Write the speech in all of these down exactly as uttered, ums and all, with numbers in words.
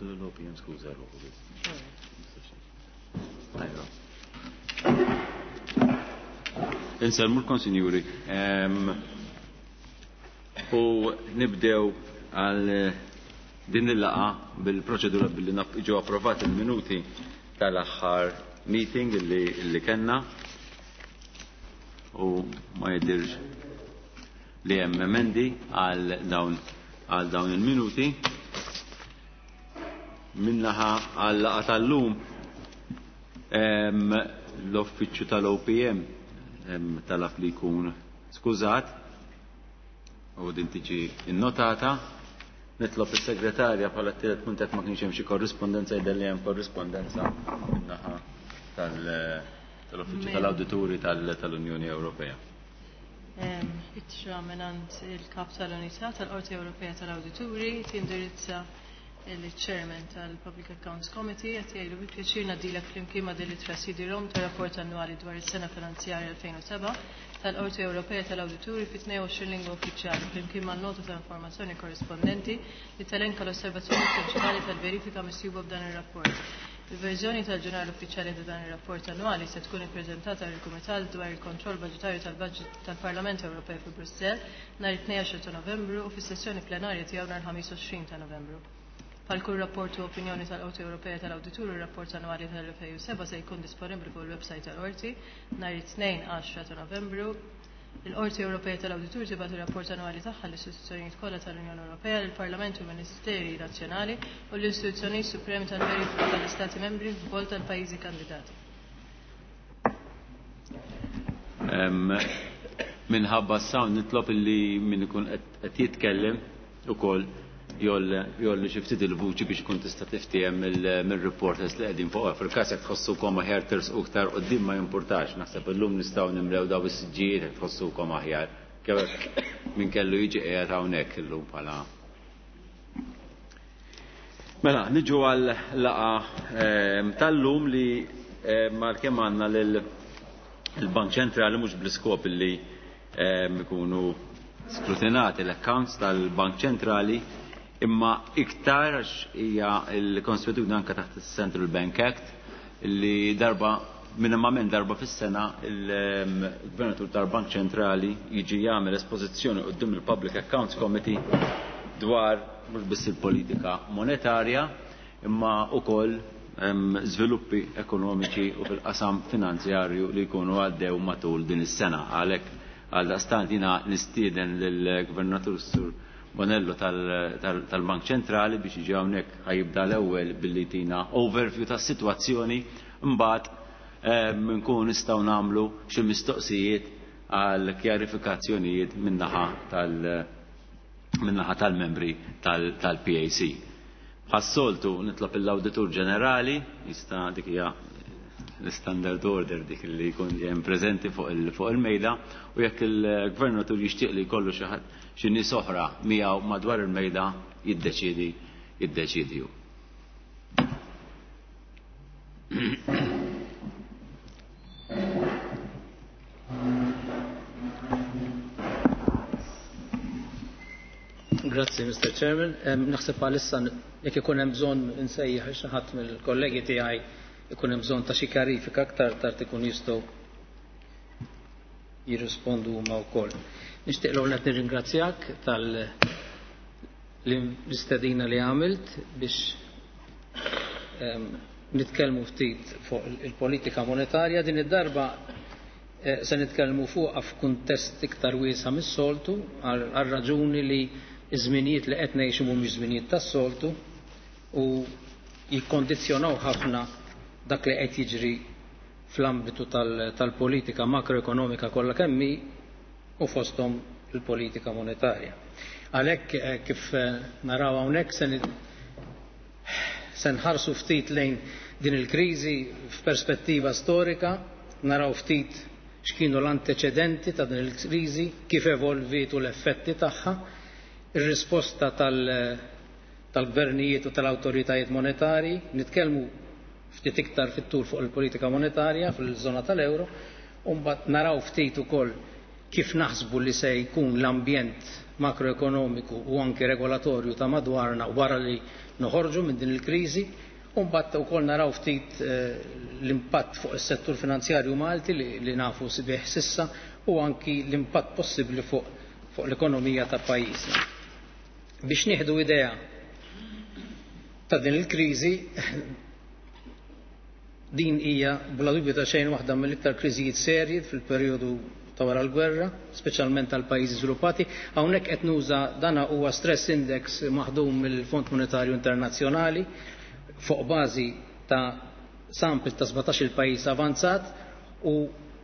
Ngħidu l-O P M skuża ruħu biss. Tajba. Insellmulkom, sinjuri. U nibdew għal din il-laqgħa bil-proċedura billi ġew approvati il-minuti tal-aħħar meeting illi, illi kellna u ma jidirx li hemm emendi għal dawn għal dawn il-minuti. Min-naħa għal laqgħa tal-lum, l-uffiċċju tal-O P M talab li jkun skużat u din tiġi innotata. Nitlob is-segretarja bħala t-tielet punt ma kienx hemm xi korrispondenza. Jidher li hemm korrispondenza min-naħa tal-Uffiċċju tal-Awdituri tal-Unjoni Ewropea. Ittra mingħand il-kap tal-Unità tal-Qorti Ewropea tal-Awdituri tindirizza il-Chairman tal-Public Accounts Committee. Qed jgħidu: "Bi pjaċir ngħaddilek flimkien ma' din l-ittra C D-ROM ta' rapport annwali dwar is-sena finanzjarja elfejn u sebgħa tal-Qorti Ewropea tal-Awdituri fi tnejn u għoxrin lingwa uffiċjali, flimkien ma' nota ta' informazzjoni korrispondenti li telenka l-osservazzjoni prinċipali tal-verifika misjuba f'dan ir-rapport. Il-verżjoni tal-ġurnal uffiċjali ta' dan ir-rapport annwali se tkun ippreżentata lill kumitat dwar il-kontroll budġetarju tal-Budget tal-Parlament Ewropew fi Brussell nhar it-tnejn ta' Novembru u fis-sessjoni plenarja tiegħu nhar ħamis għoxrin ta' Novembru. Bħal kull rapport u opinjoni tal-Qorti Ewropea tal-Awdituri, ir-rapport annwali tal-elfejn u sebgħa se jkun disponibbli fuq il-website tal-Qorti nhar it-tnejn għaxra ta' Novembru. Il-Qorti Ewropea tal-Awdituri tibgħat ir-rapport annwali tagħha l-istituzzjonijiet kollha tal-Unjoni Ewropea, lill-Parlament u Ministeri Nazzjonali u l-istituzzjonijiet supremi tal-verifika tal-Istati Membri f'bol tal-pajjiżi kandidati." Minħabba s-sound nitlob illi min ikun qed jitkellem ukoll jgħolli xi ftit il-vuċi biex ikun tista' tiftiehem mill-reporters li qegħdin fuq. Fil-każ jekk tħossukom aħjar tersqu iktar quddiem, ma jimpurtax, naħseb illum nistgħu nimlew daw is-siġġijiet jekk tħossukom aħjar. Kemm min kellu jiġi qiegħed hawnhekk illum bħala. Mela, niġu għal laqgħa ehm, tal-lum li ehm, mal-kemm għandna lil il-Bank Ċentrali, mhux bl-iskop li ehm, ikunu skrutinati l-accounts tal-Bank Ċentrali, imma iktar għax hija l-konsuetudni anke taħt il-Central Bank Act li darba, minimament darba fis-sena, il-Gvernatur tal-Bank Ċentrali jiġi jagħmel espożizzjoni quddiem il-Public Accounts Committee dwar mhux biss il-politika monetarja imma wkoll żviluppi ekonomiċi u fil-qasam finanzjarju li jkunu għaddew matul din is-sena. Għalhekk, għaldaqstant, jiena nistieden lill-Gvernatur Sur Bonello tal-Bank Ċentrali biex jiġi hawnhekk. Ħa jibda l-ewwel billi jtina overview tas-sitwazzjoni, mbagħad nkunu nistgħu nagħmlu xi mistoqsijiet għal kjarifikazzjonijiet min-naħa tal- min-naħa tal-membri tal-P A C. Bħas-soltu nitlob l-Awditur Ġenerali, jista' dik hija l-standard order dik li jkun hemm preżenti fuq il-mejda, u jekk il-gvernatur jixtieq li jkollu xi ħadd, xi nies oħra miegħu madwar il-mejda, jiddeċidi jiddeċidi hu. Grazzi, Mister Chairman. Naħseb għalissa jekk ikun hemm bżonn insejjaħ xi ħadd mill-kollegi tiegħi, ikun hemm bżonn ta' xi kjarifika aktar tard, ikun jistgħu jirrispondu huma wkoll. Nixtieq l qed nirringrazzjak tal l-istedina li għamilt biex nitkellmu ftit fuq il-politika monetarja. Din id-darba eh, se nitkellmu fuqha f'kuntest iktar wiesa' mis-soltu, għal raġuni li iż-żminijiet li qed ngħixu mhumiex żminijiet tas-soltu u jikkondizzjonaw ħafna dak li qed jiġri fl-ambitu tal-politika makroekonomika kollha kemm hi u fosthom il-politika monetarja. Għalhekk eh, kif eh, naraw hawnhekk, se se nħarsu ftit lejn din il-kriżi f'perspettiva storika, naraw ftit x'kienu l-anteċedenti ta' din il-kriżi, kif evolviet u l-effetti tagħha, ir-risposta tal-gvernijiet u tal-awtoritajiet monetari, nitkellmu ftit iktar fit-tul fuq il-politika monetarja fil-żona tal-euro, u mbagħad naraw ftit ukoll kif naħsbu li se jkun l-ambjent makroekonomiku u anki regolatorju ta' madwarna wara li noħorġu minn din il-kriżi, u mbagħad ukoll naraw ftit l-impatt fuq is-settur finanzjarju Malti li, li nafu sibih sissa u anki l-impatt possibbli fuq, fuq l-ekonomija ta' pajjiżna. Biex nieħdu idea ta' din il-kriżi, din hija bla dubju ta' xejn waħda mill-iktar kriżijiet serji fil-perjodu ta' wara l-gwerra, speċjalment tal-pajjiżi żviluppati. Hawnhekk qed nuża dana huwa stress index maħdum mill-Fond Monetarju Internazzjonali fuq bażi ta' sample ta' sbatax-il pajjiż avanzat u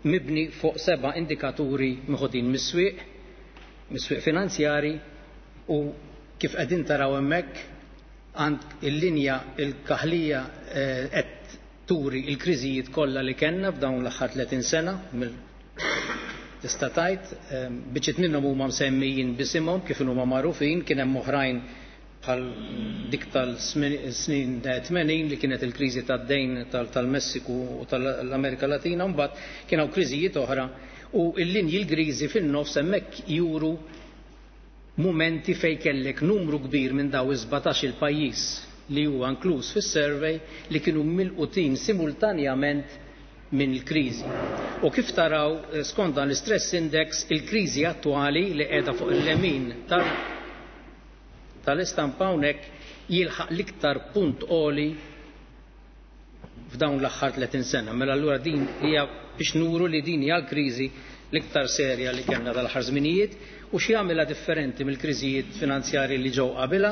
mibni fuq seba' indikaturi meħudin mis-swieq, mis-swieq finanzjari, u kif qegħdin taraw hemmhekk għand il-linja il-kaħlija qed turi il-kriżijiet kollha li kellna f'dawn l-aħħar tletin sena mill tista' tgħid, biċċiet minnhom huma msemmijin bisimhom kif huma magħrufin, kien hemm oħrajn bħal dik tal-snin tmenin li kienet il-kriżi tad-dejn tal-Messiku u tal-Amerika Latina, mbagħad kien hawn kriżijiet oħra u l-linji l-griżi fin-nofs hemmhekk juru mumenti fejn kellek numru kbir minn daw is-sbatax il-pajjiż li huwa inkluż fis-survey li kienu milqutin simultanjament minn il-kriżi. U kif taraw skont dan l-stress index, il-kriżi attwali li qiegħda fuq il-lemin tal-istampa hawnhekk jilħaq l-iktar punt għoli f'dawn l-aħħar tletin sena. Mela allura din hija biex nuru li din hija l-kriżi l-iktar serja li kellna dal-aħħar żminijiet u x'jagħmilha differenti mill-kriżijiet finanzjarji li ġew qabilha.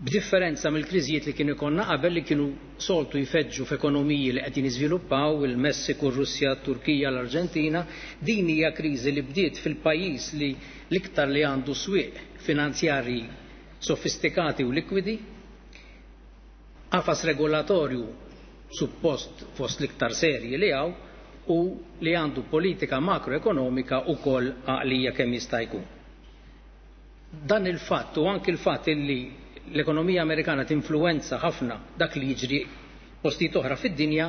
B'differenza mill-kriżijiet li kienu jkollna qabel li kienu soltu jfeġġu f'ekonomiji li qegħdin jiżviluppaw, il-Messiku, r-Russja, t-Turkija, l-Arġentina, din hija kriżi li bdiet fil-pajjiż li l-iktar li għandu swieq finanzjarji sofistikati u likwidi, qafas regolatorju suppost fost l-iktar serji li hawn u li għandu politika makroekonomika wkoll għaqlija kemm jista' jkun. Dan il-fatt u anki l-fatt illi l-ekonomija Amerikana tinfluwenza ħafna dak li jiġri postijiet oħra fid-dinja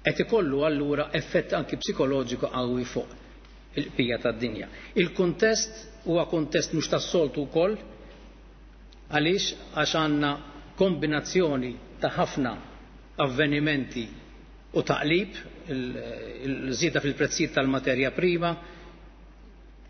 qed ikollu allura effett anki psikoloġiku qawwi fuq il-qbija tad-dinja. Il-kuntest huwa kuntest mhux tas-soltu wkoll għaliex għax għandna kombinazzjoni ta' ħafna avvenimenti u taqlib, il-żieda fil-prezzijiet tal-materja prima,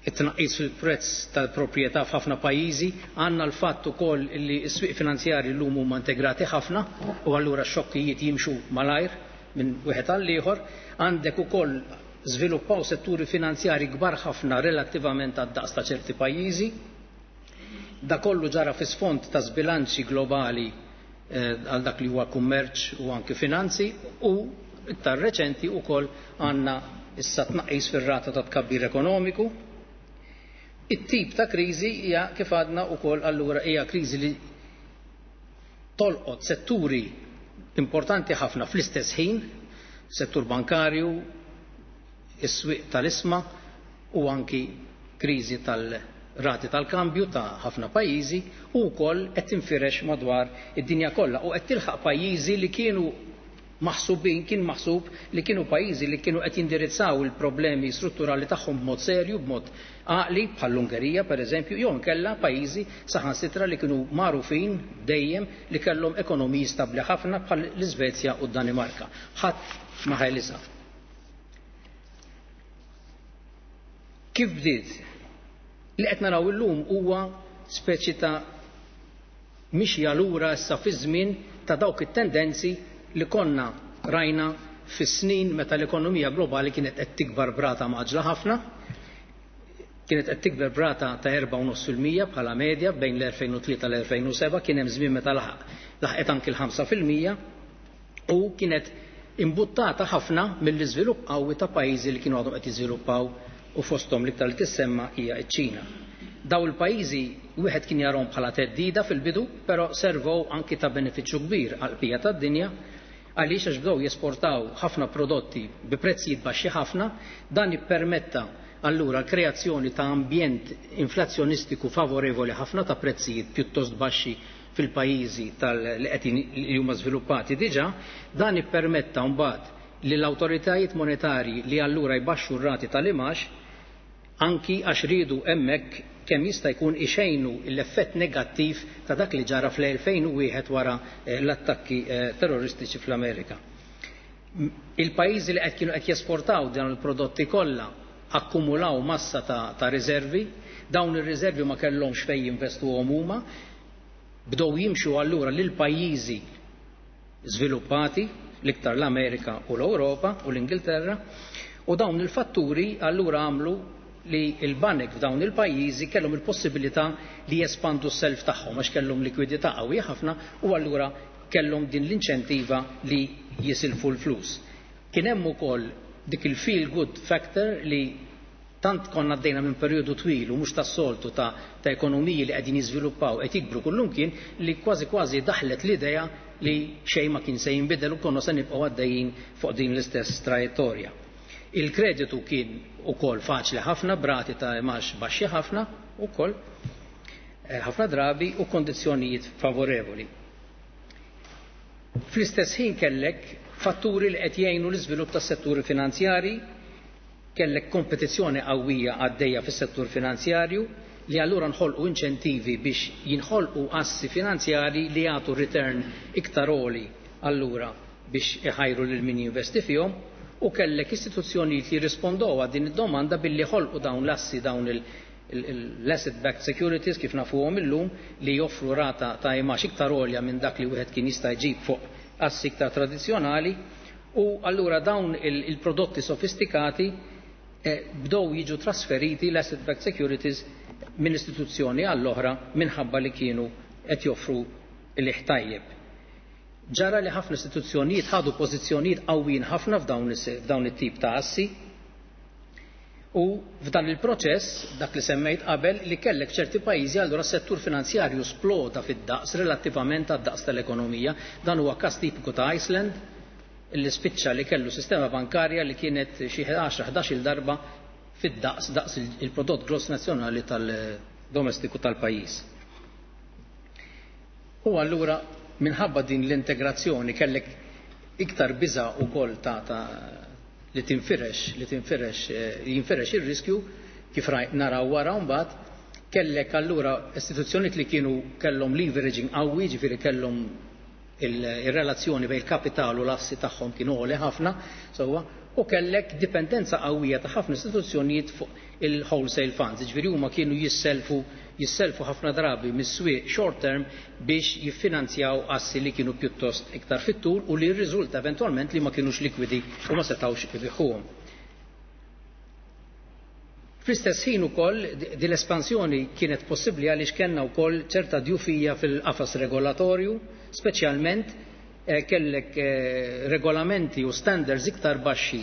it-tnaqqis fil-prezz tal-proprjetà f'ħafna pajjiżi, għandna l-fatt ukoll li s-swieq finanzjarji llum huma integrati ħafna u allura x-xokkijiet jimxu malajr minn wieħed għal ieħor, għandek ukoll żviluppaw setturi finanzjarji kbar ħafna relattivament għad-daqs ta' ċerti pajjiżi. Da kollu ġara fi sfond ta' żbilanċi globali għal dak li huwa kummerċ u anki finanzi u iktar reċenti wkoll għandna issa tnaqqis fir-rata ta' tkabbir ekonomiku. It-tip ta' kriżi hija kif għadna wkoll allura hija kriżi li tolqot setturi importanti ħafna fl-istess ħin, settur bankarju, is-swieq tal-isma u anki kriżi tal-rati tal-kambju ta' ħafna pajjiżi u wkoll qed tinfirex madwar id-dinja kollha u qed tilħaq pajjiżi li kienu maħsubin, kien maħsub li kienu pajjiżi li kienu qed jindirizzaw il-problemi strutturali tagħhom b'mod serju, b'mod għaqli, bħall-Ungerija pereżempju, jew inkella pajjiżi saħansitra li kienu magħrufin dejjem li kellhom ekonomiji stabbli ħafna bħal l-Iżvezja u d-Danimarka. Ħadd ma ħelisha. Kif bdiet? Li qed naraw illum huwa speċi ta' mixja lura issa fi żmien ta' dawk it-tendenzi li konna rajna fis-snin meta l-ekonomija globali kienet qed tikbar brata maġla ħafna, kienet qed tikber brata ta' erba' u nofs fil-mija bħala medja bejn l-elfejn u tlieta l-elfejn u seba', kien hemm żmien meta laħqet anki l-ħamsa fil-mija u kienet imbuttata ħafna mill-iżvilupp qawwi ta' pajjiżi li kienu għadhom qed jiżviluppaw u fosthom l-iktar li tissemma hija ċ-Ċina. Daw il-pajjiżi wieħed kien jarahom bħala teddida fil-bidu, però servow anki ta' benefiċċju kbir għall-qbija tad-dinja għaliex għax bdew jesportaw ħafna prodotti bi prezzijiet baxxi ħafna, dan ippermetta allura l-kreazzjoni ta' ambjent inflazzjonistiku favorevoli ħafna ta' prezzijiet pjuttost baxxi fil-pajjiżi li qed li huma żviluppati diġà, dan ippermetta mbagħad li l-awtoritajiet monetarji li allura jbaxxu r-rati tal-imax anki għax riedu hemmhekk kemm jista' jkun ixejnu l-effett negattiv ta' dak li ġara fl-elfejn u wieħed wara l-attakki terroristiċi fl-Amerika. Il-pajjiżi li qed kienu qed jesportaw dawn il-prodotti kollha akkumulaw massa ta', ta' riservi, dawn ir-riservi ma kellhomx fejn jinvestuhom huma, bdew jimxu allura lil pajjiżi żviluppati, l-iktar l-Amerika u l-Ewropa u l-Ingilterra, u dawn il-fatturi allura għamlu li l-banek f'dawn il-pajjiżi kellhom il-possibilità li jespandu s-self tagħhom għax kellhom likwidità qawwija ħafna u allura kellhom din l-inċentiva li jisilfu l-flus. Kien hemm ukoll dik il-feel good factor li tant konna għaddejna minn perjodu twil u mhux tas-soltu ta', ta' ekonomiji li qegħdin jiżviluppaw qed jikbru kullumkien li kważi kważi daħlet l-idea li xejn ma kien se jinbidel u konna se nibqgħu għaddejjin fuq din l-istess trajettorja. Il-kreditu kien ukoll faċli ħafna, brati ta' imax baxxi ħafna ukoll, ħafna drabi u kondizzjonijiet favorevoli. Fl-istess ħin kellek fatturi li qed jgħinu l-iżvilupp tas-setturi finanzjari, kellek kompetizzjoni qawwija għaddejja fis-settur finanzjarju li allura nħolqu inċentivi biex jinħolqu assi finanzjari li jagħtu return iktar għoli allura biex iħajru lil min jinvesti fihom, u kellek istituzzjonijiet li jirrispondow għal din id-domanda billi ħolqu dawn l-assi, dawn l-asset backed securities kif nafuhom illum, li joffru rata ta' imax iktar għolja minn dak li wieħed kien jista' jġib fuq assi iktar tradizzjonali, u allura dawn il-prodotti sofistikati bdew jiġu trasferiti l-asset backed securities minn istituzzjoni għall-oħra minħabba li kienu qed joffru l-ħtajjeb. Ġara li ħafna istituzzjonijiet ħadu pożizzjonijiet qawwijin ħafna f'dawn it-tip ta' assi, u f'dan il-proċess, dak li semmejt qabel, li kellek ċerti pajjiżi allura s-settur finanzjarju sploda fid-daqs relattivament għad-daqs tal-ekonomija. Dan huwa każ tipiku ta' Iceland, li spiċċa li kellu sistema bankarja li kienet xi għaxra ħdax-il darba fid-daqs daqs il-prodott gross nazzjonali tal-domestiku tal-pajjiż. U allura minħabba din l-integrazzjoni kellek iktar biża' ukoll ta', ta li tinfirex, li tinfirex, jinfirex ir-riskju kif naraw wara mbagħad, kellek allura istituzzjonijiet li kienu kellhom leveraging qawwi, ġifieri kellhom il-relazzjoni bejn il-kapital u l-assi tagħhom kienu għoli ħafna, sewwa, u kellek dipendenza qawwija ta' ħafna istituzzjonijiet fuq il-wholesale funds, ġifieri huma kienu jisselfu jisselfu ħafna drabi mis-swieq short term biex jiffinanzjaw assi li kienu pjuttost iktar fit-tul u li rriżulta eventwalment li ma kienux likwidi u ma setgħux ibiħuhom. Fl-istess ħin ukoll din l-espansjoni kienet possibbli għaliex kellna wkoll ċerta djufija fil-qafas regolatorju, speċjalment kellek regolamenti u standards iktar baxxi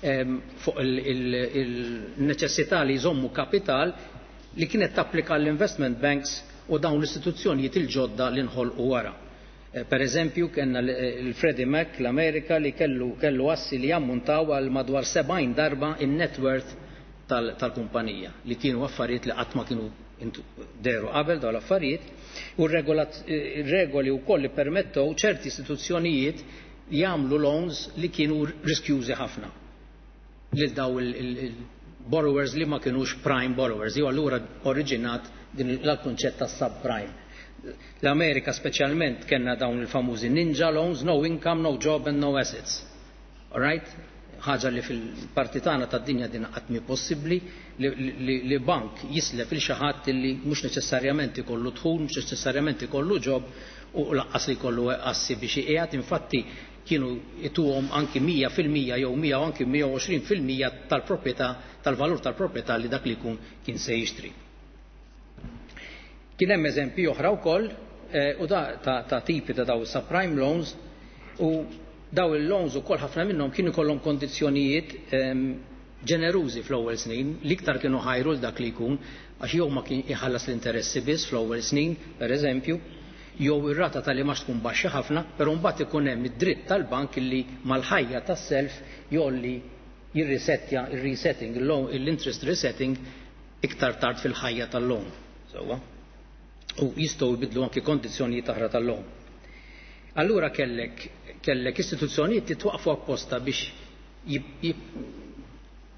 fuq il-neċessità li jżommu kapital li kienet tapplika l-investment banks u dawn l-istituzzjonijiet il-ġodda li nħolqu wara. Per eżempju, kellna l-Freddie Mac l-Amerika li kellu, kellu assi li jammuntaw għal madwar sebgħin darba in-net worth tal-kumpanija, li kienu affarijiet li qatt ma kienu deru qabel dawn l-affarijiet, u r-regoli wkoll li permettew ċerti istituzzjonijiet jagħmlu loans li kienu riskjużi ħafna lil daw il-borrowers li ma kienux prime borrowers, jew allura oriġinat din l-kunċett ta' subprime. L-Amerika speċjalment kellna dawn il-famużi ninja loans, no income, no job and no assets. All right? Ħaġa li fil-parti tagħna tad-dinja din qatt mhi possibbli li, li, li bank jislef il xi ħadd li mhux neċessarjament ikollu dħul, mhux neċessarjament ikollu job u laqqas li jkollu assi biex iqiegħed. Infatti kienu ituhom anki mija fil-mija jew mija u anki mija u għoxrin fil-mija tal-proprjetà, tal-valur tal-proprjetà li dak li jkun kien se jixtri. Kien hemm eżempji oħra wkoll u da ta', ta tipi ta' daw subprime loans, u daw il-loans ukoll ħafna minnhom kienu jkollhom kondizzjonijiet ġenerużi fl-ewwel snin, l-iktar kienu ħajru l dak li jkun għax jew ma kien iħallas l-interessi biss fl-ewwel snin, pereżempju, jew ir-rata tal-imax tkun baxxa ħafna, però mbagħad ikun hemm id-dritt tal-bank illi mal-ħajja tas-self jolli jirrisettja ir-resetting, l-interest resetting iktar tard fil-ħajja tal-loan. Sewwa. U jistgħu jbidlu anki kondizzjonijiet oħra tal-loan. Allura kellek, kellek istituzzjonijiet li twaqfu apposta biex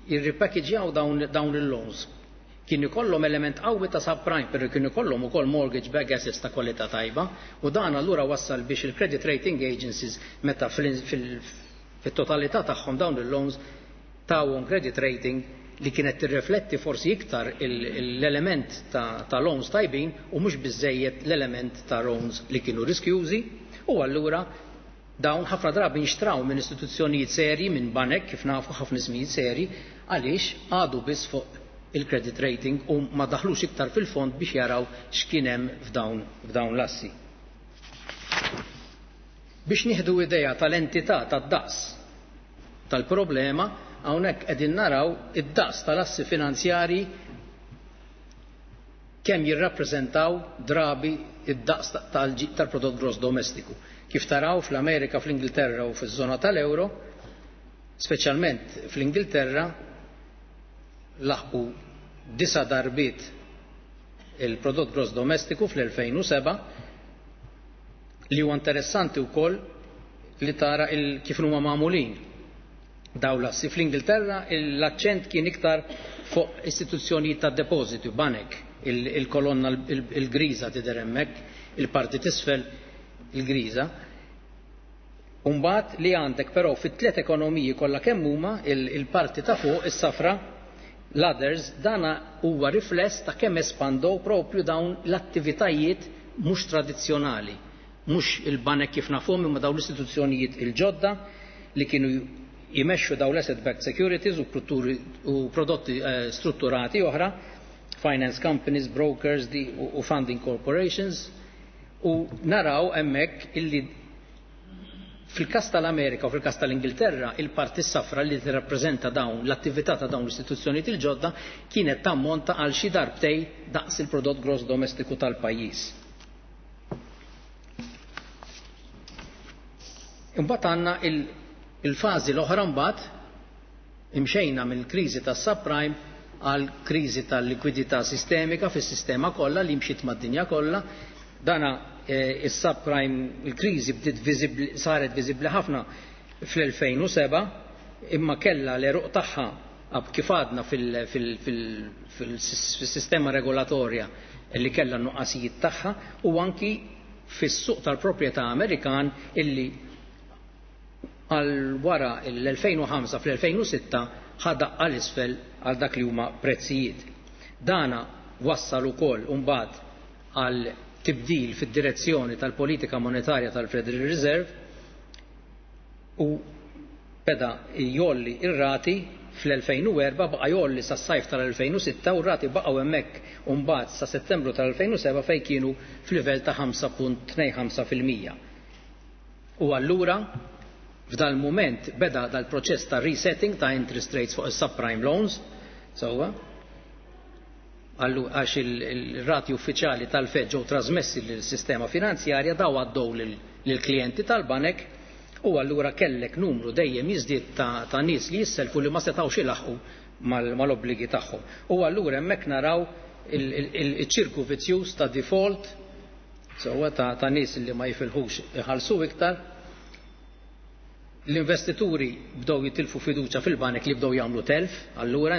jirripackagejaw dawn, dawn il-loans. Kien ikollhom element qawwi ta' subprime, però kien ikollhom ukoll mortgage backed assets ta' kwalità tajba, u dan allura wassal biex il-credit rating agencies meta fit-totalità tagħhom dawn il-loans tawhom credit rating li kienet tirrifletti forsi iktar l-element ta', ta loans tajbin u mhux biżejjed l-element ta' loans li kienu riskjużi, u allura dawn ħafna drabi nxtraw minn istituzzjonijiet serji, minn banek, kif nafu ħafna ismijiet serji, għaliex għadu biss fuq il-credit rating u ma daħlux iktar fil-fond biex jaraw x'kien hemm f'dawn f'dawn l-assi. Biex nieħdu idea tal-entità tad-daqs tal-problema, hawnhekk qegħdin naraw id-daqs tal-assi finanzjarji kemm jirrappreżentaw drabi id-daqs tal-prodott gross domestiku. Kif taraw fl-Amerika, fl-Ingilterra u fiż-żona tal-Euro, speċjalment fl-Ingilterra, laħqu disa darbiet il-prodott gross domestiku fl-elfejn u seba', li huwa interessanti wkoll li tara il kif huma magħmulin dawn l-assi. Fl-Ingilterra l-aċċent kien iktar fuq istituzzjonijiet ta' depożiti, banek, il-kolonna il-griża tidher hemmhekk, il-parti t'isfel il-griża. Umbagħad li għandek però fit-tliet ekonomiji kollha kemm huma il-parti ta' fuq is-safra, l-others, dana huwa rifless ta' kemm espandow propju dawn l-attivitajiet mhux tradizzjonali, mhux il-banek kif nafhom imma dawn l-istituzzjonijiet il-ġodda li kienu jmexxu dawn l-asset backed securities u, u prodotti eh, strutturati oħra, finance companies, brokers di, u, u funding corporations, u naraw hemmhekk illi fil-kas tal-Amerika u fil-kas tal-Ingilterra il-parti safra li tirrappreżenta dawn l-attività ta' dawn l-istituzzjonijiet il-ġodda kienet tammonta għal xi darbtej daqs il-prodott gross domestiku tal-pajjiż. Imbagħad għandna il-fażi l-oħra, mbagħad imxejna mill-kriżi tas-subprime għal kriżi tal-likwidità sistemika fis-sistema kollha li mxiet mad-dinja kollha. Dana is-subprime, il-kriżi bdiet viżibbli, saret viżibbli ħafna fl-elfejn u seba', imma kellha l-eruq tagħha kif għadna fil-sistema regolatorja li kellha n-nuqqasijiet tagħha, u anki fis-suq tal-proprjetà Amerikan illi għal wara l-elfejn u ħamsa fl-elfejn u sitta ħadaq għal isfel għal dak li huma prezzijiet. Dana wassal ukoll imbagħad għal tibdil fid-direzzjoni tal-politika monetarja tal-Federal Reserve u beda jolli ir-rati fl-elfejn u erba', baqa' jolli sas-sajf tal-elfejn u sitta u r-rati baqgħu hemmhekk mbagħad sa Settembru tal-elfejn u seba' fejn kienu f'livell ta' ħamsa punt tnejn ħamsa fil-mija. U allura f'dal mument beda dal-proċess ta' resetting ta' interest rates fuq is-subprime loans, sewwa, għax il-rati uffiċjali tal-Fed ġew trasmessi lill-sistema finanzjarja, daw għaddew lill-klijenti tal-banek, u allura kellek numru dejjem jiżdied ta', ta' nies li jisselfu li ma setgħux ilaħqu mal-obbligi tagħhom. U allura hemmhekk naraw il-ċirku vizzjuż ta' default, sewwa ta', ta' nies li ma jifilħux iħallsu iktar. L-investituri bdew jitilfu fiduċa fil-banek li bdew jagħmlu telf, allura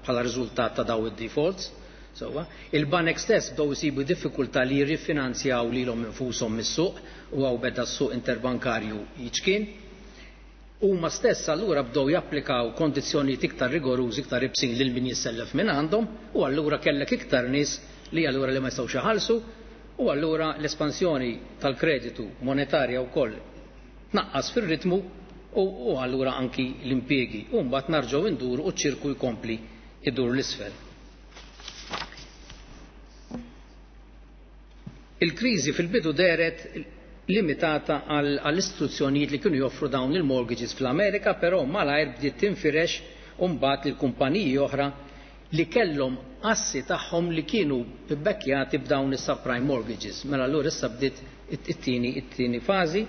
bħala riżultat ta' daw id-defaults. Sewwa, il-banek stess bdew isibu diffikultà li jirrifinanzjaw lilhom infushom mis-suq, u hawn beda s-suq interbankarju jiċkien. Huma stess allura bdew japplikaw kondizzjonijiet iktar rigorużi, iktar ibsin lil min jissellef minn għandhom, u allura kellek iktar nies li allura li ma jistgħux iħallsu, u allura l-espansjoni tal-kreditu monetarja wkoll tnaqqas fir-ritmu, u, u allura anki l-impjiegi. U mbagħad narġgħu nduru u ċ-ċirku jkompli idur l-isfel. Il-kriżi fil-bidu dehret limitata għall-istituzzjonijiet li kienu joffru dawn il-mortgages fl-Amerika, però malajr bdiet tinfirex u mbagħad lil kumpaniji oħra li kellhom assi tagħhom li kienu bbekkjati b'dawn is-subprime mortgages. Mela allura issa bdiet it-tieni it-tieni fażi.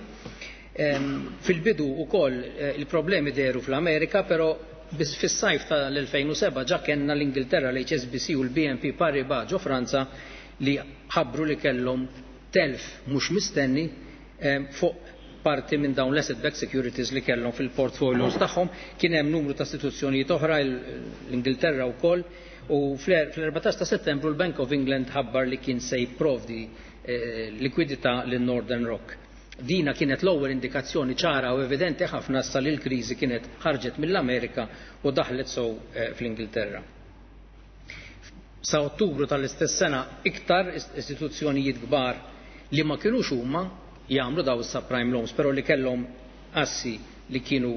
Fil-bidu wkoll il-problemi dehru fl-Amerika, però biss fis-sajf tal-elfejn u seba' ġa kellna l-Ingilterra, l-H S B C u l-B N P Paribas ġo Franza li ħabbru li kellhom telf mhux mistenni fuq parti minn dawn l-asset backed securities li kellhom fil-portfolios tagħhom. Kien hemm numru ta' istituzzjonijiet oħra, l-Ingilterra wkoll, U fl-erbatax ta' Settembru l-Bank of England ħabbar li kien se jipprovdi eh, likwidità lil Northern Rock. Dina kienet l-ewwel indikazzjoni ċara u evidenti ħafna sa li l-kriżi kienet ħarġet mill-Amerika u daħlet sew eh, fl-Ingilterra. Sa Ottubru tal-istess sena iktar istituzzjonijiet kbar li ma kinux huma jagħmlu daw is-subprime loans, però li kellhom assi li kienu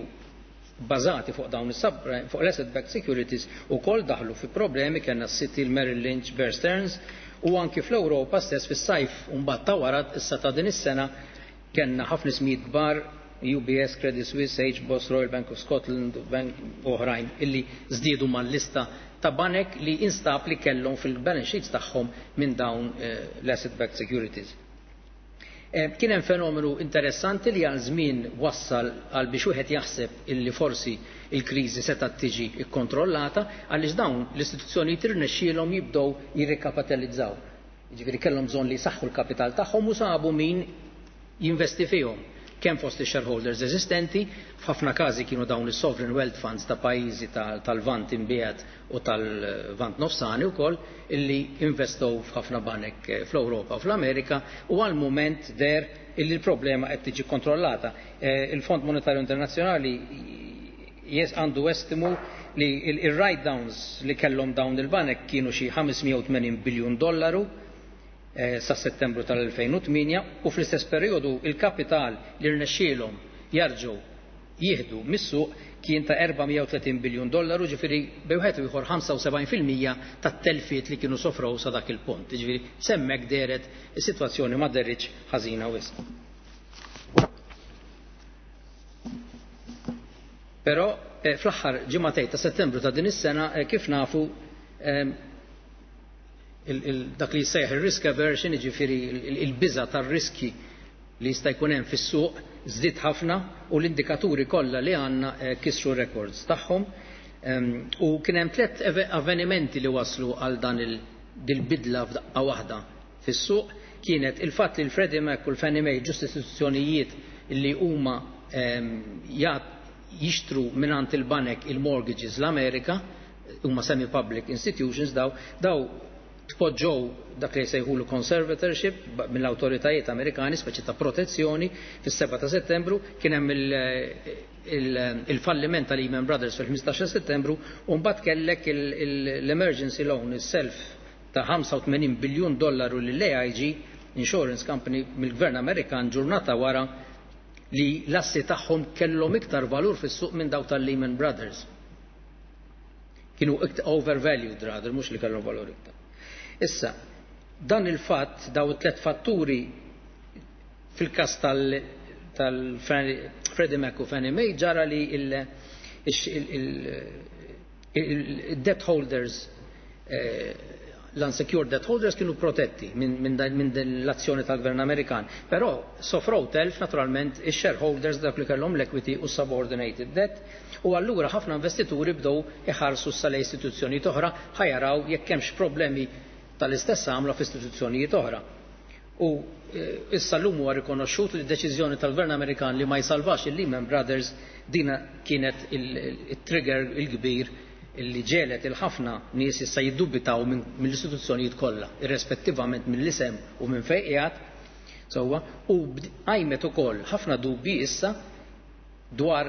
bażati fuq dawn is-subprime, fuq l-asset backed securities, ukoll daħlu fi problemi. Kellna s-Citi, l-Merrill Lynch, Bear Stearns, u anki fl-Ewropa stess fis-sajf u mbagħad ta' wara issa ta' din is-sena kellna ħafna ismijiet kbar, U B S, Credit Suisse, H B O S, Royal Bank of Scotland, Bank oħrajn illi żdiedu mal-lista ta' banek li instab li kellhom fil-balance sheets tagħhom minn dawn eh, l-asset backed securities. Eh, kien hemm fenomenu interessanti li għal żmien wassal għal biex wieħed jaħseb illi forsi il-kriżi setgħet tiġi kkontrollata, għaliex dawn l-istituzzjonijiet irnexxielhom jibdew jirrikapitalizzaw. Jiġifieri kellhom bżonn li jsaħħu l-kapital tagħhom u sabu min jinvesti fihom, kemm fost shareholders eżistenti, f'ħafna każi kienu dawn is-sovereign wealth funds ta' pajjiżi tal-Lvant Imbiegħed u tal-Lvant Nofsani wkoll illi investow f'ħafna banek eh, fl-Ewropa u fl-Amerika, u għal mument deher illi l-problema qed tiġi kontrollata. Eh, il-Fond Monetarju Internazzjonali jes għandu estimu li il-write-downs li kellhom dawn il-banek kienu xi ħames mija u tmenin biljun dollaru Eh, sa Settembru tal-elfejn u tmienja, u fl-istess periodu il-kapital li rnexxielhom jarġgħu jieħdu mis-suq kien ta' erba' mija u tletin biljun dollaru, ġifieri bejn wieħed u ieħor ħamsa u sebgħin fil-mija tat-telfiet li kienu sofrow sa dak il-punt. Ġifieri s'hemmhekk dehret is-sitwazzjoni ma dehritx ħażina wisq. Però eh, fl-aħħar ġimagħtejn ta' Settembru ta' din is-sena, eh, kif nafu, dak li jsejjaħ il-risk aversion, ġifieri il-biża tar-riski li jista' jkun hemm fis-suq, żdied ħafna u l-indikaturi kollha li għandna eh, kisru records tagħhom. U kien hemm tliet avvenimenti li waslu għal dan il-bidla f'daqqa waħda fis-suq. Kienet il-fatt li l-Freddie Mac u l-Fannie Mae, ġust istituzzjonijiet li huma jixtru mingħand il-banek il-mortgages l-Amerika, huma semi-public institutions, daw daw tpoġġow dak li jsejħulu conservatorship mill-awtoritajiet Amerikani, speċi ta' protezzjoni, fis-sebgħa ta' Settembru. Kien hemm il-falliment tal Lehman Brothers fil-ħmistax Settembru, u mbagħad kellek l-emergency loan, is-self ta' ħamsa u tmenin biljun dollaru lill-A I G Insurance Company mill-Gvern Amerikan, ġurnata wara li l-assi tagħhom kellhom iktar valur fis-suq minn daw tal-Lehman Brothers. Kienu overvalued rather, mhux li kellhom valur iktar. Issa, dan il-fatt, daw it-tlet fatturi fil-kas tal-Freddie Mac u Fannie Mae, ġara li il-debt holders, eh, l-unsecured debt holders, kienu protetti minn din l-azzjoni tal-gvern Amerikan. Però sofrow telf naturalment ix-shareholders, dak li kellhom l-equity u subordinated debt, u allura ħafna investituri bdew iħarsu sa istituzzjonijiet oħra ħa jaraw jekk hemmx problemi tal-istess għamla f'istituzzjonijiet oħra. U eh, issa l-lum huwa rikonoxxut li d-deċiżjoni tal-Gvern Amerikan li ma jsalvax il-Lehman Brothers, dina kienet il-trigger il-kbir illi ġegħlet il-ħafna nies issa jiddubitaw mill-istituzzjonijiet kollha, irrespettivament mill-isem u minn fejn qiegħed sewwa, u qajmet ukoll ħafna dubbi issa dwar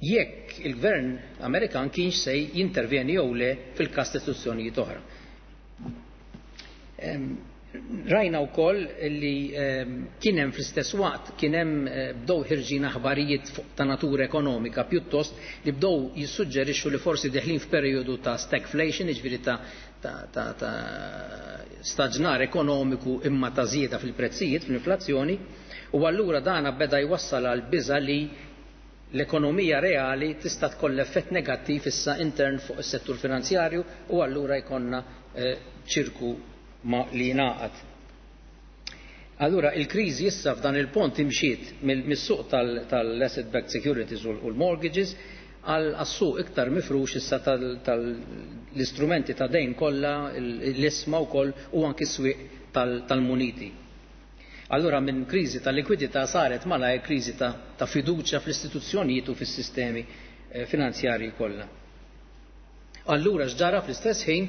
jekk il-gvern Amerikan kienx se jintervjeni jew le fil-każ istituzzjonijiet oħra. Rajna wkoll li kien hemm fl-istess waqt kien hemm eh, bdew ħirġin aħbarijiet ta' natura ekonomika pjuttost li bdew jissuġġerixxu li forsi deħlin f'perjodu ta' stagflation, jiġifieri ta' ta', ta, ta staġnar ekonomiku imma ta' żieda fil-prezzijiet, fl-inflazzjoni, u allura dana beda jwassal għal biża li l-ekonomija reali tista' tkoll effett negattiv issa intern fuq is-settur finanzjarju u allura jkollna eh, ċirku ma li jingħaqad. Allura il-kriżi issa f'dan il-pont imxiet mis-suq tal-asset backed securities u l-mortgages għal suq iktar mifrux issa tal-istrumenti ta' dejn kollha, l-ishma wkoll u anki s-swieq tal-muniti. Allura minn kriżi tal-likwidità saret malajr kriżi ta', ta fiduċja fl-istituzzjonijiet u fis-sistemi eh, finanzjarji kollha. Allura x'ġara fl-istess ħin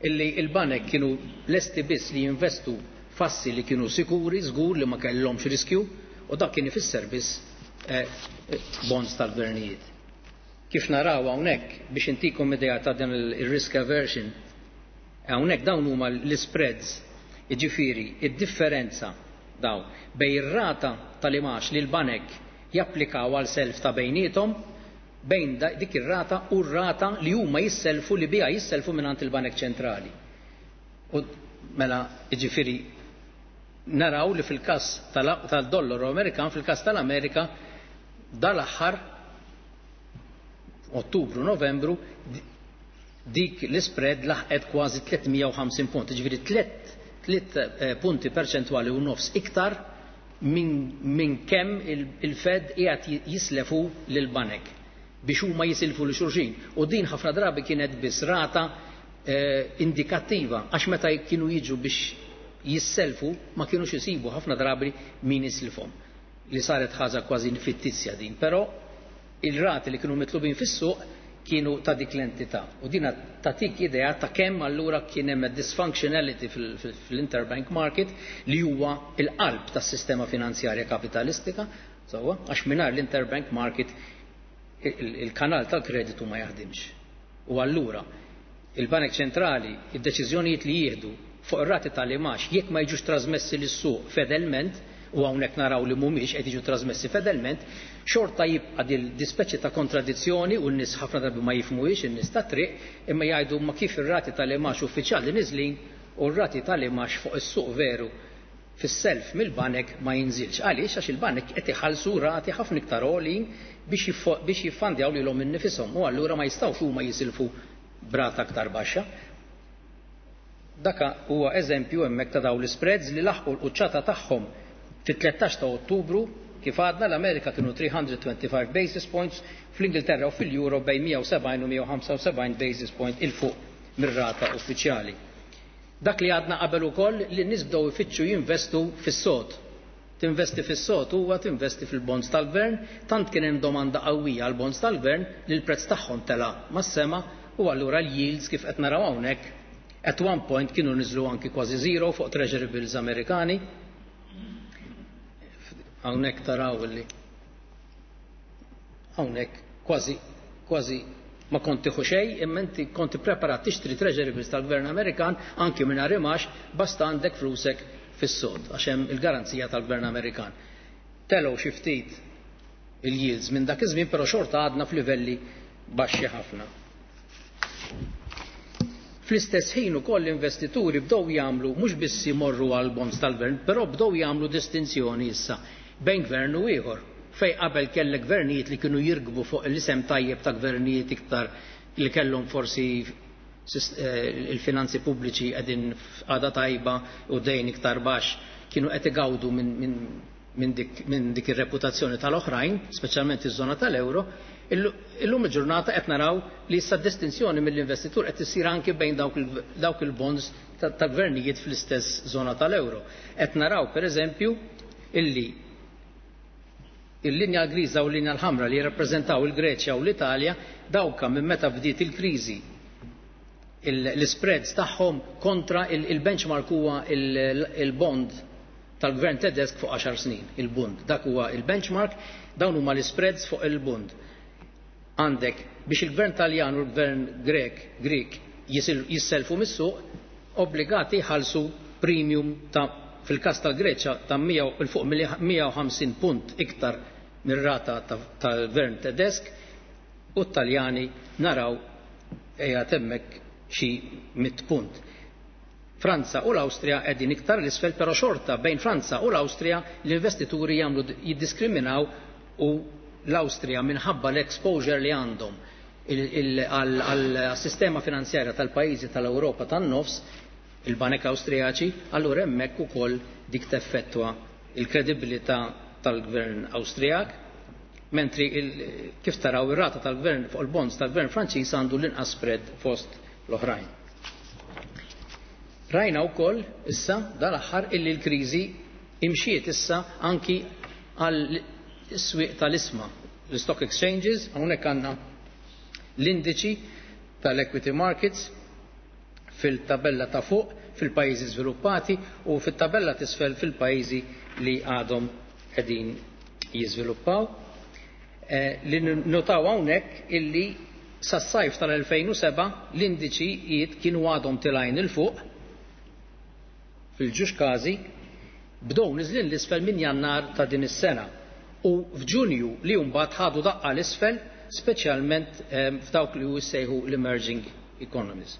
illi il-banek kienu lesti biss li jinvestu f'assi li kienu sikuri, żgur li ma kellhomx riskju, u dak kien ifisser biss eh, bonds tal-gvernijiet. Kif naraw hawnhekk biex intikom idea ta' dan il-risk aversion, hawnhekk dawn huma l-spreads, jiġifieri id-differenza dawn bejn ir-rata tal-imax li l-banek japplikaw għal self ta' bejniethom bejn dik ir-rata u r-rata li huma jisselfu li biha jisselfu mingħand il-Banek Ċentrali. U mela jiġifieri naraw li fil-każ tal-dollaru Amerikan, fil-każ tal-Amerika, dal-aħħar Ottubru, Novembru, dik l-spread laħqet kważi tliet mija u ħamsin punt, jiġifieri tliet, tliet punti perċentwali u nofs iktar minn min kemm il-Fed qiegħed jislefu lil banek biex huma jisilfu lil xulxin. U din ħafna drabi kienet biss rata eh, indikattiva, għax meta kienu jiġu biex jisselfu ma kienux isibu ħafna drabi min jisilfhom. Li saret ħaġa kważi fittizja din, però il-rati li kienu mitlubin fis-suq kienu ta' dik l-entità. U dina tatik idea ta' kemm allura kien hemm dysfunctionality fil-interbank market li huwa il-qalb tas-sistema finanzjarja kapitalistika, sewwa, għax mingħajr l-interbank market il-kanal tal-kreditu ma jaħdimx. U allura il-Banek Ċentrali id-deċiżjonijiet li jieħdu fuq ir-rati tal-imax jekk ma jiġux trasmessi lis-suq fedelment, u hawnhekk naraw li mhumiex qed jiġu trasmessi fedelment, xorta jibqa' dil dispeċi ta' kontradizzjoni u n-nies ħafna drabi ma jifhmuhiex in-nies ta' triq, imma jgħidu ma kif ir-rati tal-imax uffiċjali niżlin u r-rati tal-imax fuq is-suq veru fis-self mill-banek ma jinżilx. Għaliex? Għax il-banek qed iħallsu rati ħafna iktar għolin biex jiffandjaw lilhom innifishom u allura ma jistgħux huma jisilfu brata aktar baxxa. Daka huwa eżempju hemmhekk ta' dawn l-spreads li laħqu l-quċċata tagħhom fit-tlettax ta' Ottubru, kif għadna l-Amerika kienu three hundred twenty-five basis points, fl-Ingilterra u fil-Euro bejn mija u sebgħin u mija u ħamsa u sebgħin basis point il fuq mir-rata uffiċjali. Dak li għadna qabel ukoll li n-nies bdew ifittxu jinvestu fis-sod. Tinvesti fis-sod huwa tinvesti fil-bonds tal-gvern, tant kien hemm domanda qawwija għal bonds tal-gvern li l-prezz tagħhom tela' mas-sema u allura l-yields kif qed naraw hawnhekk at one point kienu niżlu anki kważi zero fuq treasury bills Amerikani. Hawnhekk taraw li hawnhekk kważi, kważi ma kont tieħu xejn, imma inti kont ippreparat tixtri treasury bills tal-gvern Amerikan anki mingħajr imax basta għandek flusek fis-sod għax hemm il-garanzija tal-gvern Amerikan. Telgħu xi ftit il-yields minn dak iż-żmien, però xorta għadna f'livelli baxxi ħafna. Fl-istess ħin ukoll l-investituri bdew jagħmlu mhux biss imorru għal bonds tal-gvern, però bdew jagħmlu distinzjoni issa bejn gvern u ieħor. Fej qabel kellek gvernijiet li kienu jirkbu fuq l-isem tajjeb ta' gvernijiet iktar li kellhom forsi il-finanzi pubbliċi qegħdin f'qagħda tajba u dejn iktar baxx, kienu qed igawdu minn, minn, minn dik, minn dik ir-reputazzjoni tal-oħrajn, speċjalment iż-żona tal-euro. Illum il-ġurnata qed naraw li issa distinzjoni mill-investitur qed issir anke bejn dawk il-, dawk il-bonds ta', ta' gvernijiet fl-istess żona tal-euro. Qed naraw pereżempju illi il-linja griża u l-linja l-ħamra li jirrappreżentaw il-Greċja u l-Italja dawka minn meta bdiet il-kriżi l-spreads tagħhom kontra il-benchmark huwa il-bond tal-gvern Tedesk fuq għaxar snin, il-bund. Dak huwa il-benchmark, dawn huma l-spreads fuq il-bund. Għandek biex il-gvern Taljan u l-gvern Grek, Grek jisselfu mis-suq, obbligati jħallsu premium ta' fil-każ tal-Greċja ta' mija u il fuq mija u ħamsin punt iktar mir-rata tal-gvern Tedesk, u t-Taljani naraw ejja temmek xi mitt punt. Franza u l-Awstrija qegħdin iktar l-isfel, però xorta bejn Franza u l-Awstrija l-investituri jagħmlu jiddiskriminaw, u l-Awstrija minħabba l-exposure li għandhom għal-sistema finanzjarja tal-pajjiżi tal-Ewropa tan-nofs, il-banek Awstrijaċi, allura hemmhekk ukoll dik teffettwa il-kredibilità tal-gvern Awstrijak, mentri il-, kif taraw ir-rata tal-gvern fuq il-bonds tal-gvern Franċiż għandu l-inqas spread fost l-oħrajn. Rajna wkoll issa dal-aħħar illi l-kriżi imxiet issa anki għal swieq tal-isma, l-stock exchanges, hawnhekk għandna l-indiċi tal-equity markets fil-tabella ta' fuq fil-pajjiżi żviluppati u fit-tabella t'isfel fil-pajjiżi li għadhom qegħdin jiżviluppaw. Eh, li notaw hawnhekk illi sas-sajf tal-elfejn u seba' l-indiċijiet kienu għadhom tilgħin 'il fuq fil-ġuġ każi, bdew niżlin l-isfel minn Jannar ta' din is-sena u f'Ġunju li mbagħad ħadu daqqa l-isfel, speċjalment f'dawk li jissejħu l-emerging economies.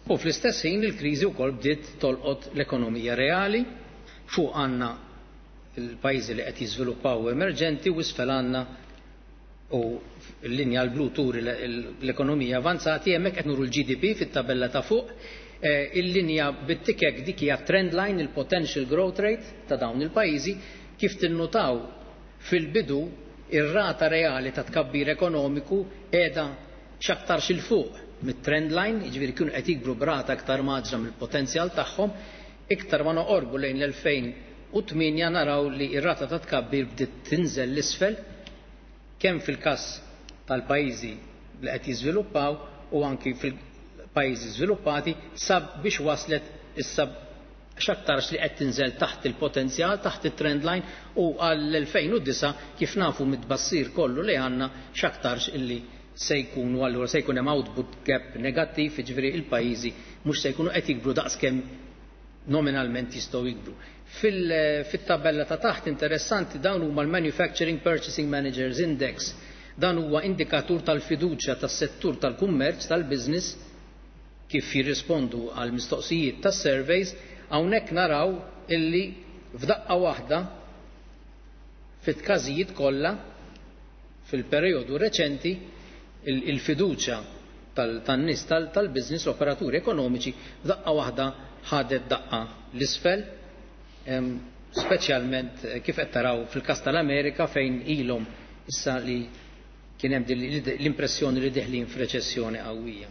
U fl-istess ħin il-kriżi wkoll bdiet tolqot l-ekonomija reali, fuq għandna il-pajjiżi li qed jiżviluppaw emerġenti u isfel għandna u l-linja l-blu turi l-ekonomija avanzati, hemmhekk qed nuru l-G D P fit-tabella ta' fuq, il-linja bit-tikek dik hija trend line, il-potential growth rate ta' dawn il-pajjiżi, kif tinnutaw fil-bidu ir-rata reali ta' tkabbir ekonomiku qiegħda x'aktarx il fuq mit-trend line, jiġifieri kienu qed jikbru b'rata aktar maġra mill-potenzjal tagħhom, iktar ma noqorbu lejn l-elfejn u tmienja naraw li r-rata ta' tkabbir bdiet tinżel l-isfel kemm fil-każ tal-pajjiżi li qed jiżviluppaw u anki fil-pajjiżi żviluppati, sab biex waslet issa x'aktarx li qed tinżel taħt il-potenzjal, taħt it-trend line, u għall-elfejn u disa' kif nafu mit-tbassir kollu li għandna x'aktarx illi se jkunu allura se jkun hemm output gap negattiv, jiġifieri il-pajjiżi mhux se jkunu qed jikbru daqskemm nominalment jistgħu jikbru. Fil-tabella ta' taħt interessanti dawn huma l-Manufacturing Purchasing Managers Index. Dan huwa indikatur tal-fiduċja tas-settur tal-kummerċ tal-business kif jirrispondu għal mistoqsijiet tas-surveys. Hawnhekk naraw illi f'daqqa waħda fit-każijiet kollha fil-perjodu reċenti il-fiduċja tan-nies tal-business, l-operaturi ekonomiċi, f'daqqa waħda ħadet daqqa l-isfel, speċjalment kif qed taraw fil-każ tal-Amerika fejn ilhom issa li kien hemm l-impressjoni li deħlin f'reċessjoni qawwija.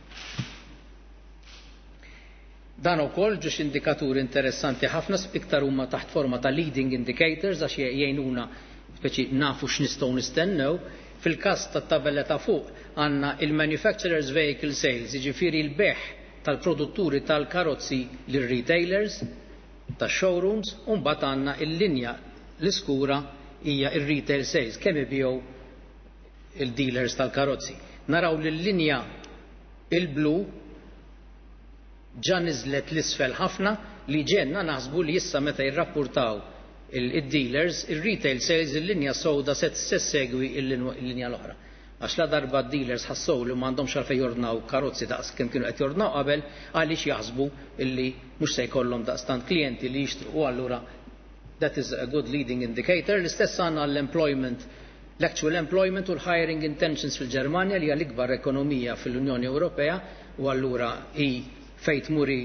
Dan ukoll ġiex indikaturi interessanti ħafna, iktar huma taħt forma ta' leading indicators għax jgħinuna speċi nafu x'nistgħu nistennew. Fil-każ tat-tabella ta' fuq għandna il-manufacturers vehicle sales, jiġifieri l-beħ tal-produtturi tal-karozzi lir-retailers, tax-showrooms, u mbagħad għandna l-linja l-iskura hija ir-retail sales, kemm ibigħu il-dealers tal-karozzi. Naraw li l-linja il-blu ġa niżlet l-isfel ħafna, li ġenna naħsbu li issa meta jirrapportaw il-dealers, il-retail sales, il-linja sewda se segwi il-linja l-oħra. Għax la darba d-dealers ħassew li m'għandhomx għalfejn jordnaw karozzi daqs kemm kienu qed jordnaw qabel, għaliex jaħsbu illi mhux se jkollhom daqstant klijenti li jixtru, u allura that is a good leading indicator. L-istess għandna l-employment, l-actual employment u l-hiring intentions fil-Ġermanja li hija l-ikbar ekonomija fil-Unjoni Ewropea, u allura hi fejn tmuri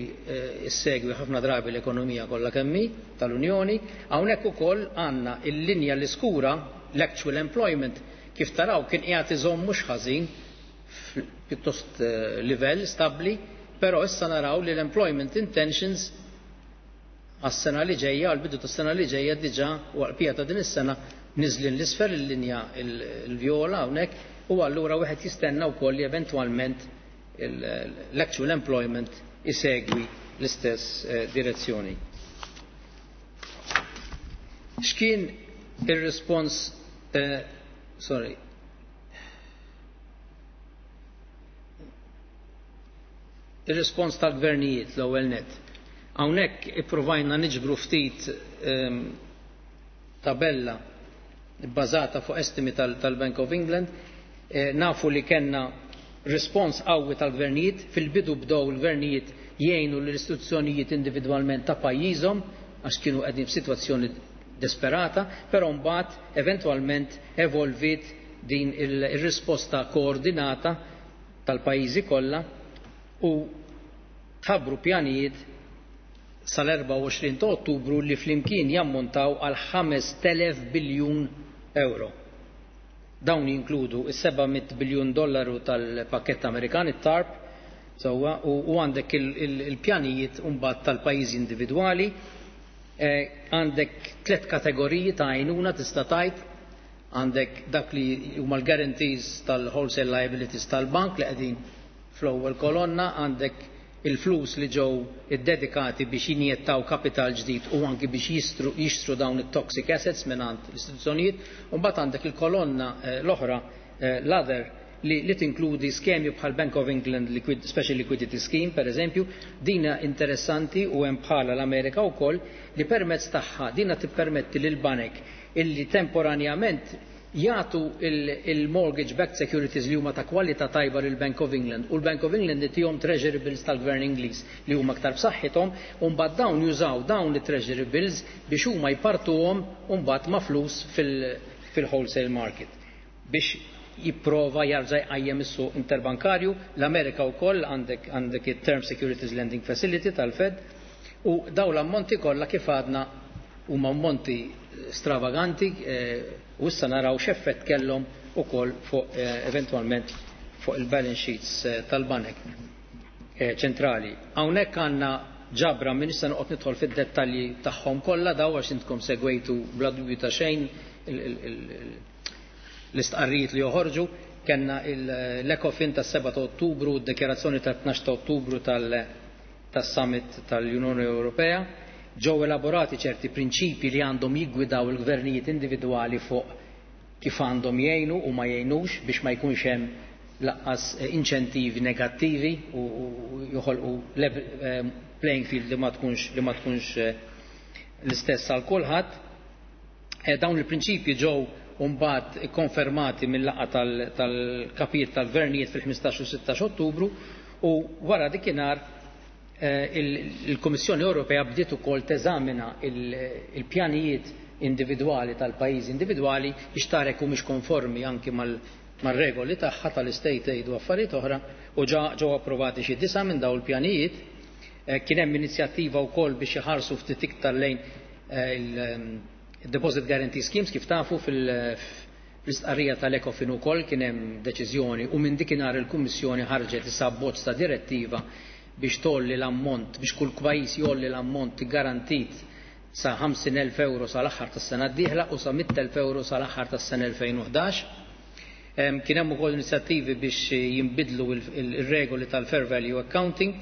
issegwi ħafna drabi l-ekonomija kollha kemm hi tal-Unjoni. Hawnhekk ukoll għandna l-linja l-iskura, l-actual employment, kif taraw kien qiegħed iżomm mhux ħażin pjuttost livell stabbli, però issa naraw li l-employment intentions għas-sena li ġejja, għall-bidu tas-sena li ġejja diġà u għall-pija ta' din is-sena niżlin l-isfel il-linja l-vjola hawnhekk, u allura wieħed jistenna wkoll li eventwalment l-actual employment isegwi l-istess direzzjoni. X'kien ir-rispons, sorry, ir-rispons tal-gvernijiet l-ewwel net. Hawnhekk ippruvajna niġbru ftit tabella bbażata fuq estimi tal-Bank of England. Nafu li kellna rispons qawwi tal-gvernijiet. Fil-bidu bdew il-gvernijiet jgħinu l-istituzzjonijiet individwalment ta' pajjiżhom għax kienu qegħdin f'sitwazzjoni desperata, però mbagħad eventwalment evolviet din ir-risposta koordinata tal-pajjiżi kollha u tħabbru pjanijiet sal-erbgħa u għoxrin ta' Ottubru li flimkien jammontaw għal ħames telef biljun euro. Dawn jinkludu is-seba' mitt biljun dollaru tal-pakket Amerikan, it-TARP, sewwa, u għandek il-pjanijiet mbagħad tal-pajjiżi individwali. Għandek tliet kategoriji ta' għajnuna tista' tgħid. Għandek dak li huma l-guarantees tal-wholesale liabilities tal-bank li qegħdin fl-ewwel kolonna, għandek il-flus li ġew iddedikati biex jinjettaw kapital ġdid u anki biex jistru, jixtru dawn it-toxic assets mingħand l-istituzzjonijiet, u mbagħad għandek il-kolonna eh, l-oħra, eh, l-other, li, li tinkludi skemi bħal Bank of England Liquid, Special Liquidity Scheme, per eżempju, dina interessanti u hemm bħala l-Amerika wkoll li permezz tagħha dina tippermetti lil banek illi temporanjament jagħtu il-mortgage backed securities li huma ta' kwalità tajba lil Bank of England u l-Bank of England itihom treasury bills tal-Gvern Ingliż li huma aktar b'saħħithom, u mbagħad dawn jużaw dawn it-treasury bills biex huma jpartuhom u mbagħad ma' flus fil-wholesale market biex jipprova jarġa' jqajjem is-suq interbankarju. L-Amerika wkoll għandek għandek it-Term Securities Lending Facility tal-Fed, u daw l-ammonti kollha, kif għadna, huma ammonti stravaganti, eh, u issa naraw x'effett kellhom ukoll fuq eh, eventwalment fuq il-balance sheets eh, tal-banek ċentrali. Hawnhekk għandna ġabra minn issa noqgħod nidħol fid-dettalji tagħhom kollha daw għax intkom segwejtu bla dubju ta' xejn l-istqarrijiet li joħorġu. Kellna l-Ecofin tas-seba ta' Ottubru, d-dekjarazzjoni tat-tnax ta' Ottubru tas-Summit tal-Unjoni Ewropea. Ġew elaborati ċerti prinċipi li għandhom jiggwidaw il-gvernijiet individwali fuq kif għandhom jgħinu u ma jgħinux biex ma jkunx hemm lanqas inċentivi negattivi u joħolqu playing field li ma tkunx li ma tkunx l-istess għal kulħadd. Dawn il-prinċipji ġew mbagħad ikkonfermati mill-laqgħa tal-kapijiet tal-gvernijiet fil-ħmistax u sittax Ottubru, u wara dikinhar il-Kummissjoni Ewropea bdiet ukoll teżamina il-pjanijiet individwali tal-pajjiżi individwali biex tara jekk humiex konformi anki mar-regoli tagħha tal-state aid u affarijiet oħra, u ġew approvati xi disa' minn dawn il-pjanijiet. Kien hemm inizjattiva wkoll biex iħarsu ftit iktar lejn il-Deposit Guarantee Schemes. Kif tafu, fil-istqarrija tal-Ecofin ukoll kien hemm deċiżjoni, u minn dikinhar il-Kummissjoni ħarġet issa abbozz ta' direttiva biex tolli l-ammont, biex kull pajjiż jolli l-ammont garantit sa ħamsin elf euro sal-aħħar tas-sena d-dieħla u sa mitt elf euro sal-aħħar tas-sena elfejn u ħdax. Kien hemm ukoll inizjattivi biex jinbidlu il-regoli tal-fair value accounting.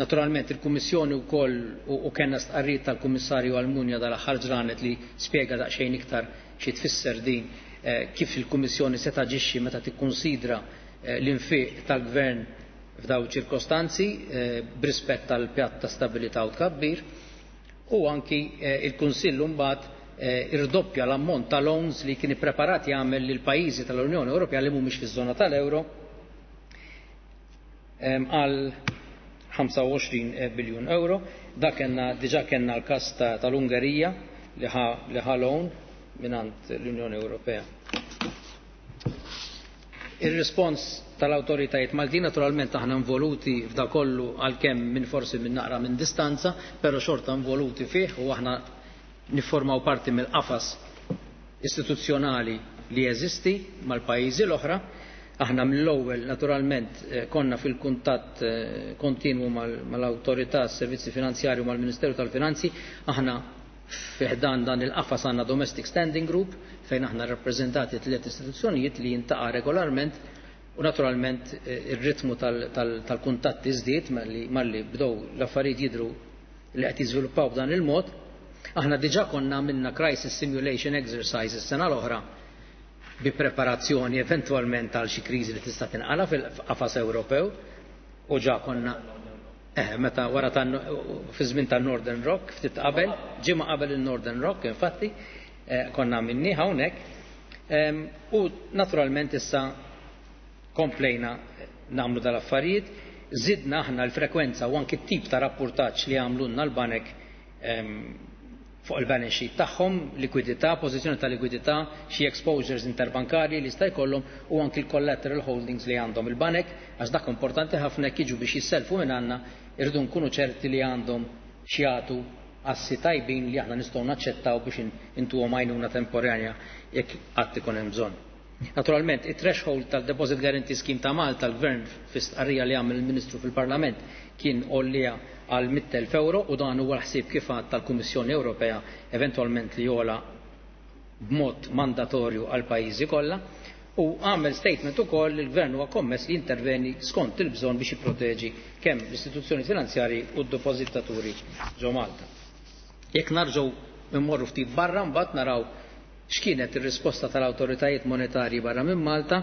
Naturalment il-Kummissjoni wkoll, u kellna stqarrijiet tal-Kummissarju Almunia dal-aħħar ġranet li spjega daqsxejn iktar xi tfisser din, kif il-Kummissjoni se taġixxi meta tikkunsidra l-infiq tal-Gvern f'daw ċirkostanzi b'rispett tal-pjatt ta' stabilità u tkabbir, u anki il-Kunsill mbagħad irdoppja l-ammont ta' loans li kien ippreparat jagħmel lil pajjiżi tal-Unjoni Ewropea li mhumiex fiż-żona tal-euro għal ħamsa u għoxrin biljun euro. Da kellna diġà, kellna l-każ tal-Ungerija li ħa loan mingħand l-Unjoni Ewropea. Ir-rispons tal-awtoritajiet Maltin, naturalment aħna involuti f'da kollu, għalkemm minn forsi minn naqra minn distanza, però xorta involuti fih, u aħna niformaw parti mill-qafas istituzzjonali li jeżisti mal-pajjiżi l-oħra. Aħna mill-ewwel naturalment konna fil-kuntatt kontinwu mal-awtorità s-servizzi finanzjarji u mal-Ministeru tal-Finanzi. Aħna fi ħdan dan il-qafas għandna Domestic Standing Group fejn aħna rappreżentati tliet istituzzjonijiet li jintaqa' regolarment, u naturalment ir-ritmu tal-kuntatti żdied malli bdew l-affarijiet jidhru li qed jiżviluppaw b'dan il-mod. Aħna diġà konna għamilna crisis simulation exercises sena l-oħra bi preparazzjoni eventwalment għal xi kriżi li tista' tinqala fil-qafas Ewropew, u ġa konna eh, meta wara fi żmien tan-Northern Rock, ftit qabel, ġimgħa qabel il-Northern Rock infatti, eh, konna minni hawnhekk. U naturalment issa komplejna nagħmlu dal-affarijiet, zidna aħna l-frekwenza u anki t-tip ta' rapportaġġ li għamlunna l-banek fuq il-balance sheet tagħhom, likwidità, pożizzjoni ta' likwidità, xi exposures interbankarji li jista' jkollhom u anki l-collateral holdings li għandhom il-banek, għax dak importanti ħafna. Jekk jiġu biex jisselfu minn għandna, irridu nkunu ċerti li għandhom x'jagħtu, assi tajbin li aħna nistgħu naċċettaw biex intuhom għajnuna temporanja jekk qatt ikun hemm bżonn. Naturalment, it-threshold tal-Deposit Guarantee Scheme ta' Malta, l-Gvern fi stqarrija li għamel il-Ministru fil-Parlament kien għollija għal mitt elf euro, u dan huwa l-ħsieb kif għad tal-Kummissjoni Ewropea eventualment li jola b'mod mandatorju għal pajjiżi kollha, u għamel statement ukoll li l-gvern huwa kommess li jinterveni skont il-bżonn biex jipproteġi kemm l-istituzzjoni finanzjarji u d-depożitaturi ġo Malta. Jekk narġgħu immorru ftit barra mbagħad naraw x'kienet ir-risposta tal-awtoritajiet monetarji barra minn Malta.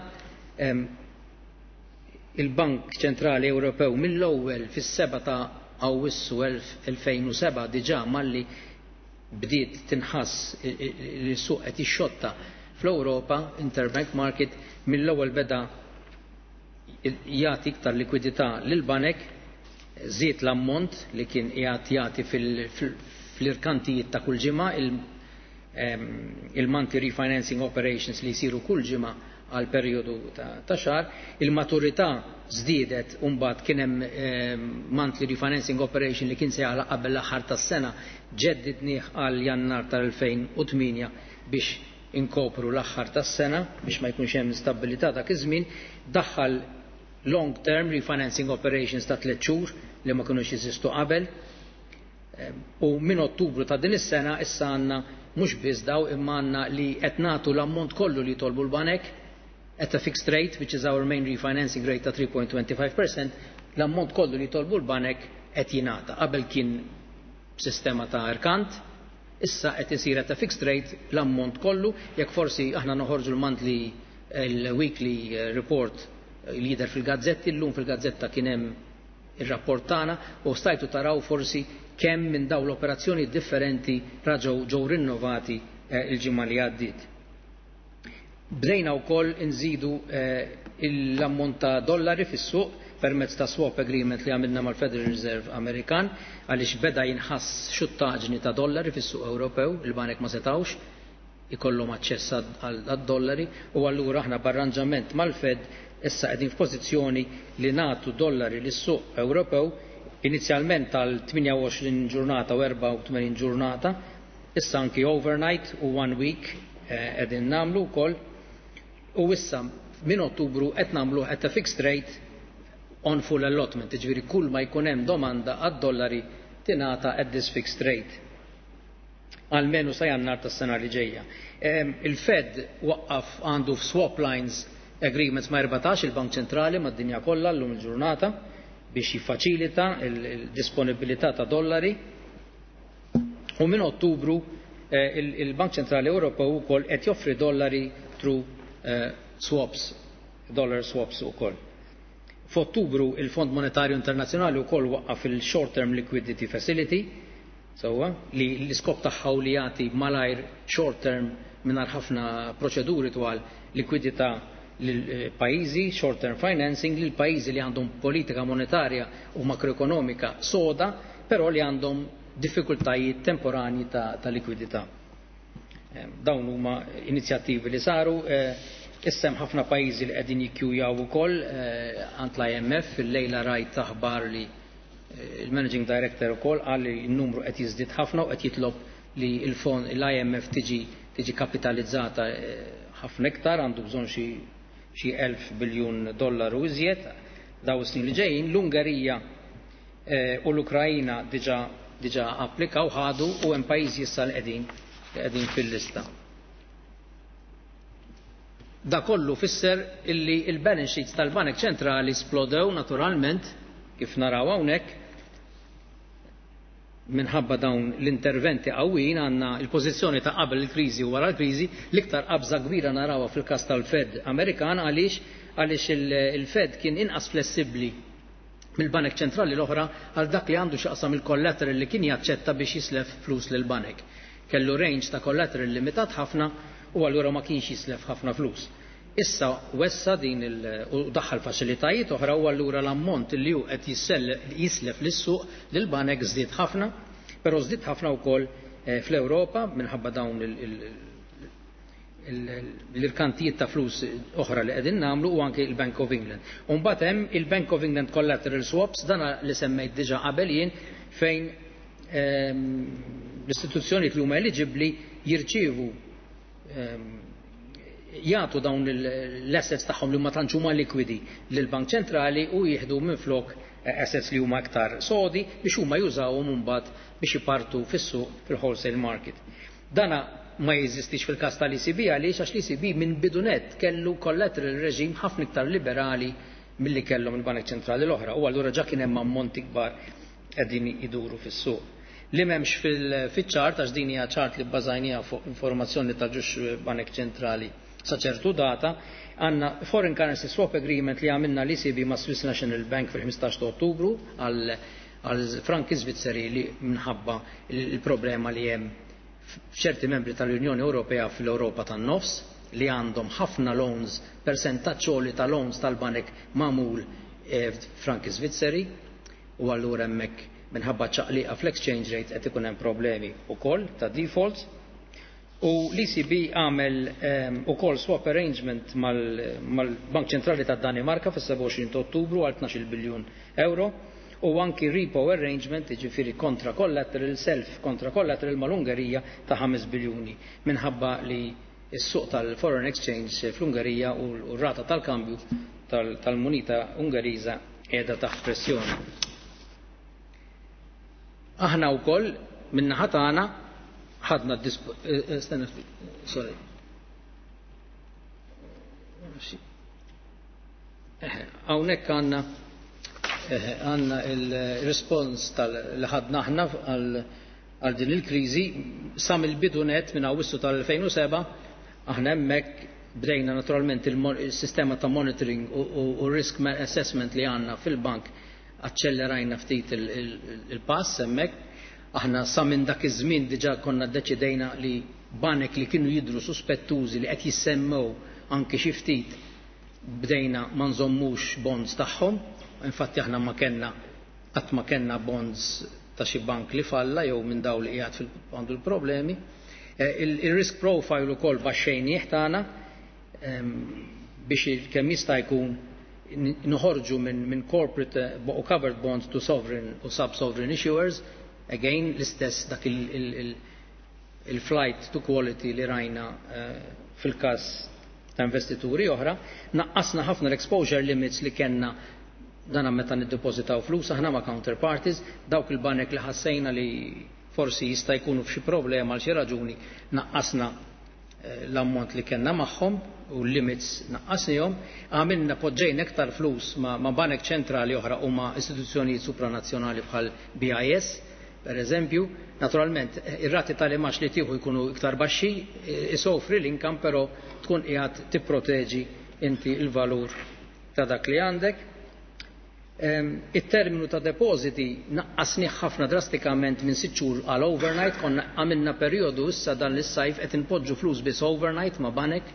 Il-Bank Ċentrali Ewropew mill-ewwel fis-seba ta' Awwissu elfejn u seba' diġà malli bdiet tinħass li s-suq qed jixxotta fl-Ewropa, interbank market, mill-ewwel beda jagħti iktar likwidità lil banek, żied l-ammont li kien qiegħed jagħti fl-irkantijiet ta' kull ġimgħa, il-monthly refinancing operations li jsiru kull ġimgħa għal perjodu ta' xahar. Il-maturità żdiedet u mbagħad kien hemm monthly refinancing operation li kien se jagħlaq qabel l-aħħar tas-sena, ġeddidnieh għal Jannar tal-elfejn u tmienja biex inkopru l-aħħar tas-sena biex ma jkunx hemm instabilità dak iż-żmien. Daħħal long term refinancing operations ta' tliet xhur li ma kinux jeżistu qabel, u minn Ottubru ta' din is-sena issa għandna mhux biss daw imma għandna li qed nagħtu l-ammont kollu li jitolbu l-banek at a fixed rate, which is our main refinancing rate ta' three point two five percent, l-ammont kollu li jitolbu l-banek qed jingħata. Qabel kien sistema ta' irkant, issa qed isir at a fixed rate l-ammont kollu. Jekk forsi aħna noħorġu l-monthly, il-weekly report li jidher fil-gazzetti, llum fil-gazzetta kien hemm ir-rapport tagħna u stajtu taraw forsi kemm minn dawn l-operazzjoni differenti raġgħu ġew rinnovati il-ġimgħa li għaddiet. Bdejna wkoll inżidu l-ammont ta' dollari fis-suq permezz ta' swap agreement li għamilna mal-Federal Reserve Amerikan, għaliex beda jinħass xuttaġni ta' dollari fis-suq Ewropew, il-banek ma setawx ikollhom aċċess għad-dollari, u allura aħna b'arranġament mal-Fed issa qegħdin f'pożizzjoni li nagħtu dollari lis-suq Ewropew inizjalment għal tmienja u għoxrin ġurnata u erbgħa u tmenin ġurnata, issa anki overnight u one week qegħdin nagħmlu wkoll, u issa minn Ottubru qed nagħmlu at a fixed rate on full allotment, jiġifieri kull ma jkun hemm domanda għad-dollari tingħata at this fixed rate għalmenu sa Jannar tas-sena li ġejja. Il-Fed waqqaf għandu f'swap lines agreements ma' erbatax il-Bank Ċentrali mad-dinja kollha llum il-ġurnata biex jiffaċilita il-disponibilità ta' dollari, u minn Ottubru il-Bank Ċentrali Ewropew ukoll qed joffri dollari through swaps, dollar swaps ukoll. F'Ottubru il-Fond Monetarju Internazzjonali wkoll waqqaf il-Short Term Liquidity Facility, sewwa, li l-iskop tagħha hu li jagħti malajr short term mingħajr ħafna proċeduri twal likwidità lil pajjiżi, short term financing lil pajjiżi li għandhom politika monetarja u makroekonomika soda, però li għandhom diffikultajiet temporanji ta', ta' likwidità. Dawn huma inizjattivi li saru. Issa hemm ħafna pajjiżi li qegħdin jikkjujaw ukoll għand l-I M F. Fil-lejla rajt aħbar li il-Managing Director ukoll qal li n-numru qed jiżdied ħafna u qed jitlob li l-fond l-I M F tiġi, tiġi kapitalizzata ħafna iktar, għandu bżonn xi, xi elf biljun dollaru iżjed daw is-snin li ġejjin. L-Ungerija u l-Ukrajna diġà, diġà applikaw ħadu, u hemm pajjiżi issa li qegħdin, li qegħdin fil-lista. Da kollu fisser illi il-balance sheets tal-Banek Ċentrali splodew naturalment, kif naraw hawnhekk, minħabba dawn l-interventi qawwijin. Għandna l-pożizzjoni ta' qabel il-kriżi u wara l-kriżi, l-iktar qabża kbira narawha fil-każ tal-Fed Amerikan. Għaliex? Għaliex il-Fed kien inqas flessibbli mill-Banek Ċentrali l-oħra għal dak li għandu x'aqsam il-collateral li kien jaċċetta biex jislef flus lil banek. Kellu range ta' collateral limitat ħafna u allura ma kienx jislef ħafna flus. Issa wessa din il-, u daħħal faċilitajiet oħra, u allura l-ammont li hu qed jislef lis-suq lil banek żdied ħafna, però żdied ħafna wkoll fl-Ewropa minħabba dawn l-irkantijiet ta' flus oħra li qegħdin nagħmlu, u anke il-Bank of England. U mbagħad hemm il-Bank of England Collateral Swaps, dan li semmejt diġà qabel jien, fejn l-istituzzjonijiet li huma eliġibbli jirċievu jagħtu dawn l-assets tagħhom li huma tantx huma likwidi lill-Bank Ċentrali u jieħdu minflok assets li huma aktar sodi biex huma jużawhom imbagħad biex ipartu fis-suq fil-wholesale market. Dana ma jeżistix fil-każ tal-E C B. Għaliex? Għax l-E C B minn bidu nett kellu collateral regime ħafna iktar liberali milli kellhom il-Banek Ċentrali l-oħra u allura ġa kien hemm ammonti kbar qegħdin iduru fis-suq. Li m'hemmx fil-chart, għax din hija chart li bbażajniha fuq informazzjoni ta' ġux Banek Ċentrali sa ċertu data, għandna foreign currency swap agreement li għamilna l-E C B ma' Swiss National Bank fil-ħmistax ta' Ottubru għal għal franki Svizzeri li minħabba il-problema li hemm f'ċerti membri tal-Unjoni Ewropea fl-Ewropa tan-nofs li għandhom ħafna loans, percentaġġ ta' loans tal-banek magħmul eh, franki Svizzeri, u allura hemmhekk minħabba ċaqliqa fl-exchange rate qed ikun hemm problemi wkoll ta' defaults. U l-E C B għamel um, ukoll swap arrangement mal-Bank Ċentrali tad Danimarka fis-sebgħa u għoxrin ta' Ottubru għal tnax-il biljun euro u anki repo arrangement, jiġifieri kontra collateral, self kontra collateral mal-Ungerija ta' ħames biljuni minħabba li s-suq tal-foreign exchange fl-Ungerija u r-rata tal-kambju tal-munita Ungeriża qiegħda taħt pressjoni. Aħna wkoll min-naħa tagħna ħadna, eh, eh, stenna, sorry. Hawnhekk għandna għandna il-respons li ħadna aħna għal din il-kriżi sa mill-bidu net minn Awwissu tal-elfejn u sebgħa. Aħna hemmhekk bdejna naturalment il-sistema ta' monitoring u risk assessment li għandna fil-bank, aċċellerajna ftit il-pass hemmhekk. Aħna sa minn dak iż-żmien diġà konna ddeċidejna li banek li kienu jidru suspettużi, li qed jissemmew anke xi ftit, bdejna ma nżommux bonds tagħhom. Infatti aħna ma kellna qatt ma kellna bonds ta' xi bank li falla jew minn daw li qiegħed għandu l-problemi. Eh, il-risk profile ukoll baxxejnieh tagħna biex kemm jista' jkun noħorġu minn min corporate eh, u covered bonds to sovereign u sub-sovereign issuers. Again, l-istess dak il-flight to quality li rajna eh, fil-każ ta' investituri oħra. Naqqasna ħafna l-exposure limits li kellna dana meta niddepożitaw flus aħna ma' counterparties, dawk il-banek li ħassejna li forsi jista' jkunu f'xi problema għal xi raġuni, naqqasna eh, l-ammont li kellna magħhom u l-limits naqqasnihom, għamilna poġġejna iktar flus ma', ma banek ċentrali oħra u ma' istituzzjonijiet supranazzjonali bħal B I S, per eżempju. Naturalment, ir-rati tal-imgħax li tieħu jkunu iktar baxxi, isofri l-income, però tkun qiegħed tipproteġi inti il-valur ta' dak li għandek. Il-terminu ta' depositi naqqasni ħafna drastikament minn sitt xhur għal overnight. Konna għamilna perjodu issa dan l-sajf qed inpoġġu flus biss overnight ma' banek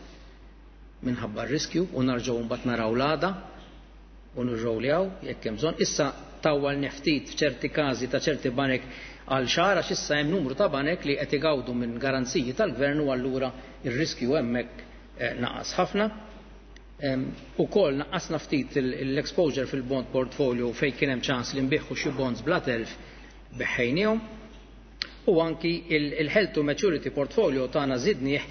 minħabba r-riskju u narġgħu mbagħad naraw l-għada u nirrowljaw jekk hemm bżonn. Issa tawwal ftit f'ċerti każi ta' ċerti banek għal xahar għax issa hemm numru ta' banek li qed igawdu minn garanziji tal-gvern u allura ir-riskju hemmhekk eh, naqas ħafna. Ukoll naqqasna ftit l-exposure fil-bond portfolio fejn kien hemm ċans li nbiħħu xi bonds bla telf, biħħejniehom. U anki il-held to maturity portfolio tagħna żidnieh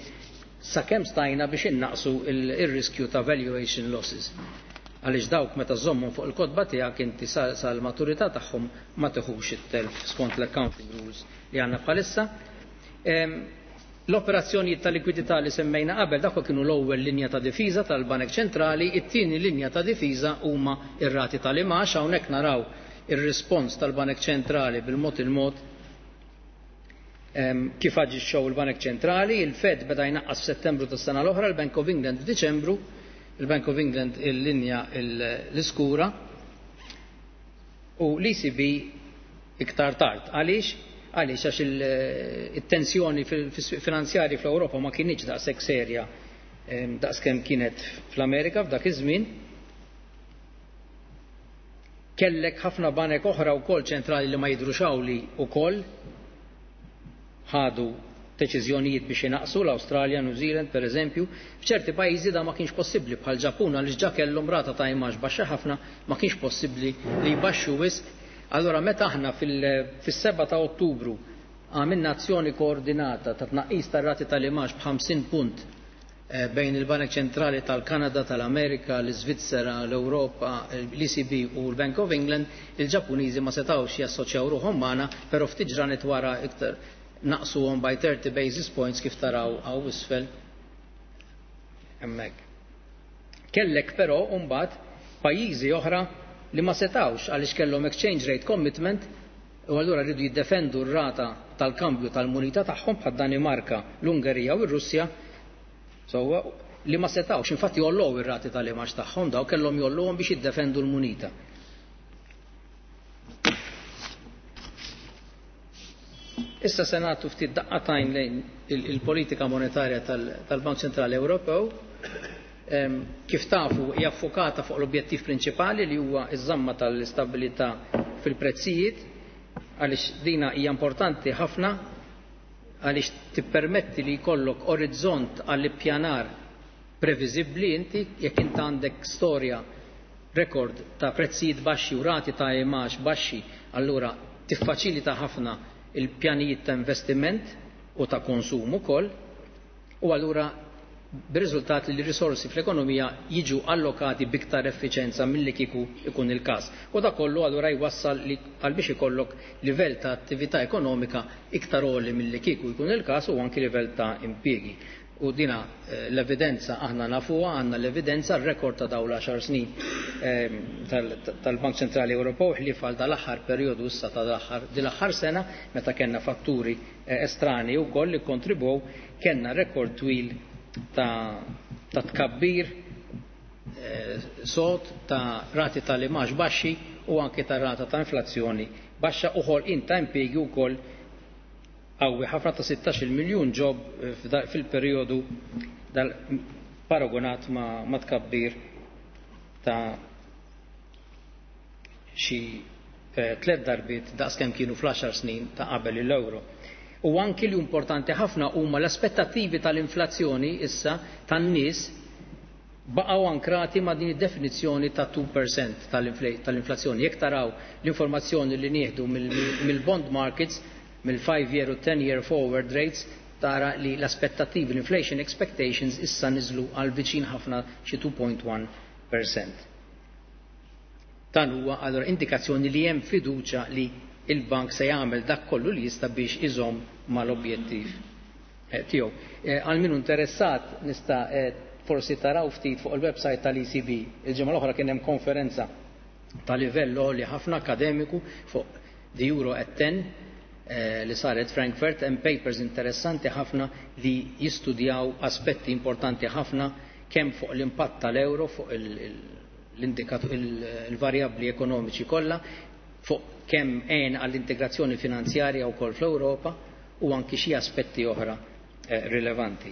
sakemm stajna biex innaqsu il-riskju ta' valuation losses. Għaliex dawk meta żommhom fuq il-kotba tiegħek inti sal-maturità tagħhom ma teħux it-telf skont l-accounting rules li għandna bħalissa. L-operazzjonijiet ta' likwidità li semmejna qabel, dak kienu l-ewwel linja ta' difiża tal-Banek Ċentrali, it-tieni linja ta' difiża huma ir-rati tal-imgħax. Hawnhekk naraw ir-rispons tal-Banek Ċentrali bil-mod il-mod kif aġixxew il-Banek Ċentrali. Il-Fed beda jnaqqas f'Settembru tas-sena l-oħra, il-Bank of England f'Diċembru, il-Bank of England il-linja l-iskura u l-E C B iktar tard. Għaliex? Għaliex għax il-tensjoni finanzjari fl-Ewropa ma kinitx daqshekk serja daqskemm kienet fl-Amerika f'dak iż-żmien. Kellek ħafna banek oħra wkoll ċentrali li ma jidrux li wkoll ħadu deċiżjonijiet biex inaqsu, l-Awstralja, New Zealand per eżempju. F'ċerti pajjiżi da ma kienx possibbli bħal Ġappun għaliex ġa kellhom rata ta' imgħax baxxa ħafna, ma kienx possibbli li jbaxxu wisq. Allora meta aħna fis-sebgħa ta' Ottubru għamilna azzjoni koordinata ta' tnaqqis tar-rati tal-imgħax b'ħamsin punt eh, bejn il-Banek Ċentrali tal-Kanada, tal-Amerika, l-Iżvizzera, l-Ewropa, l-E C B u l-Bank of England, il-Ġappuniżi ma setawx jassoċjaw ruħhom magħna, però ftit ġranet wara iktar naqsuhom by thirty basis points kif taraw hawn isfel hemmhekk. Kellek però mbagħad pajjiżi oħra li ma setawx għaliex kellhom exchange rate commitment u allura rridu jiddefendu r-rata tal-kambju tal-munita tagħhom bħad Danimarka, l-Ungerija u r-Russja, so, li ma setawx, infatti jollow ir-rati tal-imax tagħhom daw kellhom jolluhom biex jiddefendu l-munita. Issa se nagħtu ftit daqqatajn lejn il-politika monetarja tal-Bank Ċentrali Ewropew. Kif tafu hija ffokata fuq l-objettiv prinċipali li huwa iż-żamma tal-istabilità fil-prezzijiet, għaliex dina hija importanti ħafna għaliex tippermetti li jkollok orizzont għall-ippjanar previżibbli inti jekk int għandek storja rekord ta' prezzijiet baxxi u rati ta' imax baxxi, allura tiffaċilita ħafna il-pjanijiet ta' investiment u ta' konsum ukoll, u allura bir-riżultat li l-risorsi fl-ekonomija jiġu allokati biktar effiċenza milli kieku ikun il-każ. U da kollu allura jwassal li għal biex ikollok livell ta' attività ekonomika iktar għoli milli kieku jkun il-każ u anki livell ta' impjiegi. U dina l-evidenza aħna nafuha, għandna l-evidenza r-rekord ta' dawn l-għaxar snin tal-Bank Ċentrali Ewropew ħlief għal dal-aħħar perjodu issa tal-aħħar din l-aħħar sena meta kellna fatturi estrani wkoll li kontribwew, kellna rekord twil ta', ta tkabbir eh, sod ta' rati tal-imax baxxi u anke ta' rata ta' inflazzjoni baxxa u ħolqien ta' impjiegi wkoll qawwi ħafna ta' sittax-il miljun ġob fil-perjodu paragonat ma', ma tkabbir ta' xi eh, tliet darbiet daqskemm kienu fl-għaxar snin ta' qabel l-euro. U anki li importanti ħafna huma l-aspettattivi tal-inflazzjoni issa tan-nies baqgħu ankrati ma' din id-definizzjoni ta' two percent tal-inflazzjoni. Jekk taraw l-informazzjoni li nieħdu mill-bond markets, mill-five year u ten year forward rates, tara li l-aspettattivi, l-inflation expectations issa niżlu għal viċin ħafna xi two point one percent. Dan huwa allura indikazzjoni li hemm fiduċja li il-bank se jagħmel dak kollu li jista' biex iżomm mal-objettiv tiegħu. Għal min interessat nista' forsi taraw ftit fuq il-website tal-E C B. Il-ġimgħa l-oħra kien hemm konferenza ta' livell għoli ħafna akademiku fuq the Euro at ten li saret Frankfurt, hemm papers interessanti ħafna li jistudjaw aspetti importanti ħafna kemm fuq l-impatt tal-euro fuq il-varjabbli ekonomiċi kollha, fuq kemm għen għall-integrazzjoni finanzjarja wkoll fl-Ewropa u anki xi aspetti oħra rilevanti.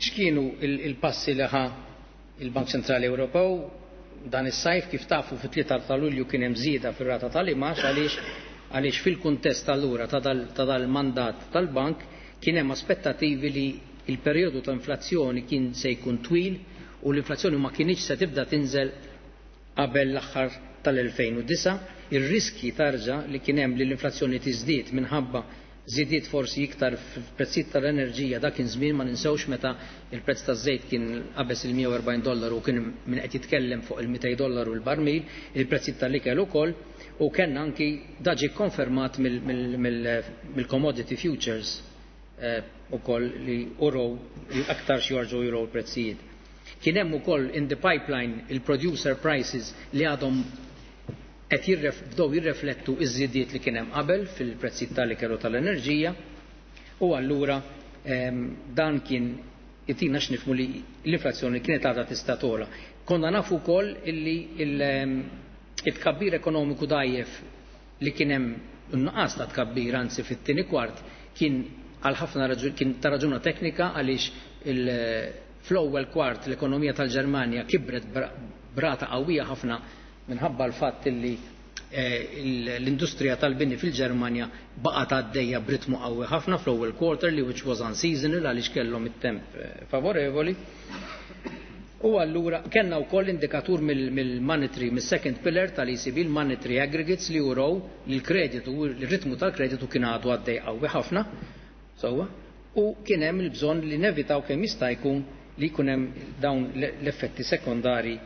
X'kienu il-passi li ħa il-Bank Ċentrali Ewropew dan is-sajf? Kif tafu fit-tlieta ta' Lulju kien hemm żieda fir-rata tal-imax għaliex għaliex fil-kuntest allura ta' dal-mandat tal-bank kien hemm aspettattivi li il-perjodu ta' inflazzjoni kien se jkun twil u l-inflazzjoni ma kienx se tibda tinżel qabel l-aħħar tal-elfejn u disa'. Ir-riski tarġa li kien hemm li l-inflazzjoni tiżdied minħabba żidiet forsi iktar fil-prezzijiet tal-enerġija dak kien żmien ma ninsewx meta il-prezz taż-żejt kien qabeż il-mija u erbgħin dollaru u kien min qed jitkellem fuq il-mitej dollaru l-barmil, il-prezzijiet tal-ikel ukoll, u kellna anki da ġie konfermat mill-commodity futures ukoll li uraw li aktar xi jorġu juraw l-prezzijiet. Kien hemm ukoll in the pipeline il-producer prices li għadhom qed bdew jirreflettu iż-żidiet li kien hemm qabel fil-prezzijiet tal-ikel u tal-enerġija, u allura dan kien itina x'nifhmu li l-inflazzjoni kienet għadha tista' togħla. Konna nafu wkoll illi il-tkabbir ekonomiku dgħajjef li kien hemm nuqqas ta' tkabbir anzi fit-tieni kwart kien għal ħafna raġun, kien ta' raġuna teknika għaliex fl-ewwel kwart l-ekonomija tal-Ġermanja kibret brata qawwija ħafna minħabba l-fatt illi l-industrija tal-bini fil-Ġermanja baqgħet għaddejja b'ritmu qawwi ħafna fl-ewwel quarter li which was unseasonal għaliex kellhom it-temp favorevoli. U allura kellna wkoll indikatur mill-monetary, mill-second pillar tal-E C B, l-monetary aggregates li uraw li l-kreditu, l-ritmu tal-kreditu kien għadu għaddej qawwi ħafna, sewwa, u kien hemm il-bżonn li nevitaw kemm jista' jkun li jkun hemm dawn l-effetti sekondari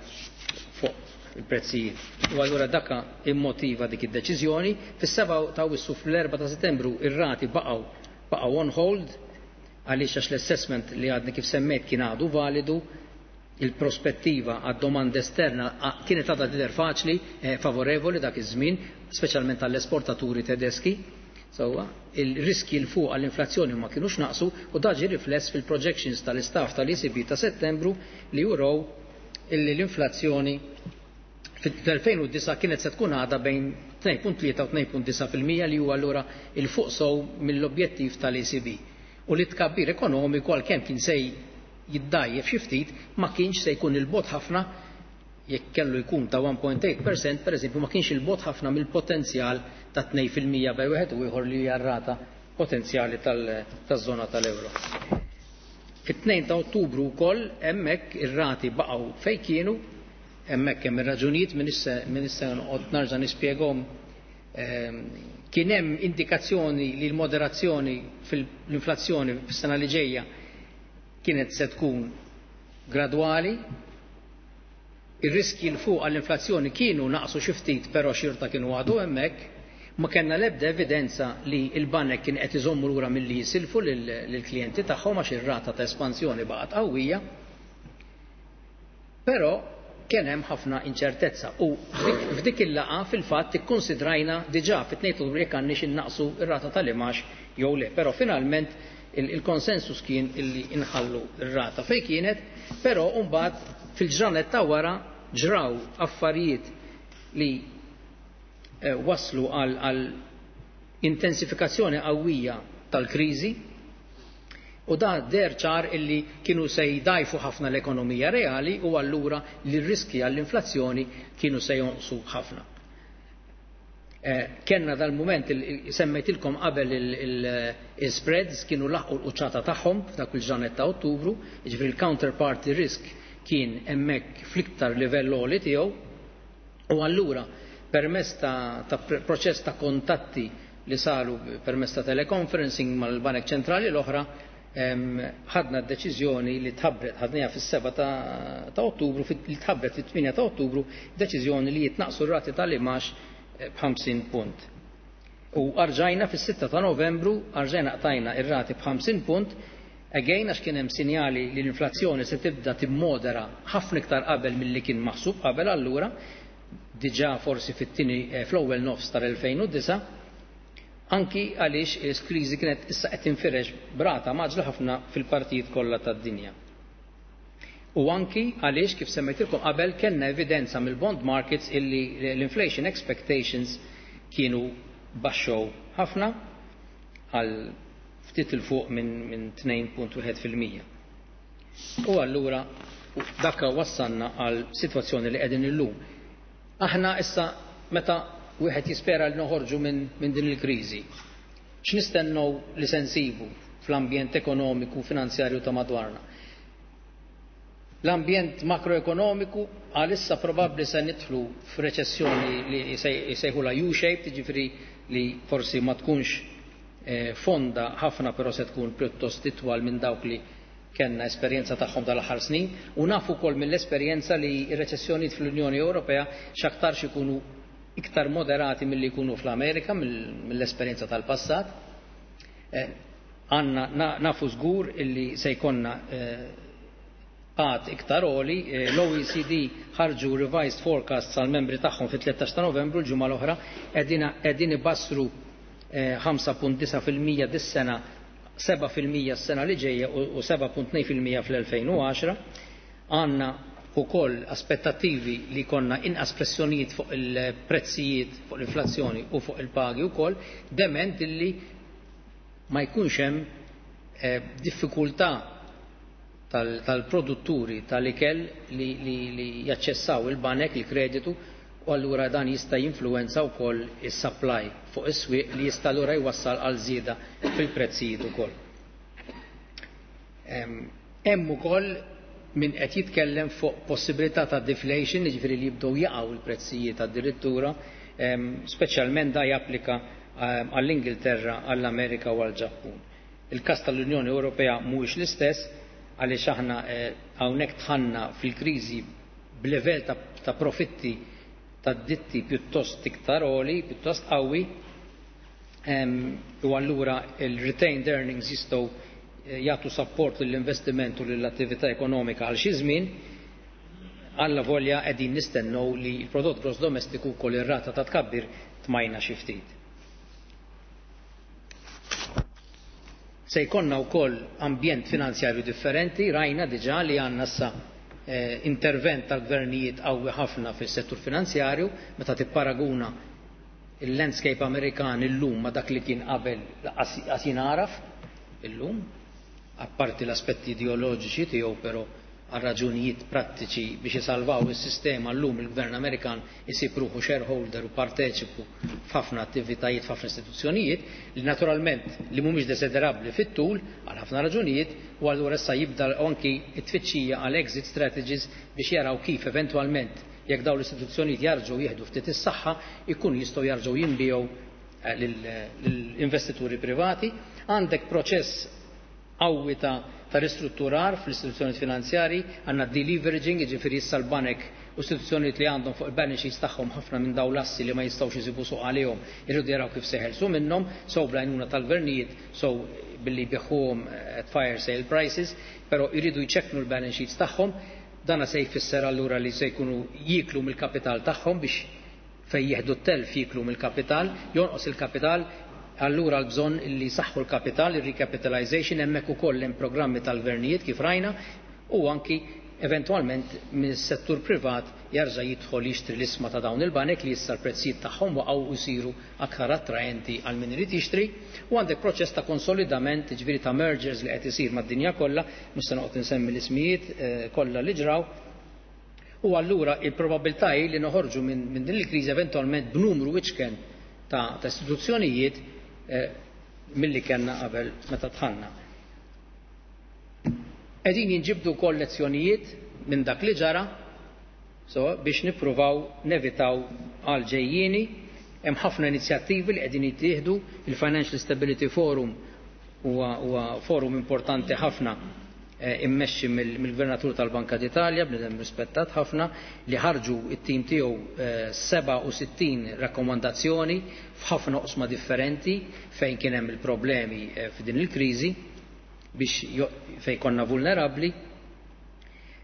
fuq il-prezzijiet. U allura daka immotiva dik id-deċiżjoni. Fis-sebgħa ta' Awwissu, fl-erbgħa ta' Settembru, ir-rati baqgħu baqgħu on hold għaliex għax l-assessment li għadni kif semmejt kien għadu validu, il-prospettiva għad domanda esterna kienet għadha tidher faċli, eh, favorevoli dak iż-żmien, speċjalment għall-esportaturi tedeski. Sewwa, il-riski 'l fuq għall-inflazzjoni ma kienux naqsu u dan ġie rifless fil-projections tal-istaff tal-E C B ta' Settembru li juraw illi l-inflazzjoni fil-elfejn u disgħa kienet se tkun għadha bejn tnejn punt tlieta u tnejn punt disgħa fil-mija, li huwa allura 'l fuq sew mill-objettiv tal-E C B. U li tkabbir ekonomiku, għalkemm kien se jiddajjef xi ftit, ma kienx se jkun 'il bogħod ħafna. Jekk kellu jkun ta' wieħed punt tmienja fil-mija, per eżempju, ma kienx 'il bogħod ħafna mill-potenzjal ta' tnejn fil-mija bejn wieħed u ieħor li hija rata potenzjali taż-żona tal-euro. Fit-tnejn ta' Ottubru wkoll hemmhekk ir-rati baqgħu fejn kienu. Hemmhekk hemm ir-raġunijiet, minn issa noqgħod narġa' nispjegahom. Ehm, kien hemm indikazzjoni li l-moderazzjoni fil-inflazzjoni fis-sena li ġejja kienet se tkun gradwali. Ir-riski 'l fuq għall-inflazzjoni kienu naqsu xi ftit, però xorta kienu għadu hemmhekk. Ma kellna l-ebda evidenza li l-banek kien qed iżommu lura milli jisilfu lill-klijenti tagħhom għax ir-rata ta' espansjoni baqgħet qawwija. Però kien hemm ħafna inċertezza u f'dik il-laqgħa fil-fatt ikkonsidrajna diġà fit-tnejn Ottubru jekk għandniex innaqsu r-rata tal-imgħax jew le, però finalment il-konsensus kien illi inħallu r-rata fejn kienet, però mbagħad fil-ġranet ta' wara ġraw affarijiet li eh, waslu għal, għal intensifikazzjoni qawwija tal-kriżi u da deher ċar illi kienu se jdajfu ħafna l-ekonomija reali u allura li r-riski għall-inflazzjoni kienu se jonqsu ħafna. Eh, Kenna dal-moment, semmejtilkom qabel, il-spreads kienu laħqu l-quċċata tagħhom f'dak il-ġranet ta' Ottubru, jiġifieri il-counterparty risk kien hemmhekk fl-iktar livell għoli tiegħu u allura permezz ta', ta proċess ta' kontatti li saru permezz ta' teleconferencing mal-Banek Ċentrali l-oħra, ħadna d-deċiżjoni li tħabbret, ħadniha fis-sebgħa ta', ta' Ottubru, li tħabbret fit-tmienja ta' Ottubru, deċiżjoni li jitnaqsu r-rati tal-imgħax b'ħamsin punt. U arġajna fis-sitta ta' Novembru, arġajna qtajna ir-rati b'ħamsin punt, again għax kien hemm sinjali li l-inflazzjoni se tibda timmodera ħafna iktar qabel milli kien maħsub qabel, allura diġà forsi fit-tieni eh, fl-ewwel nofs tal-elfejn u disgħa, anki għaliex il-kriżi kienet issa qed tinfirex b'rata mgħaġġla ħafna fil-partijiet kollha tad-dinja. U anki għaliex, kif semmejtilkom qabel, kellna evidenza mill-bond markets illi l-inflation expectations kienu baxxew ħafna għal ftit 'il fuq minn min tnejn punt wieħed fil-mija. U allura dakka wassalna għal sitwazzjoni li qegħdin illum. Aħna issa, meta wieħed jispera li noħorġu minn min din il-kriżi, x'nistennew li se nsibu fl-ambjent ekonomiku finanzjarju ta' madwarna? L-ambjent makroekonomiku għalissa probabbli se nidħlu f'reċessjoni li jsejħula U-shaped, jiġifieri li forsi ma tkunx eh, fonda ħafna, però se tkun pjuttost itwal minn dawk li kellna esperjenza tagħhom tal-aħħar snin, u nafu wkoll mill-esperjenza li r-reċessjonijiet fl-Unjoni Ewropea x'aktarx ikunu iktar moderati milli jkunu fl-Amerika mill-esperjenza tal-passat. Eh, għanna nafu żgur illi se jkollna eh, qgħad iktar għoli. eh, L-O E C D ħarġu revised forecast għal membri tagħhom fit-tlettax ta' Novembru, l-ġimgħa l-oħra, qegħdin ibassru ħamsa punt disgħa fil-mija dis-sena, seba' fil-mija s-sena li ġejja u seba' punt tnejn fil-mija fl-elfejn u għaxra. Għandna ukoll aspettattivi li konna inqas pressjonijiet fuq il-prezzijiet, fuq l-inflazzjoni u fuq il-pagi wkoll, dement illi ma jkunx hemm eh, diffikultà tal-produtturi tal-ikel li, li, li jaċċessaw il-banek, il-kreditu, u allura dan jista' jinfluwenza wkoll is-supply fuq is-swieq, li jista' allura jwassal għal żieda fil-prezzijiet ukoll. Hemm ukoll min qed jitkellem fuq possibilità ta' deflation, jiġifieri li jibdew jaqgħu l-prezzijiet addirittura, speċjalment da japplika għall-Ingilterra, għall-Amerika u għall-Ġappun. Il-każ tal-Unjoni Ewropea mhuwiex l-istess għaliex aħna eh, hawnhekk dħalna fil-kriżi b'livell ta', ta profitti ta' ditti pjuttost iktar għoli, pjuttost qawwi, u allura il-retained earnings jistgħu eh, jagħtu support lill-investiment u lill-attività ekonomika għal xi żmien, alla volja qegħdin nistennew li l-prodott gross domestiku wkoll ir-rata ta' tkabbir tmajna xi ftit. Se jkollna wkoll ambjent finanzjarju differenti, rajna diġà li għandna issa eh, intervent tal-gvernijiet qawwi ħafna fis-settur finanzjarju, meta tipparaguna il-landscape Amerikan illum ma dak li kien qabel qas jingħaraf illum, apparti l-aspetti ideoloġiċi tiegħu, però għal raġunijiet prattiċi biex isalvaw is-sistema llum il-Gvern Amerikan isib ruħu shareholder u parteċipu f'ħafna attivitajiet, f'ħafna istituzzjonijiet li naturalment li mhumiex desiderabbli fit-tul għal ħafna raġunijiet, u allura issa jibda anki t-tfittxija għal exit strategies biex jaraw kif eventwalment jekk dawn l-istituzzjonijiet jarġgħu jieħdu ftit is-saħħa ikun jistgħu jarġgħu jinbiegħu eh, lill-investituri privati. Għandek proċess qawwi ta' ta' ristrutturar fl-istituzzjonijiet finanzjari, għandna deleveraging, jiġifieri issa l-banek u istituzzjonijiet li għandhom fuq il-balance sheets tagħhom ħafna minn dawn l-assi li ma jistgħux isibu suq għalihom, irridu jaraw kif se jeħelsu minnhom, sew bl-għajnuna tal-gvernijiet, sew billi jbigħuhom at fire sale prices, però jridu jċekknu l-balance sheets tagħhom. Dana se jfisser allura li se jkunu jiklu mill-kapital tagħhom biex fejn jieħdu t-telf jiklu mill-kapital, jonqos il-kapital, allura l-bżonn li saħħu l-kapital, il-recapitalization, hemmhekk ukoll hemm programmi tal-gvernijiet kif rajna, u anki eventwalment mis-settur privat jarġa' jidħol jixtri l-isma ta' dawn il-banek li issa l-prezzijiet tagħhom waqgħu u jsiru aktar attraenti għal min irid jixtri. U għandek proċess ta' konsolidament, ġifieri ta' mergers li qed isir mad-dinja kollha, mhux se noqgħod insemmi l-ismijiet eh, kollha li ġraw. U allura il-probabilità hi li noħorġu minn min din il-kriżi eventwalment b'numru iċken ta', ta istituzzjonijiet eh, milli kellna qabel meta dħalna. Qegħdin jinġibdu wkoll lezzjonijiet minn dak li ġara, so, biex nippruvaw nevitaw għal ġejjieni. Hemm ħafna inizjattivi li qegħdin jittieħdu. Il-Financial Stability Forum huwa, huwa forum importanti ħafna eh, immexxi mill-Gvernatur tal-Banka d'Italja, bniedem rispettat ħafna, li ħarġu it-tim tiegħu eh, sebgħa u sittin rakkomandazzjoni f'ħafna oqsma differenti fejn kien hemm il-problemi eh, f'din il-kriżi biex fejn konna vulnerabbli.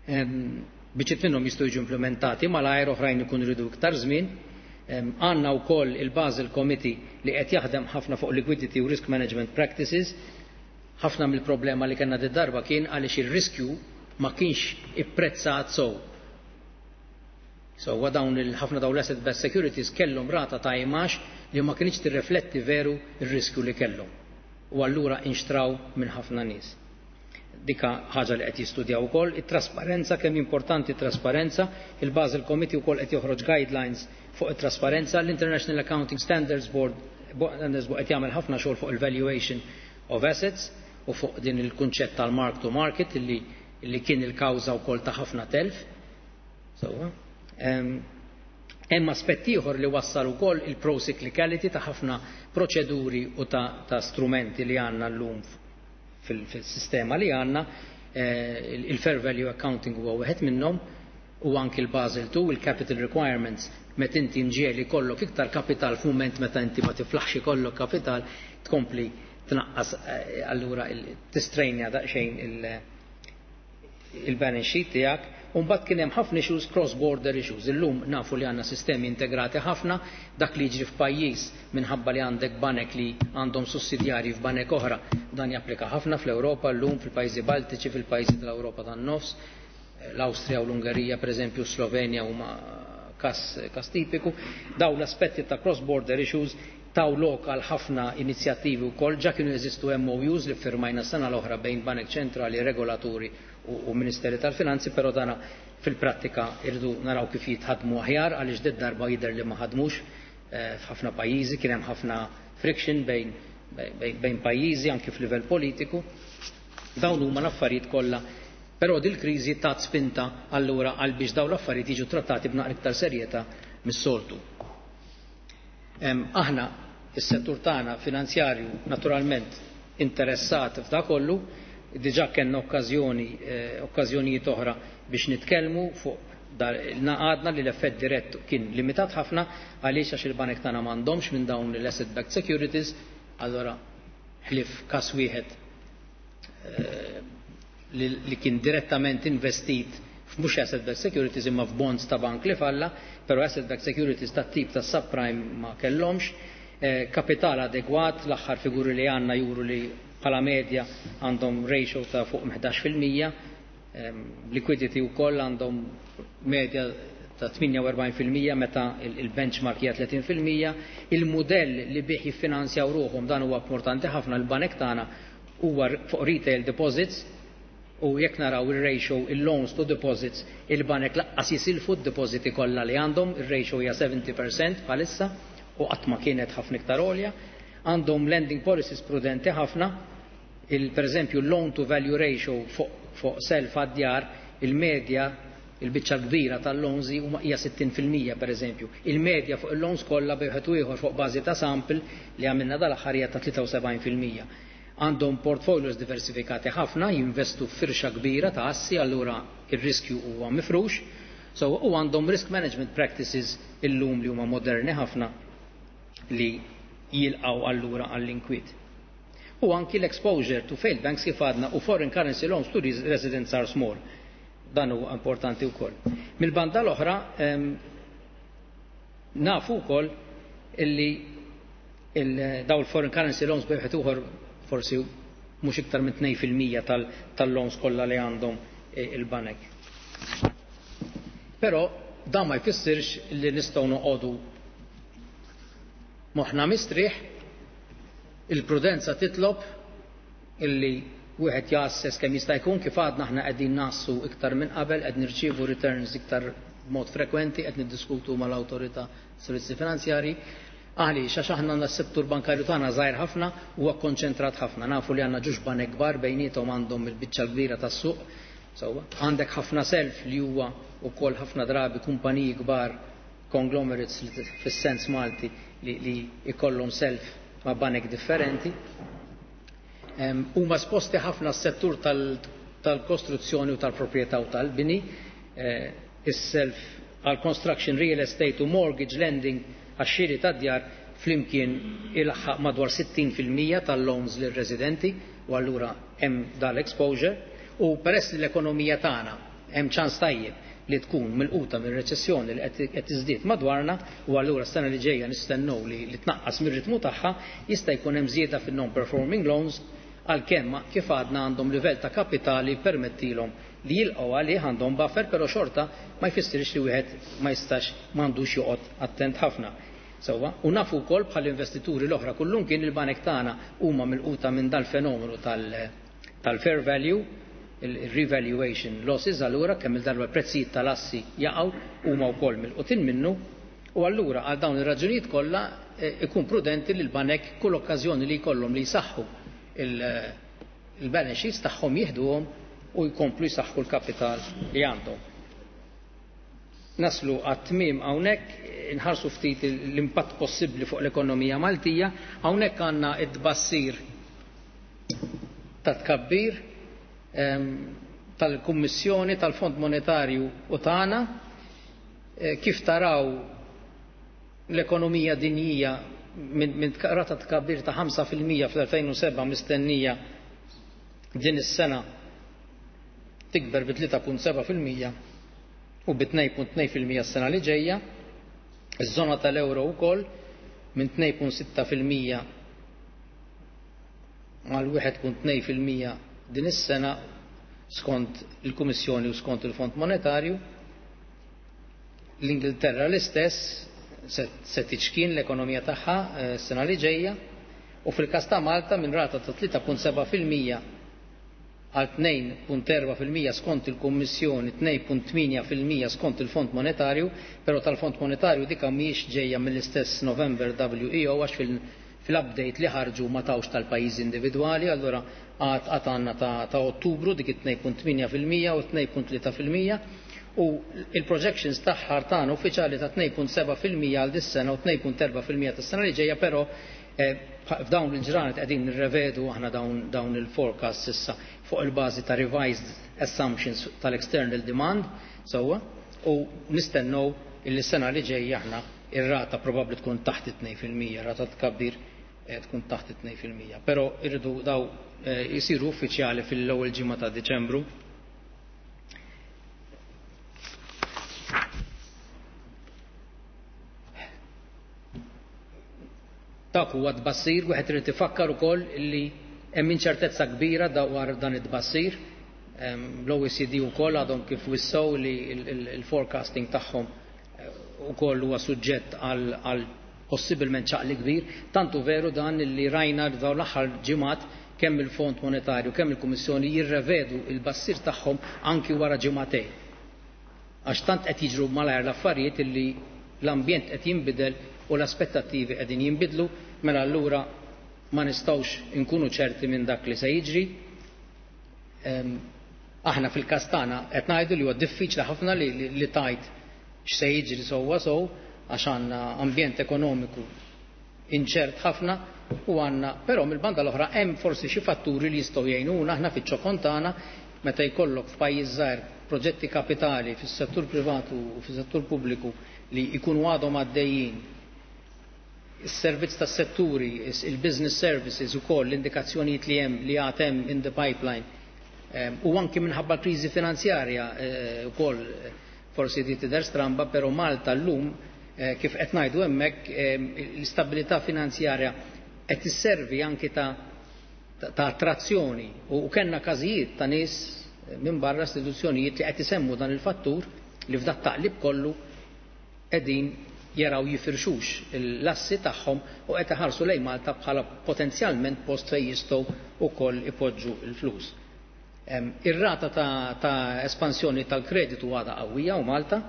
Biċċiet minnhom jistgħu jiġu implementati malajr, oħrajn ikun iridu iktar żmien. Għandna wkoll il-Basel Committee li qed jaħdem ħafna fuq liquidity u risk management practices. Ħafna mill-problema li kellna darba kien għaliex ir-riskju ma kienx ipprezzat sew. So dawn il-ħafna dawn l-asset based securities kellhom rata ta' imax li ma kienx tirrifletti veru ir-riskju li kellhom. U allura inxtraw minn ħafna nies. Dika ħaġa li qed jistudjaw ukoll, it-trasparenza, kemm importanti trasparenza, il-Basel Committee wkoll qed joħroġ guidelines fuq it-trasparenza, l-International Accounting Standards Board qed jagħmel ħafna xogħol fuq il-valuation of assets u fuq din il-kunċett tal-mark to market illi, illi kien il-kawża wkoll ta' ħafna telf. So, hemm aspett ieħor li wassal ukoll il-pro-cyclicality ta' ħafna proċeduri u ta', ta strumenti li għandna llum fil-sistema li għandna, eh, il-fair value accounting huwa wieħed minnhom, u anki l-Basel two, il-capital requirements, meta inti nġieli kollok iktar kapital f'mument meta inti ma tiflaħx ikollok kapital, tkompli tnaqqas, eh, allura tistrejnja daqsxejn il-balance sheet tiegħek. U mbagħad kien hemm ħafna issues, cross-border issues. Illum nafu li għandna sistemi integrati ħafna, dak li jiġri f'pajjiż minħabba li għandek banek li għandhom sussidjarji f'banek oħra, dan japplika ħafna fl-Ewropa llum, fil-pajjiżi Baltiċi, fil-pajjiżi tal-Ewropa tan-nofs, l-Awstrija u l-Ungerija, pereżempju Slovenja huma kas, kas tipiku. Dawn l-aspetti ta' cross-border issues taw lok għal ħafna inizjattivi wkoll. Ġa kienu jeżistu M O Us li firmajna sena l-oħra bejn Banek Ċentrali, regolaturi u, u Ministeri tal-Finanzi, però dana fil-prattika irridu naraw kif jitħadmu aħjar, għaliex did darba jidher li ma ħadmux eh, f'ħafna pajjiżi, kien hemm ħafna friction bejn, bejn, bejn pajjiżi anki f'livell politiku. Dawn huma l-affarijiet kollha. Però dil-kriżi tat spinta allura għal biex dawn l-affarijiet jiġu trattati b'naqra iktar serjetà mis-soltu. Aħna, is-settur tagħna finanzjarju, naturalment interessat f'da kollu, diġà kellna okkażjoni eh, okkażjonijiet oħra biex nitkellmu fuq Għadna li l-effett dirett kien limitat ħafna għaliex għax il-banek tagħna m'għandhomx minn dawn l-asset backed securities, allora ħlief każ wieħed eh, li kien direttament investit f'mhux asset backed securities imma f'bonds ta' bank li falla, però asset backed securities ta' tip ta' subprime ma kellhomx. Eh, kapital adegwat, l-aħħar figuri li għandna juru li bħala medja għandhom ratio ta' fuq ħdax fil-mija, liquidity wkoll għandhom medja ta' tmienja u erbgħin fil-mija meta il-benchmark hija tletin fil-mija. Il-mudell li bih jiffinanzjaw ruħhom, dan huwa importanti ħafna, l-banek tagħna huwa fuq retail deposits u jekk naraw il-ratio il-loans to deposits, il-banek lanqas jisilfu d-depositi kollha li għandhom, il-ratio hija sebgħin fil-mija bħalissa u qatt ma kienet ħafna iktar għolja. Għandhom lending policies prudenti ħafna, il per eżempju loan to value ratio fuq fuq self għad-djar, il-medja, il-biċċa kbira tal-loans huma hija sittin fil-mija per eżempju. Il-medja fuq il-loans kollha bejn ieħor fuq bażi ta' sample li għamilna dal-aħħar hija ta' tlieta u sebgħin fil-mija. Għandhom portfolios diversifikati ħafna, jinvestu f'firxa kbira ta' assi, allura ir-riskju huwa mifrux. So, u għandhom risk management practices illum li huma moderni ħafna li jilqaw allura għall-inkwiet. U anki l-exposure to failed banks, kif għadna, u foreign currency loans to residents are small. Dan huwa importanti wkoll. Mill-banda l-oħra nafu wkoll illi daw il-foreign currency loans bejn ieħor forsi mhux iktar minn tnejn fil-mija tal-loans kollha li għandhom il-banek. Però dan ma jfissirx li nistgħu noqogħdu moħħna mistrieħ. Il-prudenza titlob illi wieħed jassess kemm jista' jkun. Kif għadna aħna, qegħdin nassu iktar minn qabel, qed nirċievu returns iktar b'mod frekwenti, qed niddiskutu mal-awtorità servizzi finanzjari. Għaliex? Għax aħna għandna s-settur bankarju tagħna żgħir ħafna, huwa konċentrat ħafna. Nafu li għandna ġuġ banek kbar, bejniethom għandhom il-biċċa kbira tas-suq. Sewwa, għandek ħafna self li huwa wkoll ħafna drabi kumpaniji kbar, conglomerates fis-sens Malti, li, li ikollhom self ma' banek differenti. Huma esposti ħafna s-settur tal-kostruzzjoni u tal-proprjetà u tal-bini, eh, is-self għal construction, real estate u mortgage lending għax-xiri ta' djar flimkien ilaħħaq madwar sittin fil-mija tal-loans lir-residenti u allura hemm dal-exposure. U peress li l-ekonomija tagħna hemm ċans tajjeb li tkun milquta minn reċessjoni li qed tiżdied madwarna u allura s-sena li ġejja nistennew li, li tnaqqas mir-ritmu tagħha, jista' jkun hemm żieda fin-non-performing loans, għalkemm kif għadna għandhom livell ta' kapitali permettilhom li jilqgħu għalih, għandhom buffer, però xorta ma jfissirx li wieħed ma jistax, m'għandux joqgħod attent ħafna. Sewwa, u nafu wkoll bħal investituri l-oħra kullum kien il-banek tagħna huma milquta minn dal-fenomenu tal-fair value, il-revaluation losses, allura kemm il-darba prezzijiet tal-assi jaqgħu, huma wkoll milqutin minnu. U allura għal dawn ir-raġunijiet kollha eh, ikun prudenti li l-banek kull okkażjoni li jkollhom li jsaħħu il-balance sheets tagħhom jieħduhom u jkomplu jsaħħu l-kapital li għandhom. Naslu għat-tmiem hawnhekk, inħarsu ftit l-impatt possibbli fuq l-ekonomija Maltija. Hawnhekk għandna id-bassir ta' tkabbir tal-Kummissjoni tal-Fond Monetarju u tagħna. Eh, kif taraw, l-ekonomija dinjija minn min rata tkabbir ta' ħamsa fil-mija fl-elfejn u sebgħa mistennija din is-sena tikber bi tlieta punt sebgħa fil-mija u bi tnejn punt tnejn fil-mija s-sena li ġejja. Iż-żona tal-euro wkoll minn tnejn punt sitta fil-mija għal wieħed punt tnejn fil-mija din is-sena skont il-Kummissjoni u skont il-Fond Monetarju. L-Ingilterra l-istess, se tiċkien l-ekonomija tagħha eh, s-sena li ġejja, u fil-każ ta' Malta minn rata ta' tlieta punt sebgħa fil-mija għal tnejn punt erbgħa fil-mija skont il-Kummissjoni, tnejn punt tmienja fil-mija skont il-Fond Monetarju, però tal-Fond Monetarju dika mhijiex ġejja mill-istess November W E O għax fil-update li ħarġu ma tawx tal-pajjiżi individwali, allura għad għad għandna ta', ta Ottubru dik it-tnejn punt tmienja fil-mija u tnejn punt tlieta fil-mija u il-projections tagħha tagħna uffiċjali ta' tnejn punt sebgħa fil-mija għal dis-sena u tnejn punt erbgħa fil-mija tas-sena li ġejja, però eh, f'dawn il-ġranet qegħdin nirrevedu aħna dawn, dawn il-forecast issa fuq il-bażi ta' revised assumptions tal-external demand, sewwa, u nistennew illi s-sena li ġejja aħna ir-rata probabbli tkun taħt it-tnejn fil-mija, rata tkabbir tkun taħt it-tnejn fil-mija. Però irridu daw jisiru uffiċjali fil-ewwel ġimgħa ta' Diċembru. Dak huwa tbassir, wieħed irid ifakkar ukoll li hemm inċertezza kbira dwar dan it-tbassir. L-O E C D wkoll għadhom kif wissew li il-forecasting tagħhom ukoll huwa suġġett għal possibilment ċaqli kbir, tantu veru dan li rajna dawn l-aħħar ġimgħat kemm il-Fond Monetarju kemm il-Kummissjoni jirrevedu il-bassir tagħhom anki wara ġimgħatejn. Għax tant qed jiġru malajr l-affarijiet illi l-ambjent qed jinbidel u l-aspettattivi qegħdin jinbidlu, mela allura ma nistgħux inkunu ċerti minn dak li se jiġri. Ehm, aħna fil-każ tagħna qed ngħidu li huwa diffiċli ħafna li, li, li tajt x'se jiġri sewwa sew għax għandna ambjent ekonomiku inċert ħafna u għandna, però mill-banda l-oħra hemm forsi xi fatturi li jistgħu jgħinuna aħna fiċ-ċokon tagħna meta jkollok f'pajjiż żgħir proġetti kapitali fis-settur privatu u fis-settur pubbliku li jkunu għadhom għaddejjin, is-servizz tas-setturi, il-business services ukoll l-indikazzjonijiet li hemm li għad hemm in the pipeline, ehm, u anki minħabba l-kriżi finanzjarja, eh, ukoll forsi di tidher stramba, però Malta llum, eh, kif qed ngħidu hemmhekk, ehm, l-istabilità finanzjarja qed isservi anki ta', ta' attrazzjoni u, u kellna każijiet ta' nies minn barra istituzzjonijiet li qed isemmu dan il-fattur li f'dat taqlib kollu qegħdin jaraw jifirxux l-assi tagħhom u qed iħarsu lejn Malta bħala potenzjalment post fejn jistgħu wkoll ipoġġu l-flus. Em, ir-rata ta', ta' espansjoni tal-kreditu għadha qawwija u Malta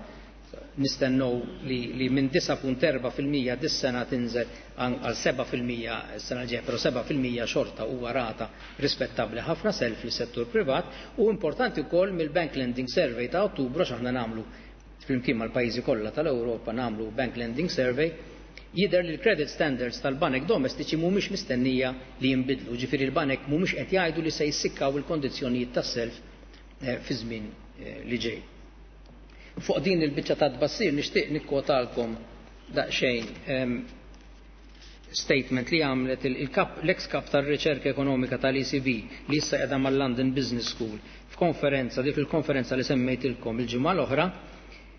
nistennew li, li minn disa punt erba' fil-mija dis-sena tinżel għal seba' fil-mija s-sena l-ġejja, però seba' fil-mija xorta huwa rata rispettabbli ħafna self lis-settur privat u importanti wkoll mill-Bank Lending Survey ta' Ottubru għax aħna nagħmlu flimkien mal-pajjiżi kollha tal-Ewropa nagħmlu Bank Lending Survey, jidher li l-credit standards tal-banek domestiċi mhumiex mistennija li jinbidlu, ġifieri l-banek mhumiex qed jgħidu li se jissikkaw il-kondizzjonijiet tas-self, eh, fi żmien, eh, li ġej. Fuq din il-biċċa ta' tbassir nixtieq nikkwotalkom daqsxejn, ehm, statement li għamlet il-kap, l-ex kap tar-riċerka ekonomika tal-E C B li issa qiegħda mal-London Business School f'konferenza, dik il-konferenza li semmejtilkom il-ġimgħa l-oħra,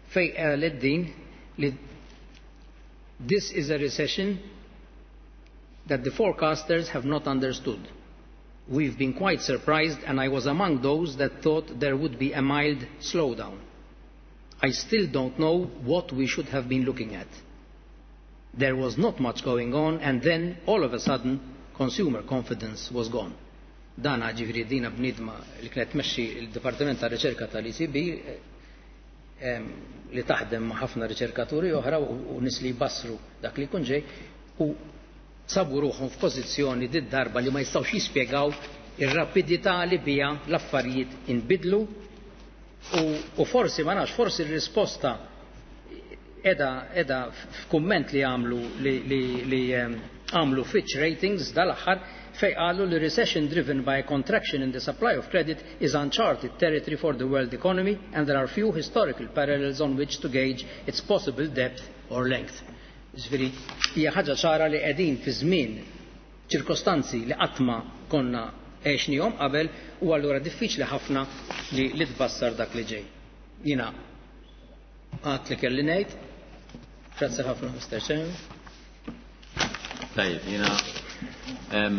fej qalet din li this is a recession that the forecasters have not understood. We've been quite surprised and I was among those that thought there would be a mild slowdown. I still don't know what we should have been looking at. There was not much going on and then, all of a sudden, consumer confidence was gone. Dan ġifiri dina bnidma li kienet tmexxi il-Dipartiment ta' Riċerka tal-E C B, em, li taħdem ma' ħafna riċerkaturi oħra u, u nies li jbassru dak li jkun ġej, u sabu ruħhom f'pożizzjoni did darba li ma jistgħux jispjegaw ir-rapidità li biha l-affarijiet inbidlu u, u forsi ma nafx, forsi r-risposta edha, edha f'kumment li għamlu li, li, li, em, għamlu Fitch Ratings dal-aħħar fej qalu li recession driven by a contraction in the supply of credit is uncharted territory for the world economy and there are few historical parallels on which to gauge its possible depth or length. Ġifieri, hija ħaġa ċara li qegħdin fi żmien ċirkostanzi li qatt ma konna għexnihom qabel u allura diffiċli ħafna li, li tbassar dak li ġej. Jiena għad li kelli ngħid. Grazzi ħafna, Mister Chairman. Tajjeb, jiena, em,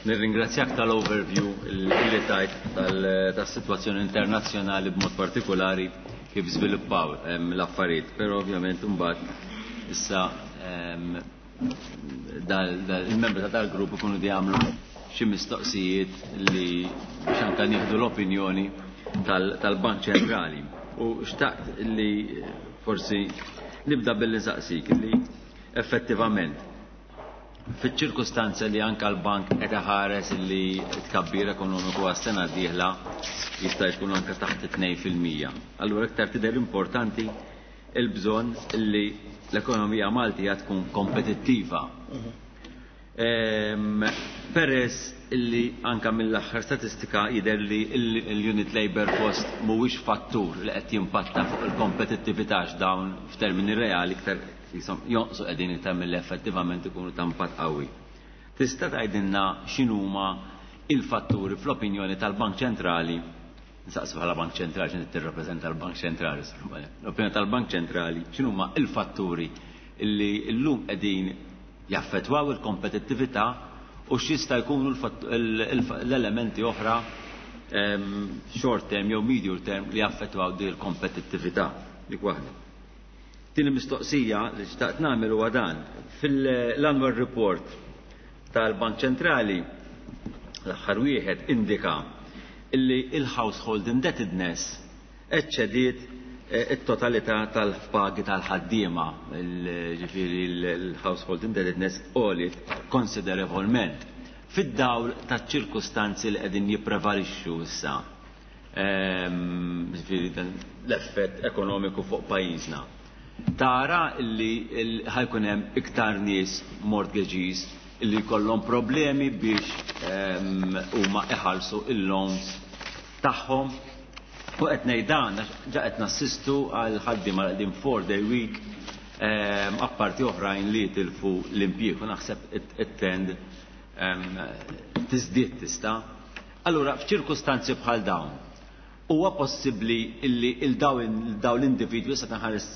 nirringrazzjak tal-overview li tajt tal-, tas-sitwazzjoni internazzjonali b'mod partikolari kif żviluppaw, em, l-affarijiet, però ovvjament imbagħad issa, em, dal, dal, il-membri ta' dal-grupp ikunu di għamlu xi mistoqsijiet li biex anke nieħdu l-opinjoni tal-, tal-Bank Ċentrali. U xtaqt li forsi nibda billi nsaqsik li effettivament fiċ-ċirkustanza li anke l-bank qed iħares li tkabbir ekonomiku għas-sena d-dieħla jista' jkun anke taħt it-tnejn fil-mija. Allura iktar tidher importanti il-bżonn li l-ekonomija Maltija tkun kompetittiva. Ehm, Peress illi anka mill-aħħar statistika jidher li l-unit labor cost mhuwiex fattur li qed jimpatta fuq il-kompetittività dawn f'termini reali iktar jonqsu qegħdin iktar milli effettivament ikunu ta' impatt qawwi. Tista' tgħidilna x'inhuma il-fatturi fl-opinjoni tal-Bank Ċentrali, nsaqsu bħala Bank Ċentrali x'inti tirrappreżenta l-Bank Ċentrali, l-opinjoni tal-Bank Ċentrali x'inhuma il-fatturi illi llum qegħdin jaffettwaw il-kompetittività u x'jista' jkunu l-elementi oħra short term jew medium term li jaffettwaw din il-kompetittività. Dik waħda. Tieni mistoqsija li xtaqt nagħmel huwa dan. Fil-annual report tal-Bank Ċentrali l-aħħar wieħed indika illi il-household indebtedness eċċediet it-totalità tal-pagi tal-ħaddiema, ġifieri l-household indebtedness għoliet konsiderevolment fid-dawl taċ-ċirkustanzi li qegħdin jipprevalixxu issa, ġifieri l-effett ekonomiku fuq pajjiżna. Tara li ħajkun hemm iktar nies mortgagees li jkollhom problemi biex huma iħallsu il-loans tagħhom. U qed ngħid dan għax ġa qed nassistu għal ħaddiema li qegħdin four day week, apparti oħrajn li jitilfu l-impjieg u naħseb it-trend tiżdied tista'. Allura f'ċirkustanzi bħal dawn huwa possibbli illi il-dawn l-individwi se nħares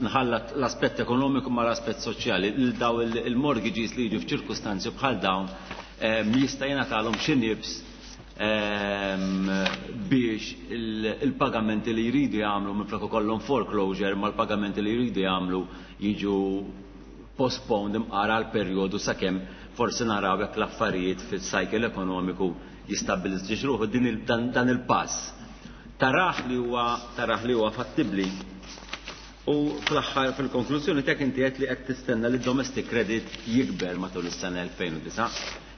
nħallat l-aspett ekonomiku ma l-aspett soċjali, il-daw il-mortgages li jiġu f'ċirkustanzi bħal dawn jista' jingħatalhom xi nibs biex il-pagamenti li jridu jagħmlu minflok ikollhom foreclosure ma l-pagamenti li jridu jagħmlu jiġu postponed imqara għal perjodu sakemm forsi naraw jekk l-affarijiet fis-cycle ekonomiku jistabbilizġiex ruħu din dan il-pass. Taraħ li huwa taraħ li huwa fattibbli. U fl-aħħar fil-konklużjoni tiegħek inti qed li qed tistenna li domestic credit jikber matul is-sena elfejn u disa'.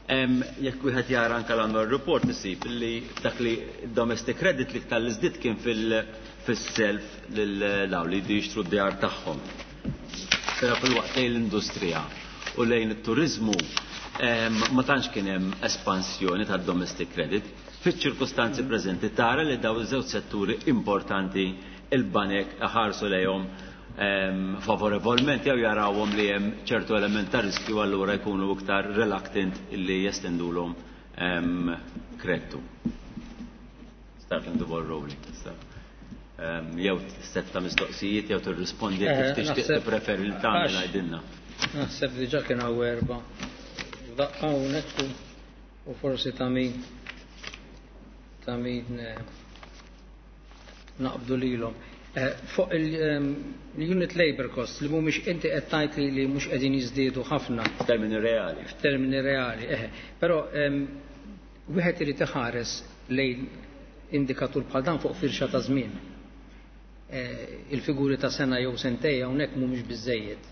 Jekk wieħed jara anke l-annual report isib li dak li domestic credit li iktar li żdied kien fil-self lil dawn li jridu jixtru d-djar tagħhom. Però fil-waqt lejn l-industrija u lejn it-turizmu ma tantx kien hemm espansjoni tad-domestic credit. Fiċ-ċirkustanzi preżenti tara li daw iż-żewġ setturi importanti il-banek ħarsu lejhom favorevolment jew jarawhom li hemm ċertu element ta' riskju allura jkunu iktar reluctant illi jestendulhom kreditu. Starting the ball rolling. Jew set ta' mistoqsijiet jew tirrispondi kif tixtieq tippreferi li tagħmel għidilna. Naħseb diġà kien hawn erba'. Daqqa hawnhekk u forsi ta' min ta' min naqbdu lilhom. Fuq il-unit labor cost li mhumiex inti qed tgħid li li mhux qegħdin jiżdiedu ħafna. F'termini reali. F'termini reali, eħe. Però wieħed irid iħares lejn indikatur bħal dan fuq firxa ta' żmien. Il-figuri ta' sena jew sentej hawnhekk mhumiex biżejjed.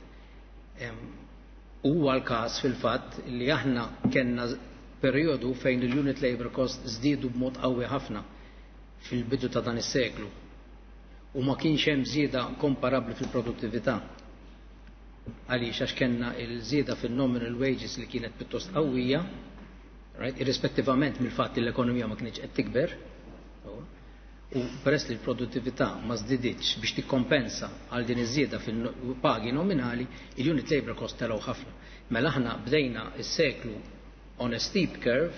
Huwa l-każ fil-fatt li aħna kellna perjodu fejn il-unit labor cost żdiedu b'mod qawwi ħafna fil-bidu ta' dan is-seklu. U ma kienx hemm żieda komparabbli fil-produttività. Għaliex għax kellna l-żieda fil-nominal wages li kienet pjuttost qawwija, right, irrispettivament mill-fatt li l-ekonomija ma kienx qed tikber, u peress li l-produttività ma żdiditx biex tikkompensa għal din iż-żieda fil-pagi nominali, il-unit labor cost telgħu ħafna. Mela aħna bdejna s-seklu on a steep curve,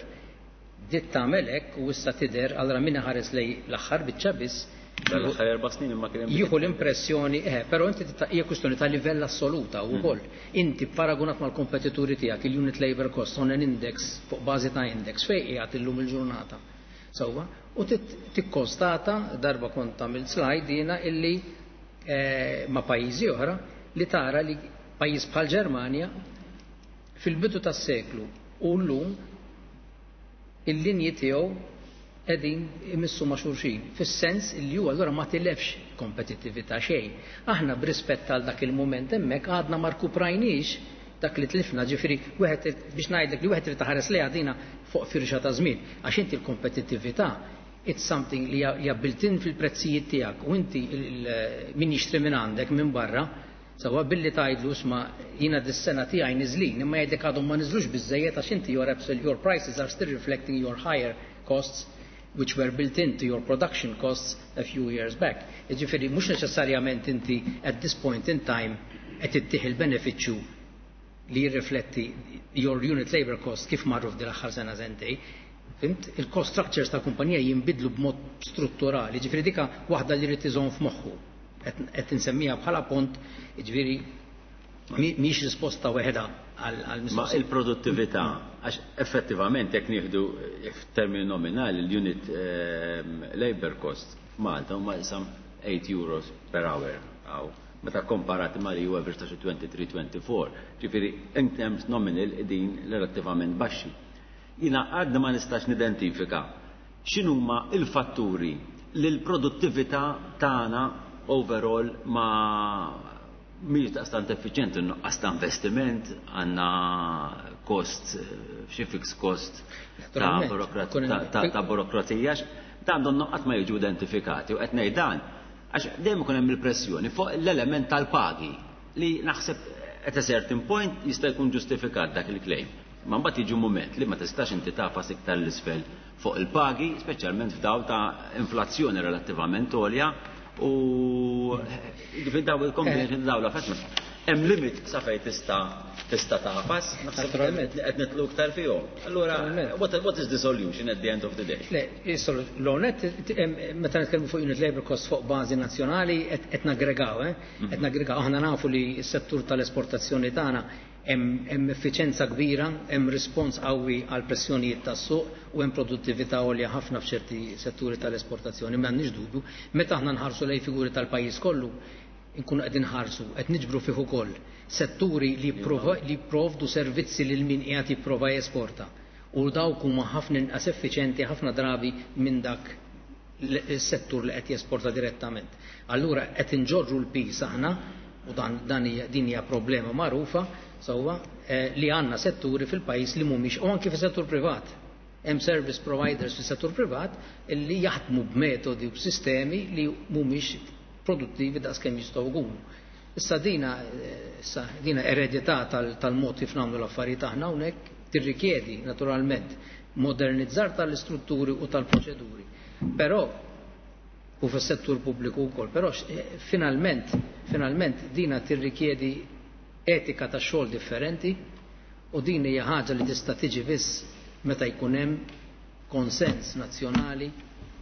bdiet tagħmel hekk u issa tidher allura min ħares lej l-aħħar biċċa biss L-aħħar erba' snin imma kien hemm jieħu l-impressjoni, eh, però inti hija kwistjoni ta' livell assoluta wkoll. Inti paragunat mal-kompetituri tiegħek il-unit labor cost on an index fuq bażi ta' index fejn qiegħed illum il-ġurnata. Sewwa, u tikkonstata darba kont tagħmel slide jiena illi ma' pajjiżi oħra li tara li pajjiż bħal Ġermanja fil-bidu tas-seklu u llum il-linji tiegħu qegħdin imissu ma' xulxin, fis-sens li huwa allura ma tilefx kompetittività xejn. Aħna b'rispett għal dak il-mument hemmhekk għadna ma rkuprajniex dak li tlifna, ġifieri wieħed biex ngħidlek li wieħed irid taħares lejha dina fuq firxa ta' żmien, għax inti l-kompetittività it's something li hija built-in fil-prezzijiet tiegħek u inti min jixtri minn għandek minn barra Sewwa billi tgħidlu isma' jiena dis-sena tiegħi niżlin, imma jgħidlek għadhom ma niżlux biżejjed għax inti your your prices are still reflecting your higher costs which were built into your production costs a few years back. Jiġifieri mhux neċessarjament inti at this point in time qed ittih il-benefiċċju li jirrifletti your unit labor cost kif marru f'din l-aħħar sena sentej. Fhimt? Il-cost structures tal-kumpanija jinbidlu b'mod strutturali, ġifieri dika waħda li jrid iżomm f'moħħu. Qed insemmija bħala punt, ġifieri mhix risposta waħedha għal Ma il-produttività, għax effettivament jekk nieħdu f'termini nominali l-unit ehm, labor cost f'Malta huma some eight euros per hour għaw. Meta komparati ma' li huwa average ta' xi twenty-three twenty-four, ġifieri in terms nominal din relattivament baxxi. Jiena għadna ma nistax nidentifika x'inhuma il-fatturi li l-produttività tagħna overall ma mhijiex daqstant effiċjenti, nuqqas ta' investiment, għandna cost, xi fixed cost ta' ta' burokrazija, dan donnu qatt ma jiġu identifikati u qed ngħid dan għax dejjem ikun hemm il-pressjoni fuq l-element tal-pagi li naħseb at a certain point jista' jkun ġustifikat dak il-claim. Ma mbagħad jiġu mument li ma tistax inti tafas iktar l-isfel fuq il-pagi, speċjalment f'daw ta' inflazzjoni relattivament għolja u daw il-combination daw l-affarijiet. Hemm limit sa fejn tista' tista' tafas, naħseb li qed nitlu iktar fihom. Allura, what, what is the solution at the end of the day? Le, l-onet, meta nitkellmu fuq unit labor cost fuq bażi nazzjonali qed naggregaw, eh? Qed naggregaw. Aħna nafu li s-settur tal-esportazzjoni tagħna hemm effiċenza kbira, hemm rispons qawwi għal pressjonijiet tas-suq u hemm produttività għolja ħafna f'ċerti setturi tal-esportazzjoni, m'għandniex dubju. Meta aħna nħarsu lejn figuri tal-pajjiż kollu, nkunu qegħdin nħarsu, qed niġbru fih ukoll setturi li jipprovdu servizzi lil min qiegħed jipprova jesporta. U dawk huma ħafna inqas effiċjenti ħafna drabi minn dak is-settur li qed jesporta direttament. Allura qed inġorru l-pis aħna, u dan, dan hija, din hija problema magħrufa, sewwa, eh, li għandna setturi fil-pajjiż li mhumiex, u anki fis-settur privat. Hemm service providers fis-settur privat li jaħdmu b'metodi u b'sistemi li mhumiex produttivi daqskemm jistgħu jkunu. Issa dina, issa dina eredità tal-mod kif nagħmlu l-affarijiet aħna hawnhekk tirrikjedi naturalment modernizzar tal-istrutturi u tal-proċeduri. Però u fis-settur pubbliku wkoll, però finalment, finalment dina tirrikjedi etika ta' xogħol differenti u din hija ħaġa li tista' tiġi biss meta jkun hemm konsens nazzjonali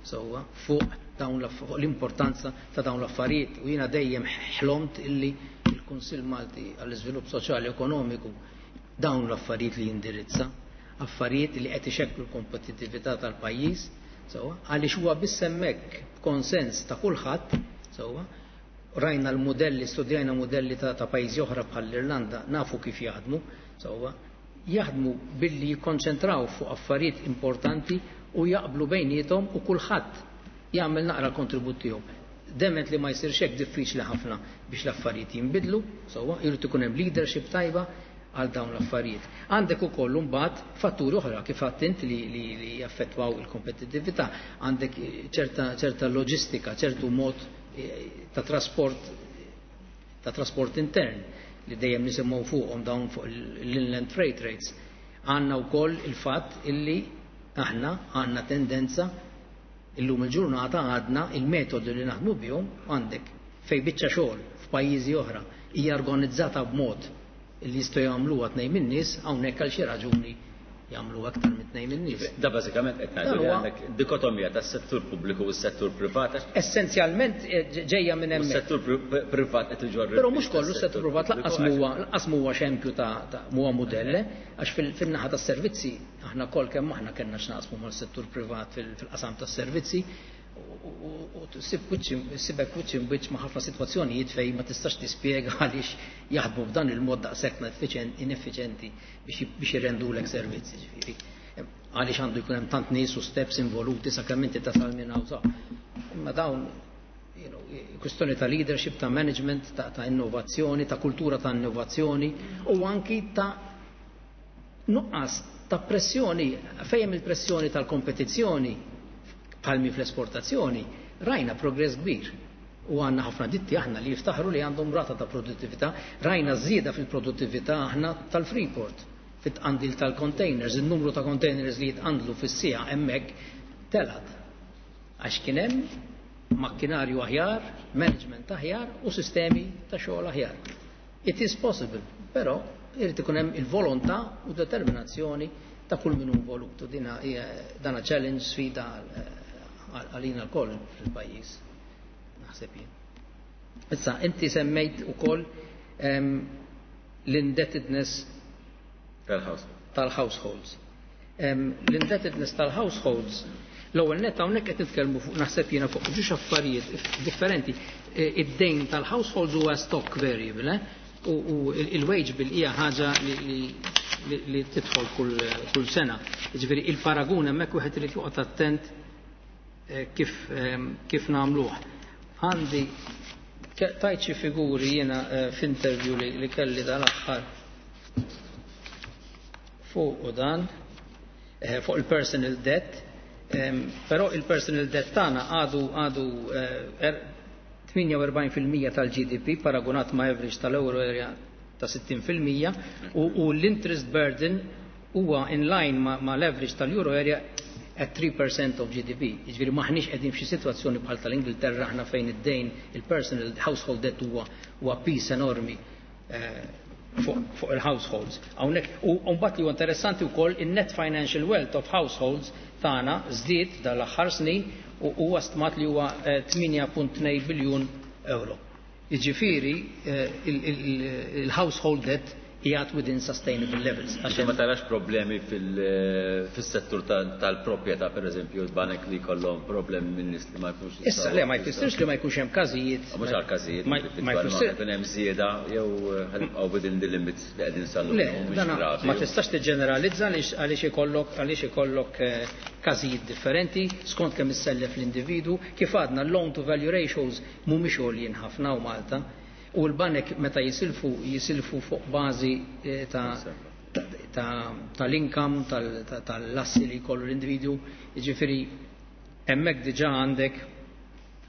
sewwa fuq dawn l-importanza ta' dawn l-affarijiet. U jiena dejjem ħlomt illi il-Kunsill Malti għall-Iżvilupp Soċjali Ekonomiku dawn l-affarijiet li jindirizza, affarijiet li qed ixekklu l-kompetittività tal-pajjiż, sewwa, għaliex huwa biss hemmhekk b'konsens ta' kulħadd, sewwa, rajna l-modelli, studjajna modelli ta', ta' pajjiżi oħra bħall-Irlanda, nafu kif jaħdmu, sewwa, jaħdmu billi jikkonċentraw fuq affarijiet importanti u jaqblu bejniethom u kulħadd jagħmel naqra kontribut tiegħu. Dement li ma jsirx hekk diffiċli ħafna biex l-affarijiet jinbidlu, sewwa, jrid ikun hemm leadership tajba għal dawn l-affarijiet. Għandek ukoll imbagħad fatturi oħra kif għadt int li, li, li jaffettwaw il-kompetittività, għandek ċerta, ċerta loġistika, ċertu mod ta' trasport, ta' trasport intern li dejjem nisimgħu fuqhom dawn fuq l-inland freight rates. Għandna wkoll il-fatt illi aħna għandna tendenza illum il-ġurnata għadna il-metodi li naħdmu bihom għandek fej biċċa xogħol f'pajjiżi oħra hija organizzata b'mod li jistgħu jagħmluha tnejn min-nies, hawnhekk għal xi raġuni jagħmlu aktar minn tnejn min-nies. Da bażikament qed ngħidu li għandek dikotomija tas-settur pubbliku u s-settur privat. Essenzjalment ġejja minn hemmhekk. Is-settur privat qed iġorr. Però mhux kollu s-settur privat lanqas huwa lanqas huwa xempju ta' huwa mudell, għax fin-naħa tas-servizzi aħna kol kemm aħna kellna x'naqsmu mal-settur privat fil-qasam tas-servizzi u sibek wiċċ imbiċ ma' ħafna sitwazzjonijiet fejn ma tistax tispjega għaliex jaħdmu b'dan il-mod daqshekk ineffiċjenti biex jirrendulek servizzi, ġifieri. Għaliex għandu jkun hemm tant nies u steps involuti sakemm inti tasal minn hawn sa. Imma dawn, you know, kwistjoni ta' leadership, ta' management, ta', ta' innovazzjoni, ta' kultura ta' innovazzjoni u anki ta' nuqqas ta' pressjoni, fejn il-pressjoni tal-kompetizzjoni palmi fl-esportazzjoni, rajna progress kbir. U għandna ħafna ditti aħna li jiftaħru li għandhom rata ta' produttività, rajna żieda fil-produttività aħna tal-Freeport, fit-tqandil tal-containers, il-numru ta' containers li jitqandlu fis-siegħa hemmhekk telgħet. Għax kien hemm makkinarju aħjar, management aħjar u sistemi ta' xogħol aħjar. It is possible, però irid ikun hemm il-volontà u determinazzjoni ta' kull min hu involut. U dina hija dana challenge, sfida għalina lkoll fil-pajjiż. Naħseb jien. Issa, inti semmejt ukoll l-indebtedness tal-households. L-indebtedness tal-households, l-ewwel net hawnhekk qed nitkellmu fuq, naħseb jiena, fuq ġiex affarijiet differenti. Id-dejn tal-households huwa stock variable, eh? U il-wage bill hija ħaġa li, li tidħol kull, kull sena. Jiġifieri il-paragun hemmhekk wieħed irid joqgħod attent kif, kif nagħmluh. Għandi tajt xi figuri jiena f'interview li, li kelli dal-aħħar fuq u dan, fuq il-personal debt, però il-personal debt tagħna għadu għadu tmienja u erbgħin fil-mija tal-G D P paragunat ma' average tal-euro area ta' sittin fil-mija u, u l-interest burden huwa in line ma', ma l-average tal-euro area at three percent of G D P. Jiġifieri maħniex qegħdin f'xi sitwazzjoni bħal tal-Ingilterra aħna fejn id-dejn, il-personal household debt huwa huwa piż enormi eh, fuq fu il-households. Hawnhekk u mbagħad li huwa interessanti wkoll, in-net financial wealth of households tagħna żdied dal-aħħar snin u huwa stmat li huwa tmienja punt tnejn biljun euro. Jiġifieri il-household debt qiegħed within sustainable levels. Għax ma tarax problemi fil-settur tal-proprjetà, per eżempju, l-banek li kollhom problemi minn nies li ma jkunx. Issa, le, ma jfissirx li ma jkunx hemm każijiet. Mhux għal każijiet, ma jfissirx jkun hemm żieda jew ħa nibqgħu within the limits li qegħdin sallu. Le, ma tistax tiġġeneralizza għaliex ikollok għaliex ikollok każijiet differenti skont kemm issellef l-individu. Kif għadna, l-loan to value ratios mhumiex għoljin ħafna u Malta. U l-banek meta jisilfu, jisilfu fuq bażi ta' tal-income, tal-assi li jkollu l-individu, jiġifieri hemmhekk diġà għandek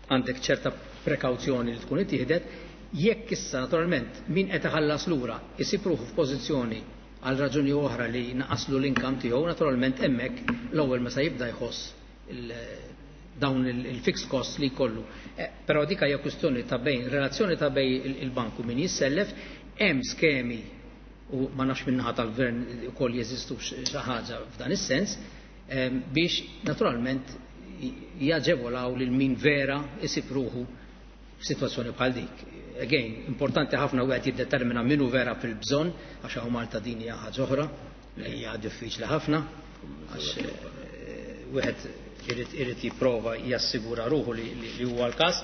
għandek ċerta prekawzjoni li tkun ittieħdet. Jekk issa naturalment min qed iħallas lura isib ruħu f'pożizzjoni għal raġuni oħra li naqaslu l-income tiegħu, naturalment hemmhekk l-ewwel meta jibda jħoss dawn il-fixed costs li jkollu. Però dik hija kwistjoni ta' bejn, relazzjoni ta' bejn il-banku min jissellef. Hemm skemi u ma nafx min-naħa tal-gvern ukoll jeżistu xi ħaġa f'dan is-sens biex naturalment jaġevolaw lil min vera isib ruħu f'sitwazzjoni bħal dik. Again, importanti ħafna wieħed jiddetermina min hu vera fil-bżonn, għax hawn Malta din hija ħaġa oħra li hija diffiċli ħafna, għax wieħed irid irid jipprova jassigura ruħu li, li huwa l-każ.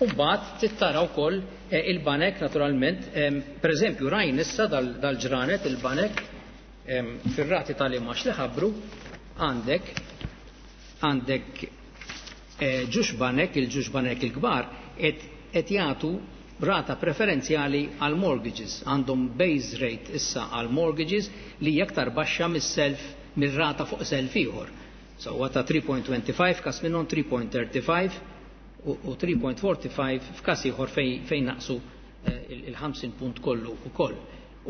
Umbagħad tittara wkoll il-banek naturalment, pereżempju rajn issa dal-ġranet il-banek fir-rati tal-imgħax li ħabbru, għandek għandek ġiex banek, il-ġiex banek il-kbar qed jagħtu rata preferenzjali għal mortgages, għandhom base rate issa għal mortgages li hija aktar baxxa mis-self, mir-rata fuq self ieħor. So huwa ta' tlieta punt tlieta ħamsa f'każ minnhom, tlieta punt tlieta ħamsa u tlieta punt ħamsa u erbgħin f'każ ieħor fejn naqsu il-ħamsin punt kollu ukoll.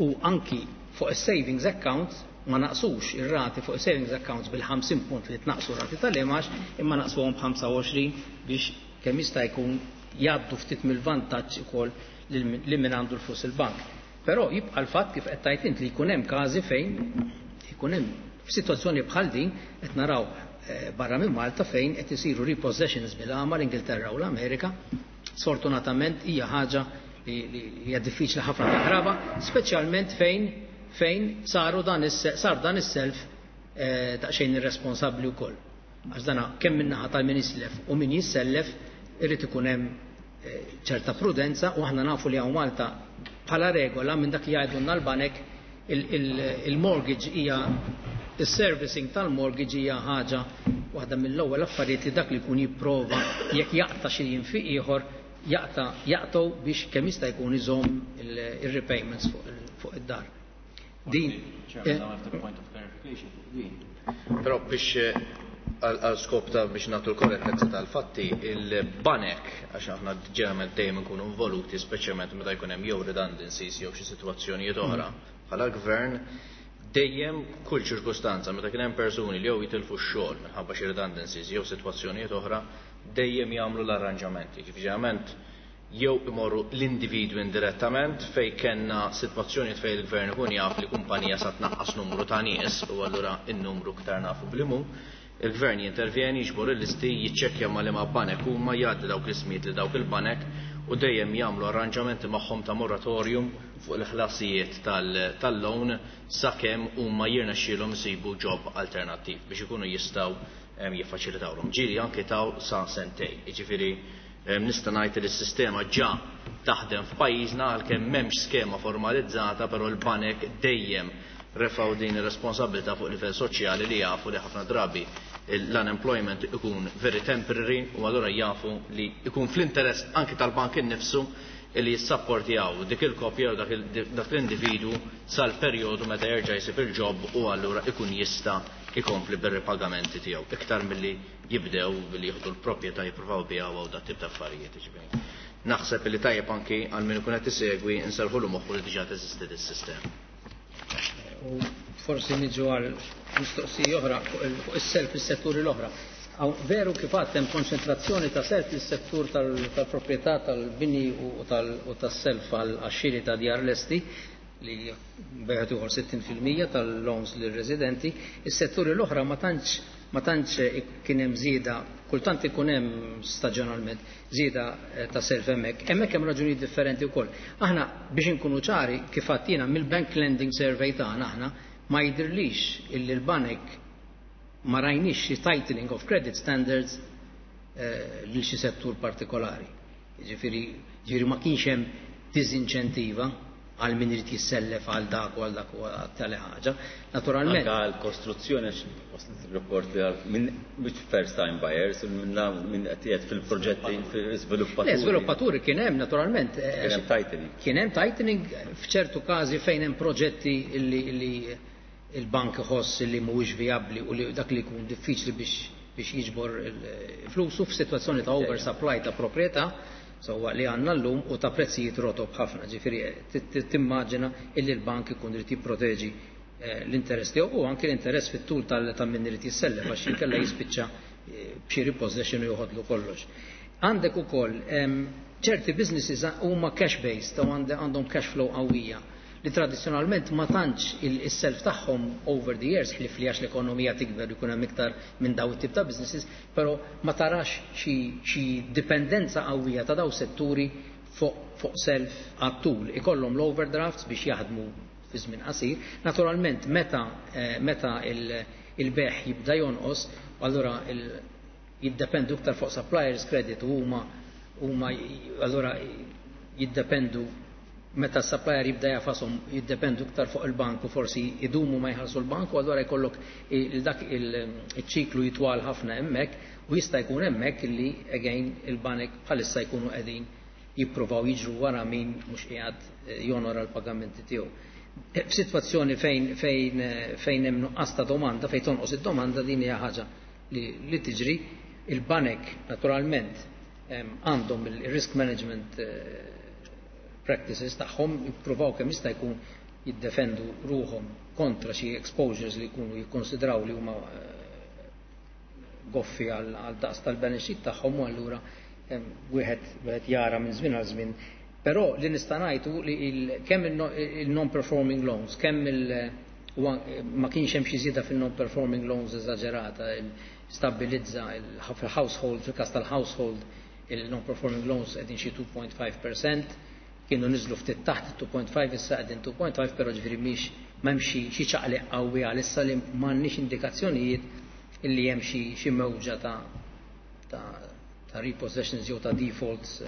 U anki fuq is-savings accounts ma naqsux ir-rati fuq savings accounts bil-ħamsin punt li tnaqsu rati tal-imgħax, imma naqsuhom b'ħamsa u għoxrin biex kemm jista' jkun jgħaddu ftit mill-vantaġġ ukoll li min għandu l-flus il-bank. Però jibqa' l-fatt, kif qed tgħid int, li jkun hemm każi fejn jkun hemm f'sitwazzjoni bħal din. Qed naraw barra minn Malta fejn qed isiru repossessions bil-għama, l-Ingilterra u l-Amerika. Sfortunatament hija ħaġa li hija diffiċli ħafna taħraba, speċjalment fejn fejn saru dan sar dan is-self daqsxejn irresponsabbli wkoll. Għax dana kemm min-naħa tal-min jislef u min jissellef irid ikun hemm ċerta prudenza, u aħna nafu li hawn Malta bħala regola, minn dak li jgħidulna l-banek, il-mortgage hija, il-servicing tal-mortgage hija ħaġa waħda mill-ewwel affarijiet li dak li jkun jipprova, jekk jaqta' xi jinfiq ieħor, jaqta' jaqtgħu biex kemm jista' jkun iżomm il-repayments fuq id-dar. Din. Chairman, I have the point of clarification fuq din. Però biex Għal skop ta' biex nagħtu l-korrettezza tal-fatti, il-banek, għax aħna ġeneralment dejjem nkunu involuti, speċjalment meta jkun hemm jew redundancies jew xi sitwazzjonijiet oħra bħala gvern, dejjem kull ċirkustanza meta kien hemm persuni li jew jitilfu x-xogħol minħabba xi redundancies jew sitwazzjonijiet oħra, dejjem jagħmlu l-arranġamenti. Ġifieri jew imorru l-individwi indirettament fej kellna sitwazzjonijiet fejn il-gvern ikun jaf li kumpanija sa tnaqqas numru ta' nies u allura n-numru ktar nafu blimu, il-gvern jintervjeni, jiġbor il-listi, jiċċekkja ma' liema banek huma, jgħaddi dawk l-ismijiet li dawk il-banek u dejjem jagħmlu arranġamenti magħhom ta' moratorium fuq il-ħlasijiet tal-loan sakemm huma jirnexxielhom isibu job alternattiv biex ikunu jistgħu jiffaċilitawhom. Ġieli anke taw sa sentejn. Jiġifieri nista' ngħid li s-sistema ġa taħdem f'pajjiżna għalkemm m'hemmx skema formalizzata, però l-banek dejjem refaw din ir-responsabilità fuq livell soċjali li jafu li ħafna drabi l-unemployment ikun very temporary u allura jafu li ikun fl-interess anki tal-bank innifsu li jissapportjaw dik il-kopja u dak l-individu sal-perjodu meta jerġa' jsib il-job u allura ikun jista' ikompli bir-ripagamenti tiegħu iktar milli jibdew billi jieħdu l-proprjetà jippruvaw biha u dat tip ta' affarijiet. Jiġifieri naħseb li tajjeb anki għal min ikun qed isegwi nserħulu moħħu li diġà teżisti dis-sistema. U forsi niġu għal mistoqsija oħra fuq is-self fis-setturi l-oħra. Veru kif għadt hemm konċentrazzjoni ta' self fis-settur tal-proprjetà tal-bini u tas-self għax-xiri ta' djar lesti li bejgħet uħor sittin fil-mija tal-loans lir-residenti, is-setturi l-oħra ma tantx ma tantx kien hemm żieda, kultant ikun hemm staġjonalment żieda ta' self hemmhekk. Hemmhekk hemm raġunijiet differenti wkoll. Aħna biex inkunu ċari kif għadt mill-bank lending survey tagħna aħna ma jidhirlix illi l-banek ma rajniex xi tightening of credit standards lil xi settur partikolari. Jiġifieri ġifieri ma kienx hemm diżinċentiva għal min irid jissellef għal dak u għal dak u għal tali ħaġa. Naturalment. Anke għal kostruzzjoni waslet il-rapport li għal minn mhux first time buyers, minn qed fil-proġetti fil-żviluppaturi. Le, żviluppaturi kien hemm naturalment. Kien hemm tightening. Kien hemm tightening f'ċertu każi fejn hemm proġetti li il-bank iħoss li mhuwiex vijabbli u li dak li jkun diffiċli biex biex jiġbor flusu f'sitwazzjoni ta' oversupply ta' proprjetà sewwa li għandna llum u ta' prezzijiet rotob ħafna. Ġifieri timmaġina illi l-bank ikun irid jipproteġi l-interess tiegħu u anke l-interess fit-tul ta' min irid jissellef għax inkella jispiċċa b'xi repossession u joħodlu kollox. Għandek ukoll ċerti businesses huma cash based u għandhom cash flow qawwija li tradizzjonalment ma tantx is-self tagħhom over the years ħlief li għax l-ekonomija tikber jkun hemm iktar minn daw it-tip ta' businesses, però ma tarax xi dipendenza qawwija ta' daw setturi fuq self għat-tul. Ikollhom l-overdrafts biex jaħdmu fi żmien qasir. Naturalment meta meta il-beħ jibda jonqos, allura jiddependu iktar fuq suppliers credit u huma huma allura jiddependu meta s-supplier jibda jafasom jiddependu iktar fuq il-bank u forsi idumu ma jħallsu l-bank u allura jkollok dak il-ċiklu jitwal ħafna hemmhekk u jista' jkun hemmhekk illi again il-banek bħalissa jkunu qegħdin jippruvaw jiġru wara min mhux qiegħed jonora l-pagamenti tiegħu. F'sitwazzjoni fejn fejn fejn hemm nuqqas ta' domanda, fejn tonqos id-domanda din hija ħaġa li tiġri. Il-banek naturalment għandhom il-risk management practices tagħhom jippruvaw kemm jista' jkun jiddefendu ruhom kontra xi exposures li jkunu jikkonsidraw li huma goffi għal daqs tal-balance sheet tagħhom u allura wieħed wieħed jara minn żmien għal żmien. Però li nista' ngħidu li kemm il-non-performing loans, kemm il ma kienx hemm xi żieda fil-non-performing loans eżaġerata, stabbilizza fil-household, fil-każ tal-household il-non-performing loans qegħdin xi two point five percent, kienu niżlu ftit taħt two point five, issa qegħdin two point five, però ġifieri mhix m'hemm xi ċaqliq qawwi għalissa li m'għandniex indikazzjonijiet illi hemm xi mewġa ta' ta' repossessions jew ta' defaults.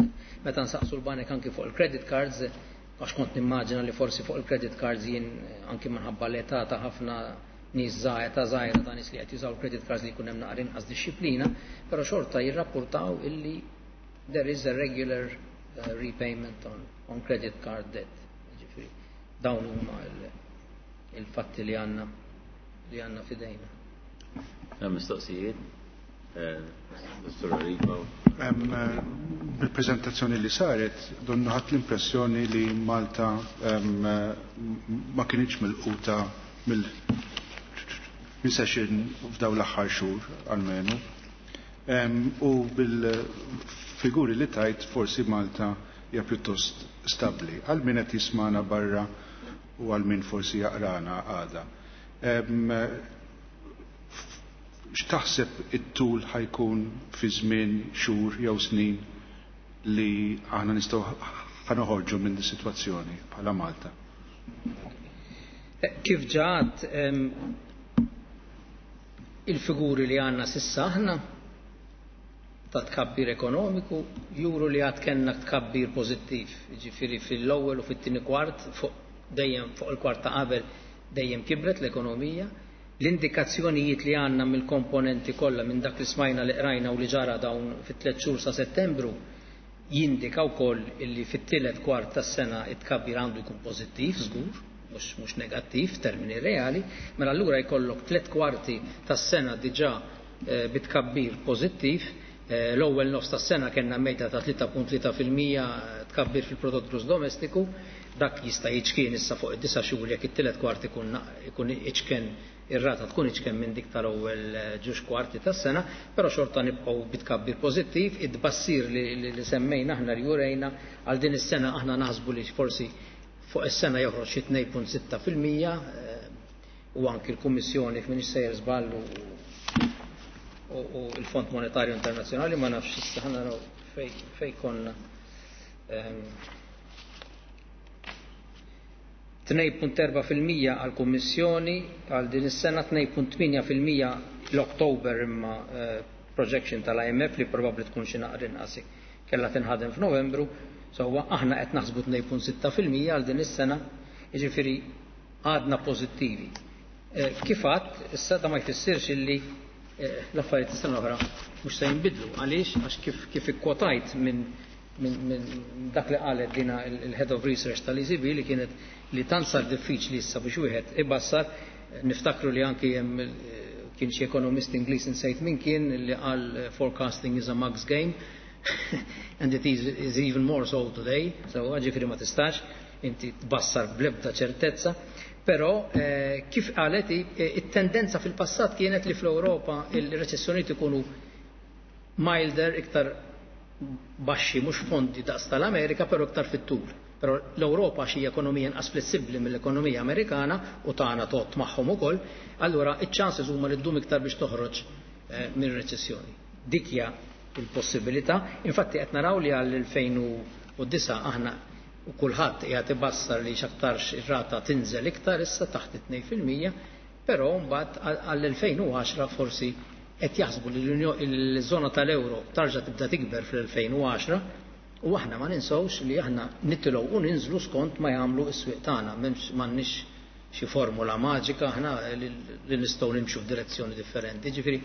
Meta nsaqsu l-banek anki fuq il-credit cards, għax kont nimmaġina li forsi fuq il-credit cards jien anki minħabba l-età ta' ħafna nies ta' żgħira ta' nies li qed jużaw il-credit cards li jkun hemm naqra inqas dixxiplina, però xorta jirrapportaw illi there is a regular uh, repayment on, on credit card debt. Ġifieri dawn huma il-fatti li għandna li għandna fidejna. Hemm mistoqsijiet? Dottor Arrigo. Bil-prezentazzjoni li saret, donnu ħadt l-impressjoni li Malta ma kinitx milquta mill-recession f'daw l-aħħar xhur almenu. U bil-figuri li tajt forsi Malta hija pjuttost stabbli. Għal min qed jismana barra u għal min forsi jaqrana għada. X'taħseb it-tul ħa jkun fi żmien xhur jew snin li aħna nistgħu ħa noħorġu minn din sitwazzjoni bħala Malta? Kif ġat il-figuri li għandna s'issa aħna ta' tkabbir ekonomiku juru li għad kellna tkabbir pożittiv, ġifieri fil-ewwel u fit-tieni kwart fuq dejjem fuq il-kwart ta' qabel dejjem kibret l-ekonomija. L-indikazzjonijiet li għandna mill-komponenti kollha minn dak li smajna li qrajna u li ġara dawn fit-tliet xhur sa' Settembru jindika wkoll illi fit-tielet kwart tas-sena it-tkabbir għandu jkun pożittiv żgur, mhux mhux negattiv f'termini reali, mela allura jkollok tliet kwarti tas-sena diġà bitkabbir pożittiv. L-ewwel nofs tas-sena kellna medja ta' tlieta punt tlieta fil-mija tkabbir fil-prodott gross domestiku, dak jista' jiċkien issa fuq id-disa' xhur jekk it-tielet kwart ikun ikun iċken ir-rata tkun iċken minn dik tal-ewwel ġewġ kwarti tas-sena, però xorta nibqgħu bitkabbir pożittiv. Id-bassir li, li, li semmejna aħna li jurejna għal din is-sena aħna naħsbu li forsi fuq is-sena joħroġ xi tnejn punt sitta fil-mija, u anki l-Kummissjoni f'min sejjer żball u, u l-Fond Monetarju Internazzjonali ma nafx issa ħa naraw fej, fej konna. Tnejn punt erba' fil-mija għall-Kummissjoni għal din is-sena, tnejn punt tmienja fil-mija l-Oktober imma projection tal-I M F li probabbli tkun xi naqra inqas kellha tinħadem f'Novembru, sewwa aħna qed naħsbu tnejn punt sitta fil-mija għal din is-sena, jiġifieri għadna pożittivi. Kif għadt, issa da ma jfissirx illi l-affarijiet is-sena l-oħra mhux se jinbidlu. Għaliex? Għax kif, kif ikkwotajt minn min, min dak li qalet dina il-Head of Research tal-E C B li kienet li tant sar diffiċli issa biex wieħed ibassar, niftakru li anki hemm kien xi ekonomist Ingliż insejt min kien li qal forecasting is a mug's game and it is, is even more so today, so ġifieri ma tistax inti tbassar bl-ebda ċertezza. Però eh, kif qalet it-tendenza fil-passat kienet li fl-Ewropa il-reċessjonijiet ikunu milder, iktar baxxi, mhux fondi daqs tal-Amerika, però iktar fit-tul. Però l-Ewropa xi ekonomija inqas flessibbli mill-ekonomija Amerikana u tagħna tgħodd magħhom ukoll, allura iċ-chances huma li ddum iktar biex toħroġ eh, mir-reċessjoni. Dik hija il-possibilità. Infatti qed naraw li għall-elfejn u disa' aħna u kulħadd qiegħed ibassar li x'aktarx ir-rata tinżel iktar issa taħt it-tnejn fil-mija, però mbagħad għall-elfejn u għaxra forsi qed jaħsbu li l-żona tal-euro tarġa' tibda tikber fl-elfejn u għaxra, u aħna ma ninsewx li aħna nitilgħu u ninżlu skont ma jagħmlu s-swieq tagħna, m'hemmx m'għandniex xi formula maġika aħna li, li nistgħu nimxu f'direzzjoni differenti. Ġifieri,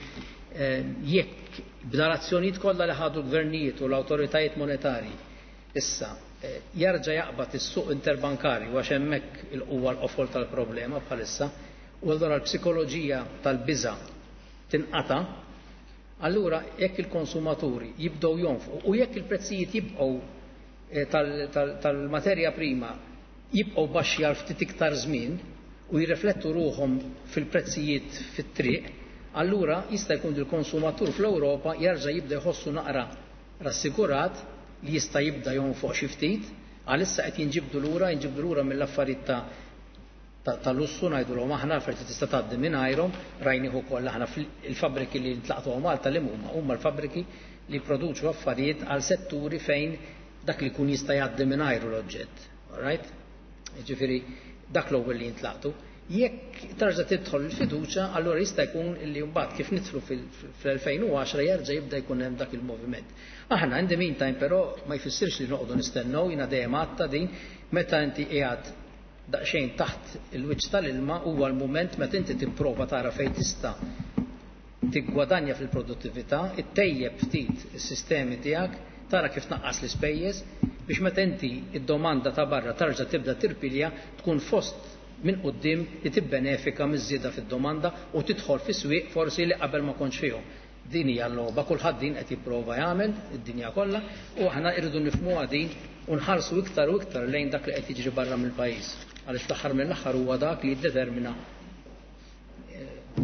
eh, jekk b'dal-azzjonijiet kollha li ħadu l-gvernijiet u l-awtoritajiet monetarji issa, eh, jarġa' jaqbad is-suq interbankarju għax hemmhekk il-huwa l-qofol tal-problema bħalissa, u allura l-psikoloġija tal-biża' tinqata', allura jekk il-konsumaturi jibdew jonfqu u jekk il-prezzijiet jibqgħu, eh, tal-, tal-, tal-materja prima jibqgħu baxxi għal ftit iktar żmien u jirriflettu ruħhom fil-prezzijiet fit-triq, allura jista' jkun il-konsumatur fl-Ewropa jerġa' jibda jħossu naqra rassikurat li jista' jibda jonfoq xi ftit, għalissa qed jinġibdu lura, jinġibdu lura mill-affarijiet ta', ta', ta' lussu ngħidulhom aħna affarijiet li tista' tgħaddi mingħajrhom, rajnieh ukoll aħna fil-fabbriki li ntlaqtu Malta li huma, huma l-fabbriki li jproduċu affarijiet għal setturi fejn dak li jkun jista' jgħaddi mingħajru l-oġġett. All right? Jiġifieri dak l-ewwel li jintlaqtu. Jekk tarġa' tidħol il-fiduċja, allura jista' jkun li mbagħad kif nidħlu fil-, fl-elfejn u għaxra jerġa' jibda jkun hemm dak il-moviment. Aħna in the meantime però ma jfissirx li noqogħdu nistennew, jiena dejjem għadta din, meta inti qiegħed daqsxejn taħt il-wiċċ tal-ilma huwa l-mument meta inti tipprova tara fejn tista' tiggwadanja fil-produttività, ittejjeb ftit is-sistemi tiegħek, tara kif tnaqqas l-ispejjeż biex meta inti id-domanda ta' barra tarġa' tibda tirpilja tkun fost minn quddiem li tibbenefika miż-żieda fid-domanda u tidħol fi swieq forsi li qabel ma kontx fihom. Din hija l-logħba, kulħadd din qed jipprova jagħmel id-dinja kollha u aħna rridu nifhmuha din u nħarsu iktar u iktar lejn dak li qed jiġri barra mill-pajjiż. Għaliex fl-aħħar mill-aħħar huwa dak li jiddetermina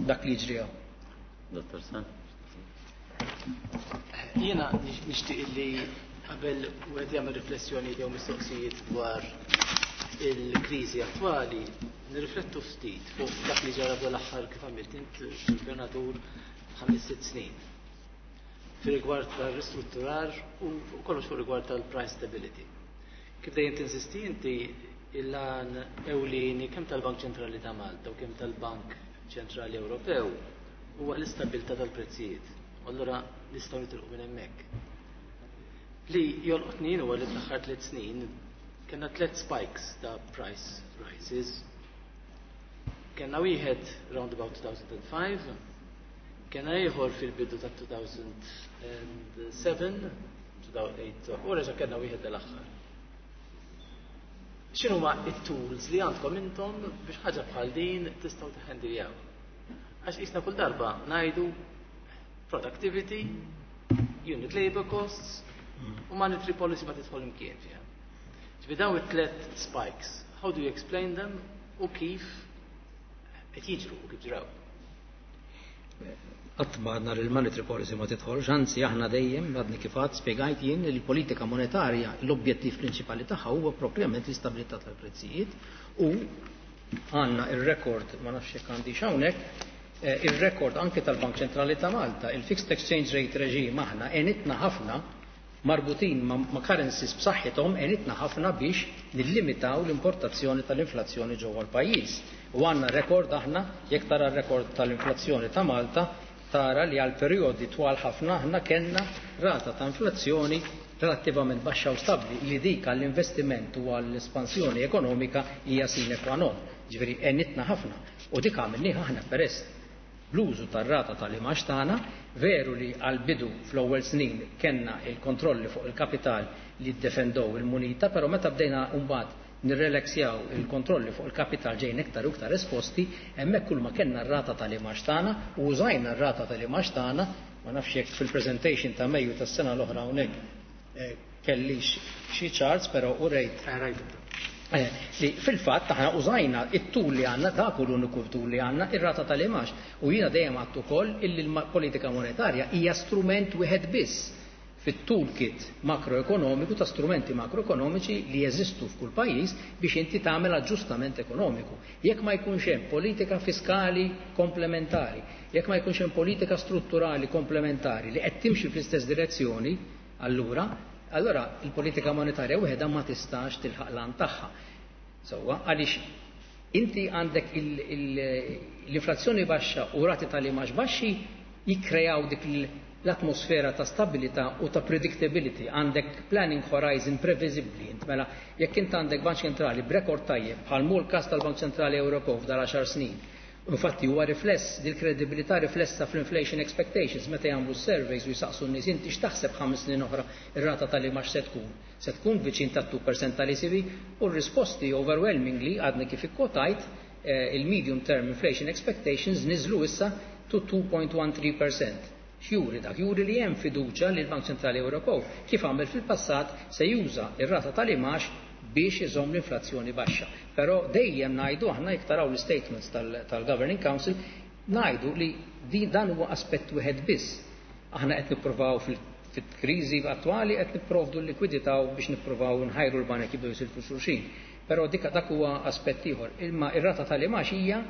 dak li jiġri hawn. Dottor San. Jiena nixtieq li qabel wieħed jagħmel riflessjoni jew mistoqsijiet dwar il-kriżi attwali, nirriflettu ftit fuq dak li ġara dal-aħħar kif għamilt int gvernatur ħames sitt snin. Fir-rigward tal-ristrutturar u kollox fuq rigward tal-price stability. Kif dejjem tinsisti inti il-għan ewlieni kemm tal-Bank Ċentrali ta' Malta u kemm tal-Bank Ċentrali Ewropew huwa l-istabilità tal-prezzijiet. Allura nistgħu nitilqu minn hemmhekk. Li jolqotni huwa li fl-aħħar tliet snin kellna tliet spikes ta' price rises. Kellna wieħed round about two thousand five, kellna ieħor fil-bidu ta' two thousand seven, two thousand eight, u reġa' kellna wieħed dal-aħħar. X'inhuma it-tools li għandkom intom biex ħaġa bħal din tistgħu tiħendiljaw? Għax qisna kull darba ngħidu productivity, unit labor costs, u monetary policy ma tidħol imkien fiha. Ġifieri dawn it-tlet spikes, how do you explain them u kif qed jiġru u kif ġraw? Qatt ma għadna li l-monetary policy ma tidħolx, anzi aħna dejjem għadni kif għad spjegajt jien li l-politika monetarja l-objettiv prinċipali tagħha huwa proprjament l-istabilità tal-prezzijiet u għandna il-rekord, ma nafx jekk għandi hawnhekk, eh, il-rekord anke tal-Bank Ċentrali ta' Malta, il-fixed exchange rate regime aħna għenitna ħafna marbutin ma, ma currencies b'saħħithom, għenitna ħafna biex nillimitaw l-importazzjoni tal-inflazzjoni ġewwa l-pajjiż. U għandna rekord aħna, jekk tara r-rekord tal-inflazzjoni ta' Malta, tara li għal perjodi twal ħafna aħna kellna rata ta' inflazzjoni relattivament baxxa u stabbli, li dik għall-investiment u għall-espansjoni ekonomika hija sine qua non. Ġifieri għenitna ħafna. U dik għamilniha aħna peress l-użu tar-rata tal-imgħax tagħna. Veru li għal-bidu fl-ewwel snin kellna il-kontrolli fuq il-kapital li ddefendow il-munita, però meta bdejna mbagħad nirrelaxjaw il-kontrolli fuq il-kapital ġejn iktar u iktar esposti, hemmhekk kull ma kellna r-rata tal-imgħax tagħna u użajna r-rata tal-imgħax tagħna. Ma nafx jekk fil-presentation ta' Mejju tas-sena l-oħra hawnhekk eh, kellix xi charts, però u rejt Eh, li fil-fatt aħna użajna it-tool li għandna, dak hu l-uniku tool li għandna, ir-rata tal-imgħax. U jiena dejjem għedt ukoll illi l-politika monetarja hija strument wieħed biss fit-toolkit makroekonomiku ta' strumenti makroekonomiċi li jeżistu f'kull pajjiż biex inti tagħmel aġġustament ekonomiku. Jekk ma jkunx hemm politika fiskali komplementari, jekk ma jkunx hemm politika strutturali komplementari li qed timxi fl-istess direzzjoni, allura allora il-politika monetarja wieħeda ma tistax tilħaq l-għan tagħha. Sewwa, għaliex inti għandek l-inflazzjoni baxxa u rati tal-imgħax baxxi jikkrejaw dik l-atmosfera ta' stabilità u ta' predictability, għandek planning horizon previżibbli. Int mela jekk int għandek bank ċentrali b'rekord tajjeb bħal mhu l-każ tal-Bank Ċentrali Ewropew f'dal għaxar snin. Infatti huwa rifless dil-kredibilità riflessa fl-inflation expectations meta jagħmlu surveys u jsaqsu n-nies: inti x'taħseb ħames snin oħra ir-rata tal-imgħax se tkun? Se tkun viċin ta' two percent tal-E C B? U r-risposti overwhelmingly, għadni kif ikkotajt, eh, il-medium term inflation expectations niżlu issa to two point one three percent. X'juri dak? Juri li hemm fiduċja li l-Bank Ċentrali Ewropew, kif għamel fil-passat, se juża ir-rata tal-imgħax biex iżomm l-inflazzjoni baxxa. Però dejjem ngħidu aħna, jekk taraw l-statements tal-Governing Council, ngħidu li din dan huwa aspett wieħed biss. Aħna qed nippruvaw fil-kriżi attwali qed nipprovdu l-likwidità biex nippruvaw nħajru l-banek jibdew jisilfu xulxin. Però dik dak huwa aspett ieħor. Imma ir-rata tal-imgħax hija,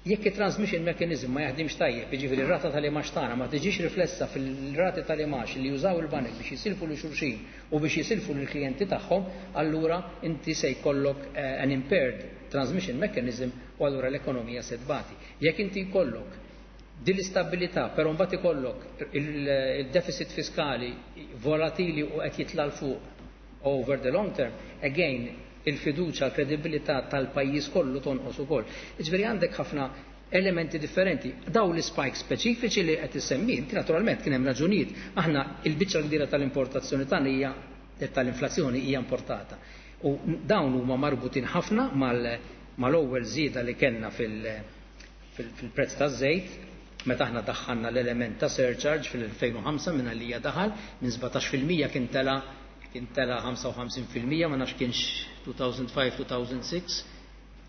jekk il-transmission mechanism ma jaħdimx tajjeb, jiġifieri r-rata tal-imgħax tagħna ma tiġix riflessa fil-rati tal-imgħax li jużaw il-banek biex jisilfu lil xulxin u biex jisilfu lill klijenti tagħhom, allura inti se jkollok eh, an impaired transmission mechanism u allura l-ekonomija se tbati. Jekk inti jkollok din l-istabilità, però mbagħad ikollok il-deficit fiskali volatili u qed jitla' fuq over the long term, again il-fiduċa, l-kredibilità tal-pajjiż kollu tonqos ukoll. Jiġifieri għandek ħafna elementi differenti. Daw l-spike speċifiċi li qed issemmi, inti naturalment kien hemm raġunijiet. Aħna il-biċċa kbira tal-importazzjoni tagħna hija tal-inflazzjoni hija importata. U dawn huma marbutin ħafna mal-ewwel żieda li kellna fil-prezz taż-żejt. Meta aħna daħħalna l-element ta' surcharge fil-elfejn u ħamsa minn għalija daħal, minn sbatax fil-mija kien tela kien tela ħamsa u ħamsin fil-mija, ma nafx kienx two thousand five, two thousand six,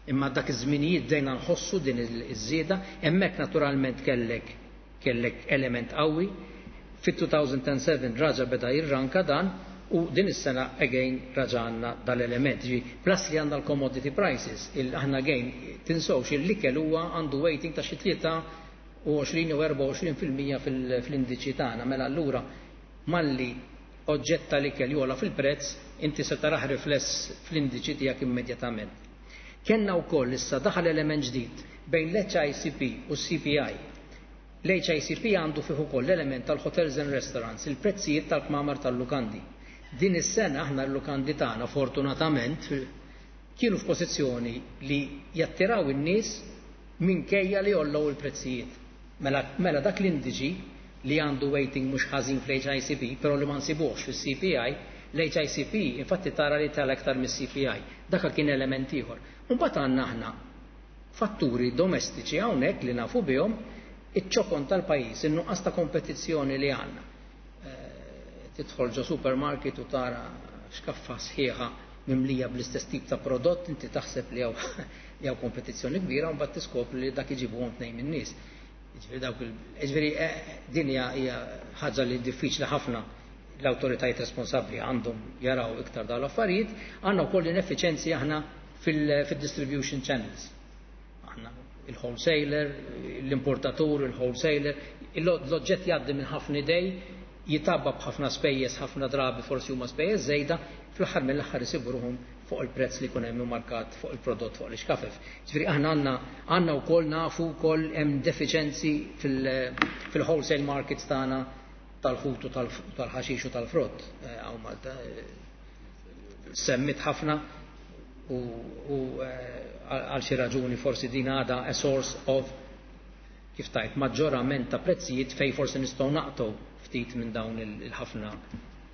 imma dak iż-żminijiet bdejna nħossu din iż-żieda, hemmhekk naturalment kellek, kellek element qawwi. Fit-two thousand and seven raġa beda jirranka dan u din is-sena again raġa għandna dal-element. Ġi, plus li għandna l-commodity prices, il aħna again tinsewx il-ikel huwa għandu weighting ta' xi tlieta u għoxrin u erbgħa u għoxrin fil-mija fil-, fl-indiċi tagħna. Mela allura malli oġġett tal-ikel jola fil-prezz, inti se taraħ rifless fl-indiċi tiegħek immedjatament. Kenna wkoll issa daħal element ġdid bejn l-H I C P u C P I. L-H I C P għandu fih ukoll l-element tal-hotels and restaurants, il-prezzijiet tal-kmamar tal-lukandi. Din is-sena aħna l-lukandi tagħna fortunatament kienu f'pożizzjoni li jattiraw in-nies minkejja li jollow il-prezzijiet. Mela, mela dak l-indiċi li għandu weighting mhux ħażin fl-H I C P, però li ma nsibuhx fis-C P I, l-H I C P infatti tara li tala aktar mis-C P I. Dak kien element ieħor. Imbagħad għandna aħna fatturi domestiċi hawnhekk li nafu bihom, iċ-ċokon tal-pajjiż, in-nuqqas ta' kompetizzjoni li għandna. Eh, tidħol ġo supermarket u tara xkaffa sħiħa mimlija bl-istess tip ta' prodott, inti taħseb li hawn, li hawn kompetizzjoni kbira, u mbagħad tiskopri li dak iġibuhom tnejn min-nies. Jiġifieri dawk il-, jiġifieri, eh, din hija, hija ħaġa li diffiċli ħafna l-awtoritajiet responsabbli għandhom jaraw iktar dawn l-affarijiet. Għandna wkoll ineffiċenzi aħna fil-, fil-distribution channels. Aħna il-wholesaler, l-importatur, il-wholesaler, l-oġġett jgħaddi minn ħafna idej, jitabba b'ħafna spejjeż, ħafna drabi forsi huma spejjeż żejda, fl-aħħar mill-aħħar isibu ruhom fuq il-prezz li jkun hemm immarkat fuq il-prodott fuq l-ixkafef. Ġifieri aħna għandna, għandna wkoll nafu wkoll hemm deficienzi fil-, fil-wholesale markets tagħna tal-ħut u tal-, tal-ħaxix u tal-frott. Eh, hawn Malta, eh, semmit ħafna u, u, eh, għal xi raġuni forsi din għadha a source of kif tajt maġġorament ta' prezzijiet fej forsi nistgħu naqtgħu ftit minn dawn il-, il-ħafna,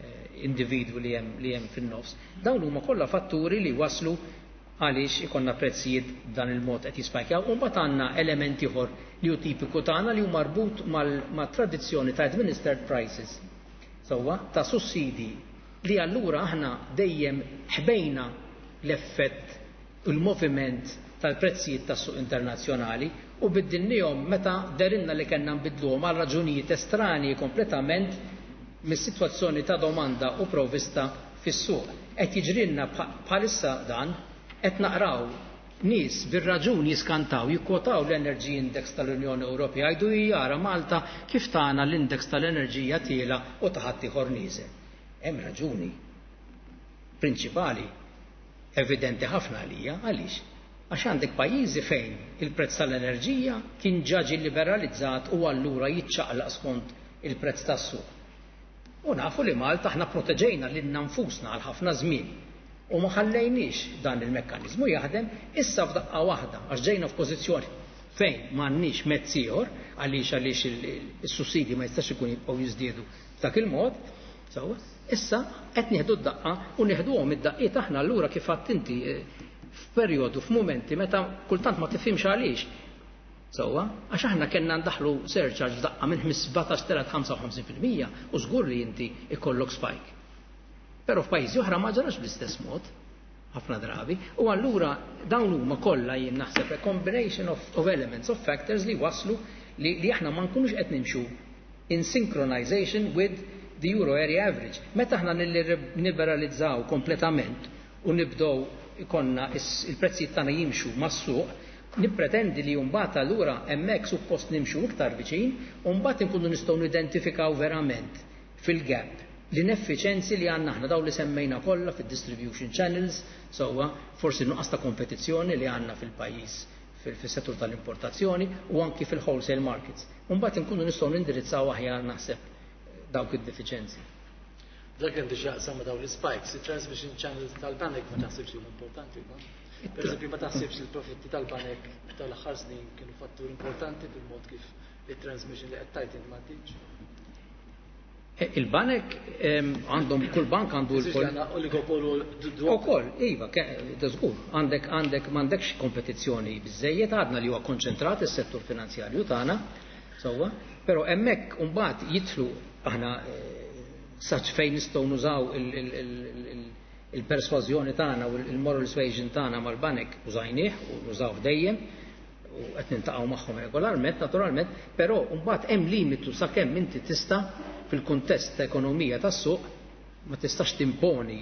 eh, individwi li hemm, li hemm fin-nofs. Dawn huma kollha fatturi li waslu għaliex ikonna prezzijiet b'dan il-mod qed jispajkjaw. U mbagħad għandna element ieħor li hu tipiku tagħna li hu marbut mal-, mat-tradizzjoni ta' administered prices, sewwa ta' sussidi li allura aħna dejjem ħbejna l-effett u l-moviment tal-prezzijiet tas-suq internazzjonali u biddilnihom meta derinna li kellna nbidluhom għal raġunijiet estranji kompletament mis-sitwazzjoni ta' domanda u provvista fis-suq. Qed jiġrilna bħa-, bħalissa dan, qed naqraw nies bir-raġun jiskantaw, jikkwotaw l-Energy Index tal-Unjoni Ewropea, jgħidu jara Malta kif tagħna l-index tal-enerġija tiela u ta' ħadd ieħor nieżel. Hemm raġuni prinċipali evidenti ħafna għalija, għaliex? Għax għandek pajjiżi fejn il-prezz tal-enerġija kien ġa ġie liberalizzat u allura jiċċaqlaq skont il-prezz tas-suq. U nafu li Malta aħna proteġejna lilna nfusna għal ħafna żmien u ma ħallejniex dan il-mekkaniżmu jaħdem. Issa f'daqqa waħda għax ġejna f'pożizzjoni fejn m'għandniex mezz ieħor għaliex, għaliex il-, il-, is-sussidi ma jistax ikun jibqgħu jiżdiedu f'dak il-mod. Sewwa, issa qed nieħdu d-daqqa u nieħduhom id-daqqiet aħna allura kif għedt inti, eh, f'perjodu, f'mumenti meta kultant ma tifhimx għaliex. Sewwa, għax aħna kellna ndaħlu surcharge f'daqqa minn sbatax tela ħamsa u ħamsin fil-mija u żgur li inti ikollok spike. Però f'pajjiżi oħra ma ġarax bl-istess mod ħafna drabi, u allura dawn huma kollha jien naħseb a combination of, of elements, of factors li waslu li, li aħna ma nkunux qed nimxu in synchronization with the euro area average. Meta aħna nilliberalizzaw kompletament u nibdew ikonna is-, il-prezzijiet tagħna jimxu mas-suq, nippretendi li mbagħad allura hemmhekk suppost nimxu iktar viċin u mbagħad inkunu nistgħu nidentifikaw verament fil-gap l-ineffiċenzi li għandna aħna dawn li semmejna kollha fid-distribution channels, sewwa forsi nuqqas ta' kompetizzjoni li għandna fil-pajjiż fil-, fis-settur tal-importazzjoni u anki fil-wholesale markets. U mbagħad inkunu nistgħu nindirizzaw aħjar naħseb dawk id-defiċenzi. Dak għandu x'jaqsam ma' dawn l-spikes, il-transmission channels tal-banek ma taħsibx li huma importanti, no? Per eżempju, ma taħsibx li l-profitti tal-banek tal-aħħar snin kienu fattur importanti fil-mod kif il-transmission li qed tgħid inti m'għandix? Eh, il-banek, ehm, għandhom, kull bank għandu Eżiġ l-kol. għandna oligopolu d-, d-, Ukoll, iva, ke-, da żgur, għandek, għandek, m'għandekx kompetizzjoni biżejjed, għadna li huwa konċentrat is-settur finanzjarju tagħna, Sewwa, però hemmhekk imbagħad jidħlu aħna saċ fejn nistgħu nużaw il-persważjoni tagħna u il-moral suasion tagħna mal-banek użajnieh u nużawh dejjem u qed niltaqgħu magħhom regolarment, naturalment, però mbagħad hemm limitu sakemm inti tista' fil-kuntest ta' ekonomija tas-suq ma tistax timponi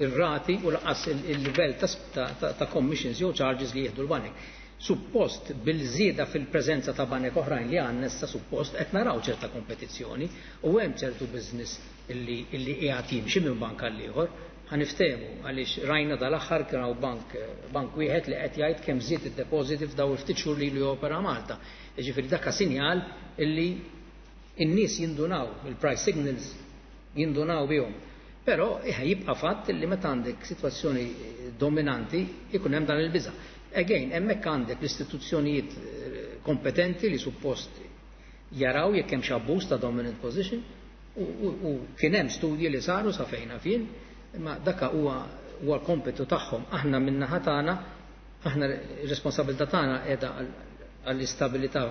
il-rati u lanqas il-livell ta' commissions jew charges li jieħdu l-banek. Suppost bil-żieda fil-preżenza ta' banek oħrajn li għandna issa suppost qed naraw ċerta kompetizzjoni u hemm ċertu business illi illi qiegħed jimxi minn bank għal ieħor. Ħa niftehmu għaliex rajna dal-aħħar kien hawn bank bank wieħed li qed jgħid kemm żied id-depożiti f'daw il-ftit xhur li ilu jopera Malta. Jiġifieri dak sinjal illi n-nies jindunaw, il-price signals jindunaw bihom. Però jibqa' fatt li meta għandek sitwazzjoni dominanti ikun hemm dan il-biża'. Again, hemmhekk għandek l-istituzzjonijiet kompetenti li suppost jaraw jekk hemm xi abbuż ta' dominant position u, u, u kien hemm studji li saru sa fejna fien, imma daka huwa huwa l-kompitu tagħhom. Aħna min-naħa tagħna, aħna r-responsabilità tagħna qiegħda għall-istabilità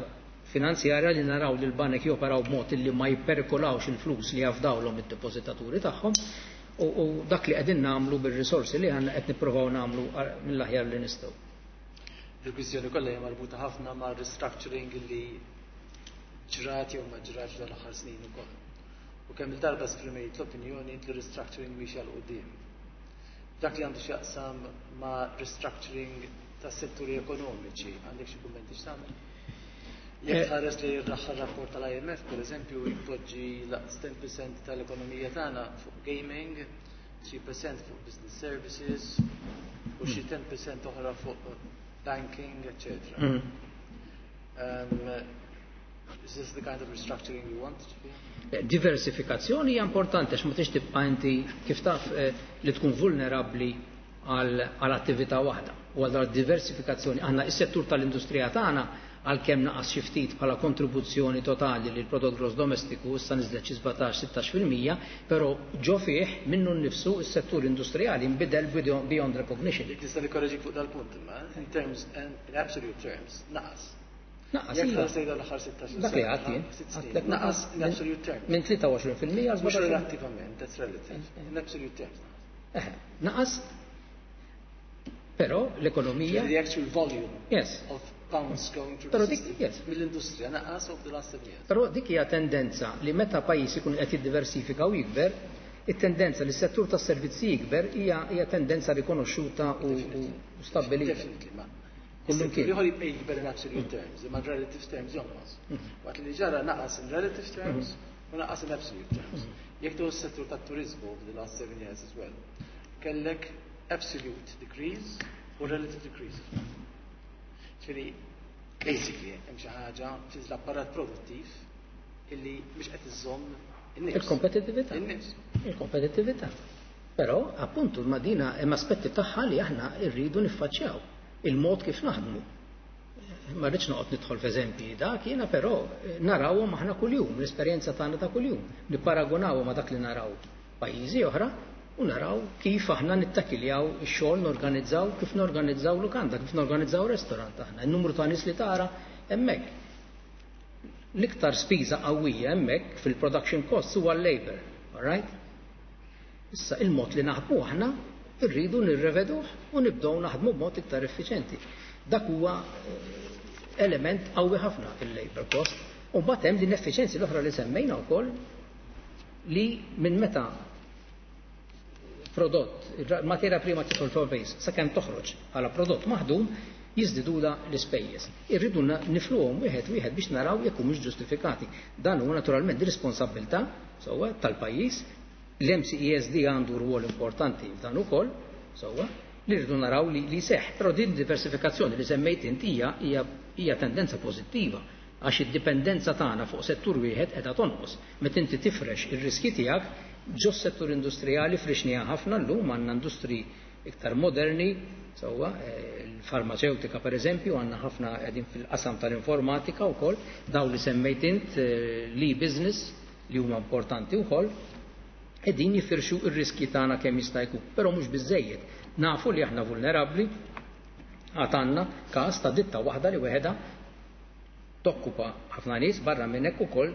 finanzjarja li naraw li l-banek joperaw b'mod li ma jipperkolawx il-flus li jafdawlhom id-depożitaturi tagħhom u, u dak li qegħdin nagħmlu bir-risorsi li għandna qed nippruvaw nagħmlu mill-aħjar li nistgħu. Il-kwistjoni kollha hija marbuta ħafna ma' restructuring li ġrat jew ma ġratx dan l-aħħar snin ukoll. U kemm il-darba esprimejt l-opinjoni li restructuring mhix għal quddiem. Dak li għandu x'jaqsam ma' restructuring ta' setturi ekonomiċi, għandek xi kummenti x'tagħmel? Jekk tħares li l-aħħar rapport tal-I M F, per eżempju, jpoġġi laqs ten percent tal-ekonomija tagħna fuq gaming, three percent fuq business services u xi ten percent oħra fuq banking, et cetera. Mm. Um, is this the kind of restructuring you want? Diversifikazzjoni hija importanti għax ma tix tibqa' inti kif taf eh, li tkun vulnerabbli għal attività waħda. U għal diversifikazzjoni għandna is-settur tal-industrija tagħna, għalkemm naqas xi ftit bħala kontribuzzjoni totali lil prodott gross domestiku, issa niżlet xi sbatax sittax fil-mija, però ġo fih minnu nnifsu s-settur industrijali nbidel beyond recognition. Tista' nikkoreġik fuq dal-punt imma, in terms, in absolute terms, naqas. Naqas. Jekk tħares lejn l-aħħar sittax Dak li għedt jien. Naqas in absolute terms. Minn tlieta u għoxrin fil-mija għal Mhux relattivament, that's relative. In absolute terms. Naqas. Però l-ekonomija. The actual volume yes. of pounds going through Però the dik, system yes. mill-industrija naqas over the last seven years. Però dik hija tendenza li meta pajjiż ikun qed jiddiversifika u jikber, it-tendenza li s-settur tas-servizzi jikber hija hija tendenza rikonoxxuta u, u, u stabbilita. Definitely, ma. Kullum kien. Ieħor jibqa' jikber in absolute terms, imma in relative terms jonqos. Waqt li ġara naqas in relative terms u naqas in absolute terms. Jekk tieħu s-settur tat-turizmu over the last seven years as well, kellek absolute decrease u relative decrease as well. Ġifieri, basically, hemm xi ħaġa fl-apparat produttiv illi mhux qed iżomm in-nifs. Il-kompetittività. In-nifs. Il-kompetittività. Però, appuntu, ma dina hemm aspetti tagħha li aħna rridu niffaċċjaw. Il-mod kif naħdmu. Ma rridx noqgħod nidħol f'eżempji dak jiena, però narawhom aħna kuljum, l-esperjenza tagħna ta' kuljum. Nipparagunawhom ma' dak li naraw pajjiżi oħra u naraw kif aħna nittakiljaw ix-xogħol, norganizzaw, kif norganizzaw lukanda, kif norganizzaw restaurant aħna, in-numru ta' nies li tara hemmhekk. L-iktar spiża qawwija hemmhekk fil-production costs huwa l-labor, all right? Issa il-mod li naħdmu aħna irridu nirreveduh u nibdew naħdmu b'mod iktar effiċenti. Dak huwa element qawwi ħafna il-labor cost. U mbagħad hemm l-ineffiċenzi l-oħra li semmejna wkoll li minn meta prodott, materja prima tidħol fil-pajjiż sakemm toħroġ bħala prodott maħdum jiżdidula l-ispejjeż. Irridu nifluhom wieħed wieħed biex naraw jekk humiex ġustifikati. Dan huwa naturalment responsabilità sewwa tal-pajjiż. L-M C E S D għandu rwol importanti f'dan ukoll, sewwa, li rridu naraw li, li seħ. Però din diversifikazzjoni li semmejt inti hija hija tendenza pożittiva għax id-dipendenza tagħna fuq settur wieħed qiegħda tonqos. Meta inti tifrex ir-riski tiegħek ġo settur industrijali, frixnija ħafna, llum għandna industri iktar moderni, sewwa, il-farmaceutika per eżempju, għandna ħafna qegħdin fil-qasam tal-informatika wkoll, daw li semmejt int l-e-business li huma importanti wkoll, qegħdin jifirxu ir-riski tagħna kemm jista' jkun, però mhux biżejjed. Nafu li aħna vulnerabbli, għad għandna każ ta' ditta waħda li weħeda Tokkupa ħafna nies, barra minn hekk ukoll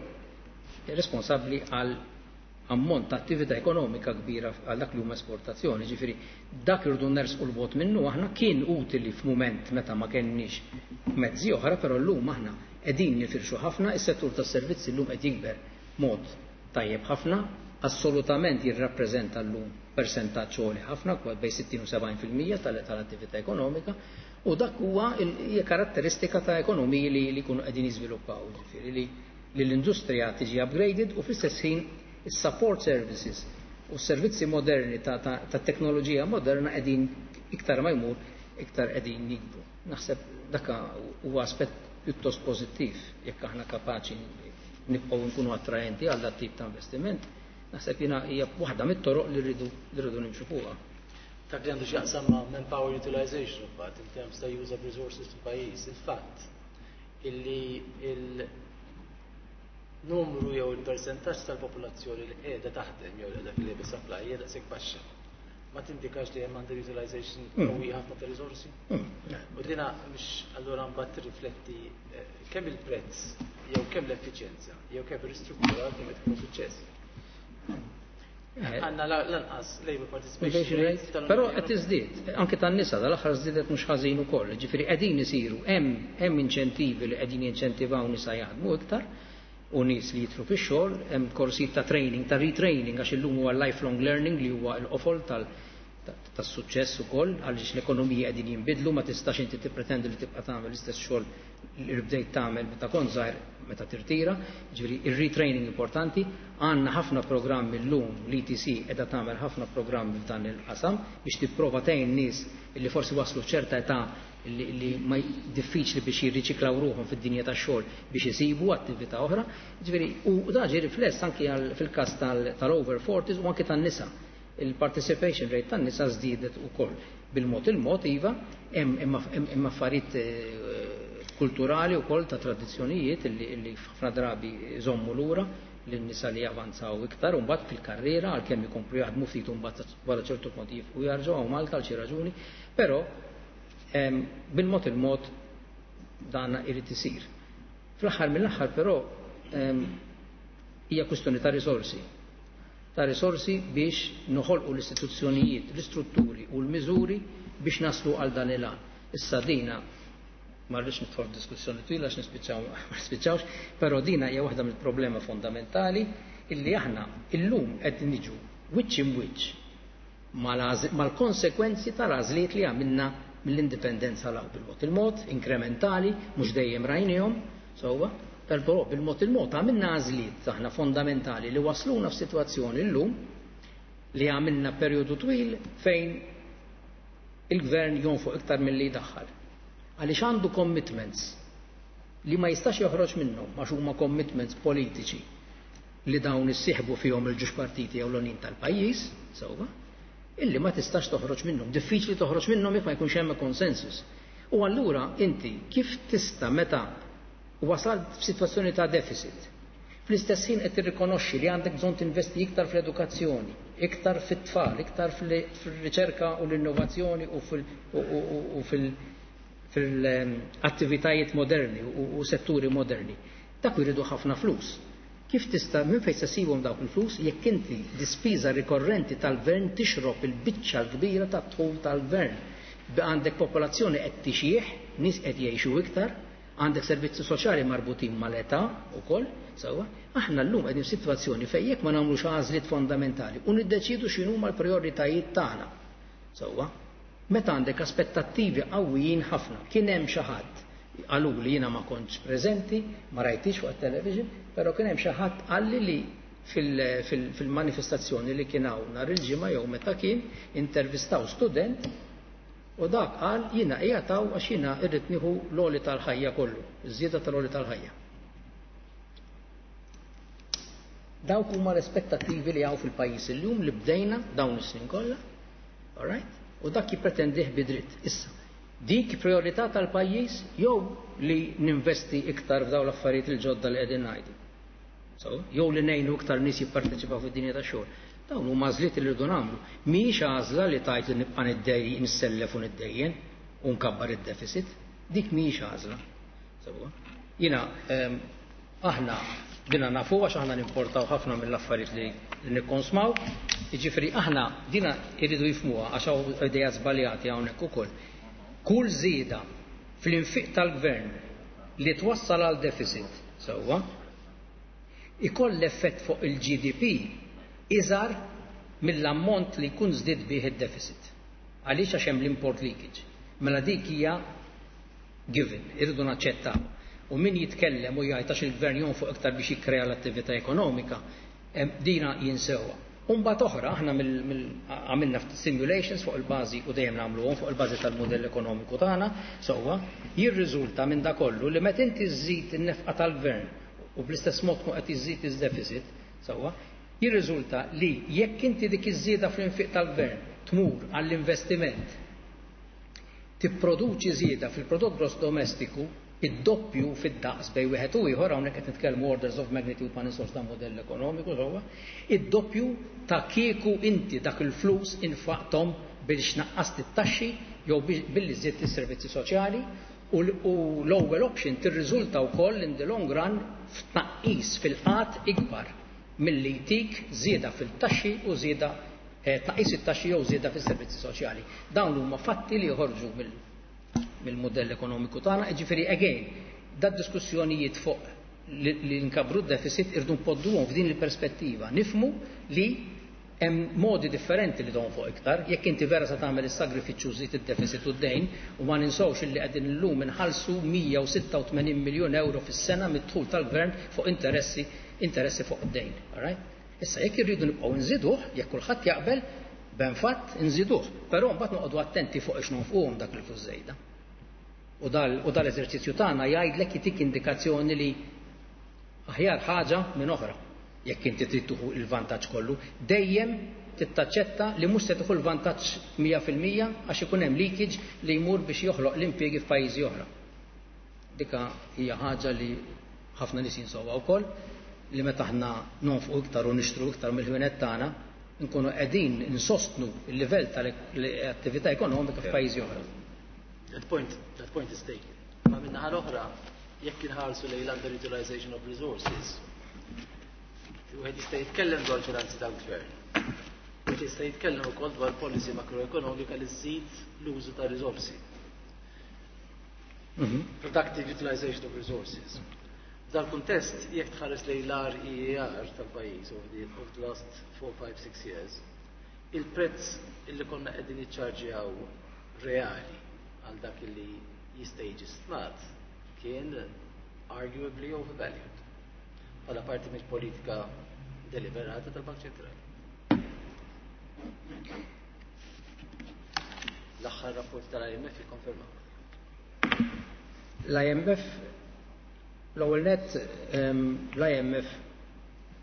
responsabbli għal ammont ta' attività ekonomika kbira għal dak li huma esportazzjoni. Ġifieri dak irridu nersqu l-bogħod minnu aħna. Kien utili f'mument meta ma kenniex mezzi oħra, però llum aħna qegħdin nifirxu ħafna, is-settur tas-servizzi llum qed jikber mod tajjeb ħafna, assolutament jirrappreżenta llum persentaġġ għoli ħafna, bejn sittin u sebgħin fil-mija tal-attività ekonomika, u dak huwa hija karatteristika ta' ekonomiji li jkunu qegħdin jiżviluppaw, ġifieri li l-industrija tiġi upgraded u fl-istess ħin is-support services u s-servizzi moderni ta', ta, ta teknoloġija moderna qegħdin iktar ma jmur iktar qegħdin jikbru. Naħseb dak huwa aspett pjuttost pożittiv jekk aħna kapaċi nibqgħu nkunu attraenti għal dat tip ta' investiment. Naħseb jiena hija waħda mit-toroq li rridu li rridu nimxu fuqha. Dak li għandu x'jaqsam ma' manpower utilization mbagħad in terms ta' use of resources fil-pajjiż, il-fatt illi il numru jew il-persentaġġ tal-popolazzjoni li qiegħda taħdem jew li qiegħda fil-labor supply hija daqshekk baxxa. Ma tindikax li hemm underutilization qawwija ħafna ta' riżorsi? U dina mhux allura mbagħad tirrifletti kemm il-prezz jew kemm l-effiċjenza jew kemm ir-ristrutturar kemm qed ikun suċċess. Għandna lanqas labor participation rate, però qed tiżdied, anke tan-nisa dal-aħħar żdiedet mhux ħażin ukoll, ġifieri qegħdin isiru hemm hemm inċentivi li qegħdin jinċentivaw nisa jaħdmu iktar u nies li jitru fix-xogħol, hemm korsijiet ta' training, ta' retraining, għax illum huwa lifelong learning li huwa l-qofol tas-suċċess ukoll, għaliex l-ekonomija qegħdin jinbidlu, ma tistax inti tippretendi li tibqa' tagħmel l-istess xogħol li bdejt tagħmel meta kont żgħir meta tirtira, ġifieri ir-retraining importanti. Għandna ħafna programmi llum, l-E T C qiegħda tagħmel ħafna programmi f'dan il-qasam biex tipprova tgħin nies li forsi waslu f'ċerta età li, li ma diffiċli biex jirriċiklaw ruħhom fid-dinja tax-xogħol biex isibu attività oħra. Ġifieri, u dan ġie rifless anki fil-każ tal-over forties u anki tan-nisa. Il-participation rate tan-nisa żdiedet ukoll bil-mod il-mod, iva, hemm affarijiet kulturali wkoll ta' tradizzjonijiet li ħafna drabi jżommu lura lin-nisa li javanzaw iktar u mbagħad fil-karriera għalkemm ikomplu jaħdmu ftit u mbagħad wara ċertu punt jifqu jarġgħu hawn Malta għal xi raġuni, però bil-mod il-mod dan irid isir. Fl-aħħar mill-aħħar però hija kwistjoni ta' risorsi. Ta' risorsi biex noħolqu l-istituzzjonijiet, l-istrutturi u l-miżuri biex naslu għal dan il-għan. Issa dina ma rridx nidħol f'diskussjoni twila għax nispiċċaw ma nispiċċawx, però dina hija waħda mill-problema fondamentali illi aħna illum qed niġu wiċċ imwiċċ mal-konsekwenzi tal-għażliet li għamilna mill-indipendenza law bil-mod il-mod, inkrementali, mhux dejjem rajnihom, sewwa, però bil-mod il-mod għamilna għażliet aħna fondamentali li wasluna f'sitwazzjoni llum li għamilna perjodu twil fejn il-gvern jonfoq iktar milli jdaħħal. Għaliex għandu commitments li ma jistax joħroġ minnhom għax huma commitments politiċi li dawn issieħbu fihom il-ġuġ partiti jew l-onin tal-pajjiż, sewwa, illi ma tistax toħroġ minnhom, diffiċli toħroġ minnhom jekk ma jkunx hemm konsensus. U allura inti kif tista' meta wasalt f'sitwazzjoni ta' deficit, fl-istess ħin qed tirrikonoxxi li għandek bżonn tinvesti iktar fl-edukazzjoni, iktar fit-tfal, iktar fil-riċerka u l-innovazzjoni u fil- fil-attivitajiet moderni u setturi moderni. Dak jridu ħafna flus. Kif tista' minn fejn se ssibhom dawk il-flus jekk inti dispiża rikorrenti tal-gvern tixrob il-biċċa l-kbira tat-dħul tal-gvern? Għandek popolazzjoni qed tixjih, nies qed jgħixu iktar, għandek servizzi soċjali marbutin mal-età ukoll, sewwa, aħna llum qegħdin f'sitwazzjoni fejn jekk ma nagħmlux għażliet fondamentali u niddeċidu x'inhuma l-prijoritajiet tagħna. Sewwa, meta għandek aspettattivi qawwijin ħafna, kien hemm xi ħadd qalu li jiena ma kontx preżenti, ma rajtix fuq it-television, però kien hemm xi ħadd qalli li fil-manifestazzjoni li kien hawn nhar il-ġimgħa jew meta kien intervistaw student u dak qal jiena qiegħed hawn għax jiena rrid nieħu l-għoli tal-ħajja kollu, iż-żieda tal-għoli tal-ħajja. Dawk huma l-aspettattivi li hawn fil-pajjiż illum li bdejna dawn is-snin kollha, all right? U dak jippretendih bidritt. Issa, dik priorità tal-pajjiż jew li ninvesti iktar f'dawn l-affarijiet il-ġodda li qegħdin ngħidu. So, jew li ngħinu iktar nies jipparteċipaw fid-dinja tax-xogħol. Dawn huma għażliet li rridu nagħmlu. Mhijiex għażla li tgħid li nibqa' niddejjen, nissellef u niddejjen u nkabbar id-deficit. Dik mhijiex għażla. Sewwa. Jiena ehm, aħna dina nafu għax aħna nimportaw ħafna mill-affarijiet li nikkonsmaw, jiġifieri aħna dina jridu jifhmuha għax hawn idea żbaljati hawnhekk ukoll. Kull żieda fl-infiq tal-gvern li twassal għal deficit sewwa ikoll effett fuq il-G D P iżgħar mill-ammont li jkun żdied bih id-deficit. Għaliex? Għax hemm l-import leakage. Mela dik hija given, irridu naċċettaw. U min jitkellem u jgħid għax il-gvern jonfoq iktar biex jikkrea l-attività ekonomika, dina jinsewha. Umbagħad oħra, aħna għamilna simulations fuq il-bażi u dejjem nagħmluhom fuq il-bażi tal-modell ekonomiku tagħna, sewwa, jirriżulta minn da kollu li meta inti żżid in-nefqa tal-gvern u bl-istess mod tkun qed iżżid iż-deficit, sewwa, jirriżulta li jekk inti dik iż-żieda fl-infiq tal-gvern tmur għall-investiment, tipproduċi żieda fil-prodott gross domestiku id-doppju fid-daqs bejn wieħed u ieħor. Hawnhekk qed nitkellmu orders of magnitude, ma ninsewx dan modell ekonomiku, sewwa, id-doppju ta' kieku inti dak il-flus infaqthom biex naqqast it-taxxi jew billi żidt is-servizzi soċjali. U l-ewwel option tirriżulta wkoll in the long run f'tnaqqis fil-qgħad ikbar milli jtik żieda fil-taxxi u żieda eh, tnaqqis it-taxxi jew żieda fis-servizzi soċjali. Dawn huma fatti li joħorġu mill-modell ekonomiku tagħna, jiġifieri again, da diskussjonijiet fuq li nkabbru d-deficit irdu npoġġuhom f'din il-perspettiva. Nifhmu li hemm modi differenti li fuq iktar, jekk inti vera sa tagħmel is-sagrifiċċju żid id-deficit u d-dejn, u ma ninsewx li qegħdin illum inħallsu mija u sitta u tmenin miljun euro fis-sena mid-dħul tal-gvern fuq interessi interessi fuq id-dejn. All right? Issa jekk irridu nibqgħu nżiduh, jekk kulħadd jaqbel, ben fatt nżiduh, però mbagħad noqogħdu attenti fuq ix nonfquhom dak il-flus żejda. U dal-eżerċizzju tagħna jgħidlek, jitik indikazzjoni li aħjar ħaġa minn oħra. Jekk inti trid tieħu il-vantaġġ kollu, dejjem tittaċċetta li mhux se tieħu l-vantaġġ mija fil-mija għax ikun hemm leakage li jmur biex joħloq l-impjiegi f'pajjiżi oħra. Dika hija ħaġa li ħafna nies jinsewha wkoll, li meta aħna nonfqu iktar u nixtru iktar mill-ħwienet tagħna, nkunu qegħdin insostnu l-livell tal-attività ekonomika f'pajjiżi oħra. That point, that point is taken. Ma min-naħa l-oħra, jekk inħarsu lejn underutilization of resources, wieħed jista' jitkellem dwar finanzi tal-gvern. Wieħed jista' jitkellem ukoll dwar policy makroekonomika li żżid l-użu ta' risorsi. Mhm. Productive utilization of resources. F'dal kuntest, jekk tħares lejn l-R E E R tal-pajjiż over the, over the last four, five, six years, il-prezz illi konna qegħdin niċċarġjaw reali għal dak li jista' jiġi stmat kien arguably overvalued bħala parti mill-politika deliberata tal-Bank Ċentrali. L-aħħar rapport tal-I M F jikkonferma. L-I M F, l-ewwel net, l-I M F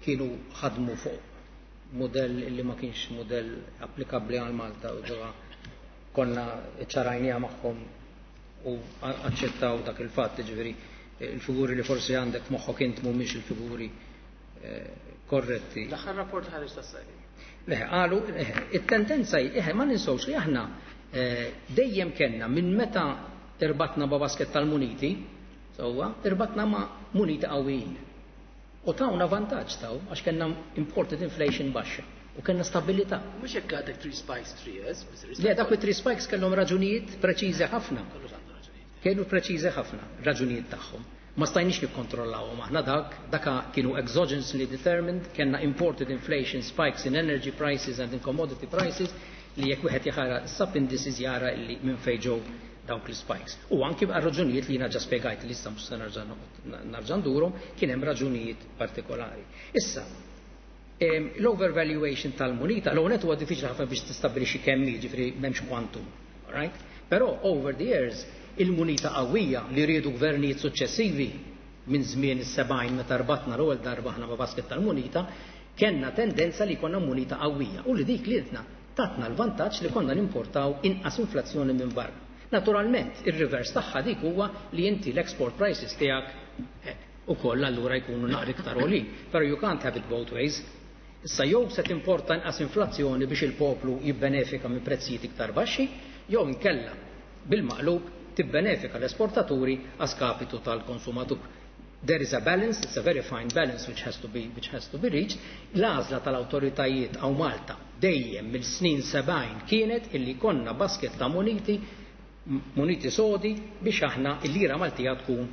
kienu ħadmu fuq modell li ma kienx modell applikabbli għal Malta u ġewwa konna ċarajnija magħhom u aċċettaw dak il-fatt, ġifieri il-figuri li forsi għandek f'moħħok int mhumiex il-figuri eh, korretti. L-aħħar rapport ħareġ tas-sajri. Leħe, qalu, it-tendenza hi, ma ninsewx li aħna eh, dejjem kellna minn meta irbatna ma' basket tal-muniti, sewwa, irbatna ma' muniti qawwijin. U tawna vantaġġ taw, għax kellna imported inflation baxxa u kellna stabilità. Mhux hekk għadek three spikes three years. Le, dak three spikes kellhom raġunijiet preċiżi ħafna. Kienu preċiżi ħafna raġunijiet tagħhom. Ma stajniex nikkontrollawhom aħna dak, daka kienu exogenously determined, kellna imported inflation spikes in energy prices and in commodity prices li jekk wieħed jara sub indices jara li minn fejn ġew dawk l-spikes. U anki għal raġunijiet li jiena ġa spjegajt li issa mhux se nerġa' ndurhom, kien hemm raġunijiet partikolari. Issa, l-overvaluation tal-munita, l-għonet huwa diffiċli ħafna biex tistabbilixxi kemm, jiġifieri m'hemmx quantum, right? Però over the years il-munita qawwija li riedu gvernijiet suċċessivi minn żmien is-sebgħin meta rbatna l-ewwel darba aħna ma' basket tal-munita, kellna tendenza li konna munita qawwija u li dik li tatna l-vantaġġ li konna nimportaw inqas inflazzjoni minn barra. Naturalment, il-reverse tagħha dik huwa li inti l-export prices tiegħek eh, ukoll allura jkunu naqra iktar għolin. Però you can't have it both ways. Issa jew se timporta inqas inflazzjoni biex il-poplu jibbenefika minn prezzijiet iktar baxxi, jew inkella bil-maqlub tibbenefika l-esportaturi a skapitu tal-konsumatur. There is a balance, it's a very fine balance which has to be, which has to be reached. L-għażla tal-awtoritajiet hawn Malta dejjem mill-snin sebgħin kienet illi konna basket ta' muniti, muniti sodi biex aħna il-lira Maltija tkun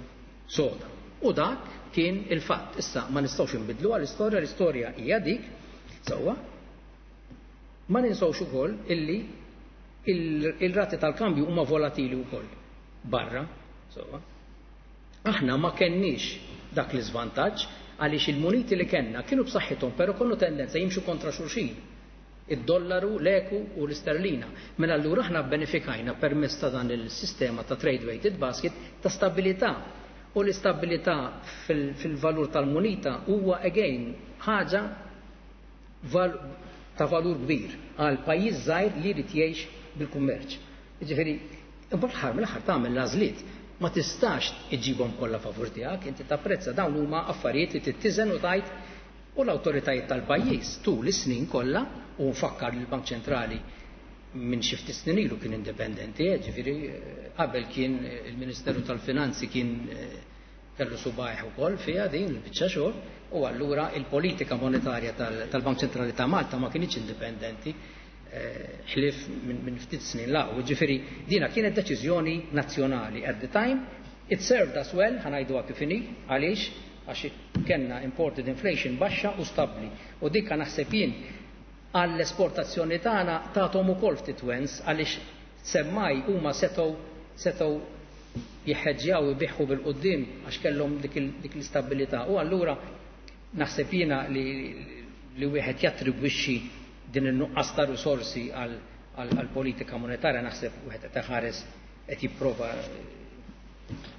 soda. U dak kien il-fatt. Issa ma nistgħux inbidlu għall-istorja, l-istorja hija dik, sewwa. Ma ninsewx ukoll illi il-rati tal-kambju huma volatili wkoll barra, sewwa. Aħna ma kenniex dak l-iżvantaġġ għaliex il-muniti li kellna kienu b'saħħithom, però kollu tendenza jimxu kontra xulxin. Id-dollaru, l-eku u l-isterlina. Mela allura aħna benefikajna permezz ta' dan il-sistema ta' trade weighted basket ta' stabilità. U l-istabilità fil-valur tal-munita huwa again ħaġa ta' valur kbir għal pajjiż żgħir li jrid jgħix bil-kummerċ. Jiġifieri, imbagħad fl-aħħar mill-aħħar tagħmel l-għażliet. Ma tistax iġibhom kollha favur tiegħek, inti tapprezza dawn huma affarijiet li tittiżen u tajt u l-awtoritajiet tal-pajjiż tul is-snin kollha, u nfakkar li l-Bank Ċentrali minn xi ftit snin ilu kien indipendenti, ġifieri qabel kien il-Ministeru tal-Finanzi kien kellu subajh ukoll fiha din il-biċċa xogħol, u allura il-politika monetarja tal-Bank Ċentrali ta' Malta ma kinitx indipendenti ħlief minn ftit snin la. Ġifieri dina kienet deċiżjoni nazzjonali at the time. It served us well, ħanajduha kif inhi, għaliex għax kellna imported inflation baxxa u stabbli. U dikka naħseb jien għall-esportazzjoni tagħna tagħthom ukoll ftit wens għaliex semmaj huma setgħu setgħu jħeġġjaw ibiħħu bil-qudiem għax kellhom dik l-istabilità. U allura naħseb jiena li li wieħed jattribwixxi din in-nuqqas ta' risorsi għall-politika monetarja, naħseb wieħed qed iħares qed jipprova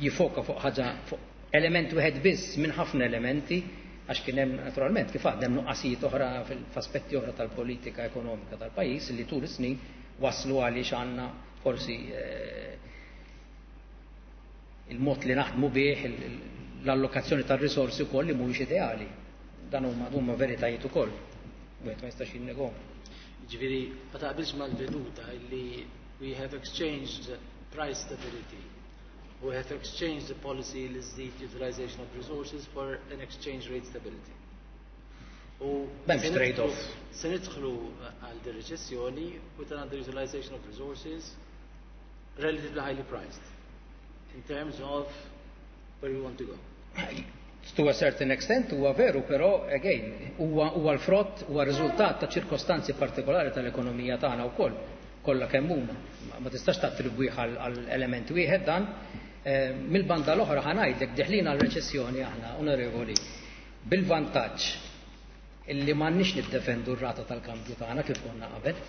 jifoka fuq ħaġa fuq element wieħed biss minn ħafna elementi, għax kien hemm naturalment kif għad hemm nuqqasijiet oħra f'aspetti oħra tal-politika ekonomika tal-pajjiż li tul is-snin waslu għaliex għandna forsi il-mod li naħdmu bih, l-allokazzjoni tar-risorsi wkoll li mhuwiex ideali. Dan huma huma veritajiet ukoll. Wieħed ma jistax jinnegahom. Ġifieri ma taqbilx mal-veduta li we have exchanged price stability. We have exchanged the policy li żżid utilization of resources for an exchange rate stability. U M'hemmx trade-off. Se nidħlu għal di reċessjoni with an underutilization of resources relatively highly priced in terms of where we want to go. To a certain extent huwa veru, però again huwa huwa l-frott, huwa riżultat ta' ċirkostanzi partikolari tal-ekonomija tagħna wkoll, kollha kemm huma. Ma tistax tattribwih għal element wieħed dan. Mill-banda l-oħra ħa ngħidlek deħlin għal reċessjoni aħna, onorevoli, bil-vantaġġ illi m'għandniex niddefendu r-rata tal-kambju tagħna kif konna qabel.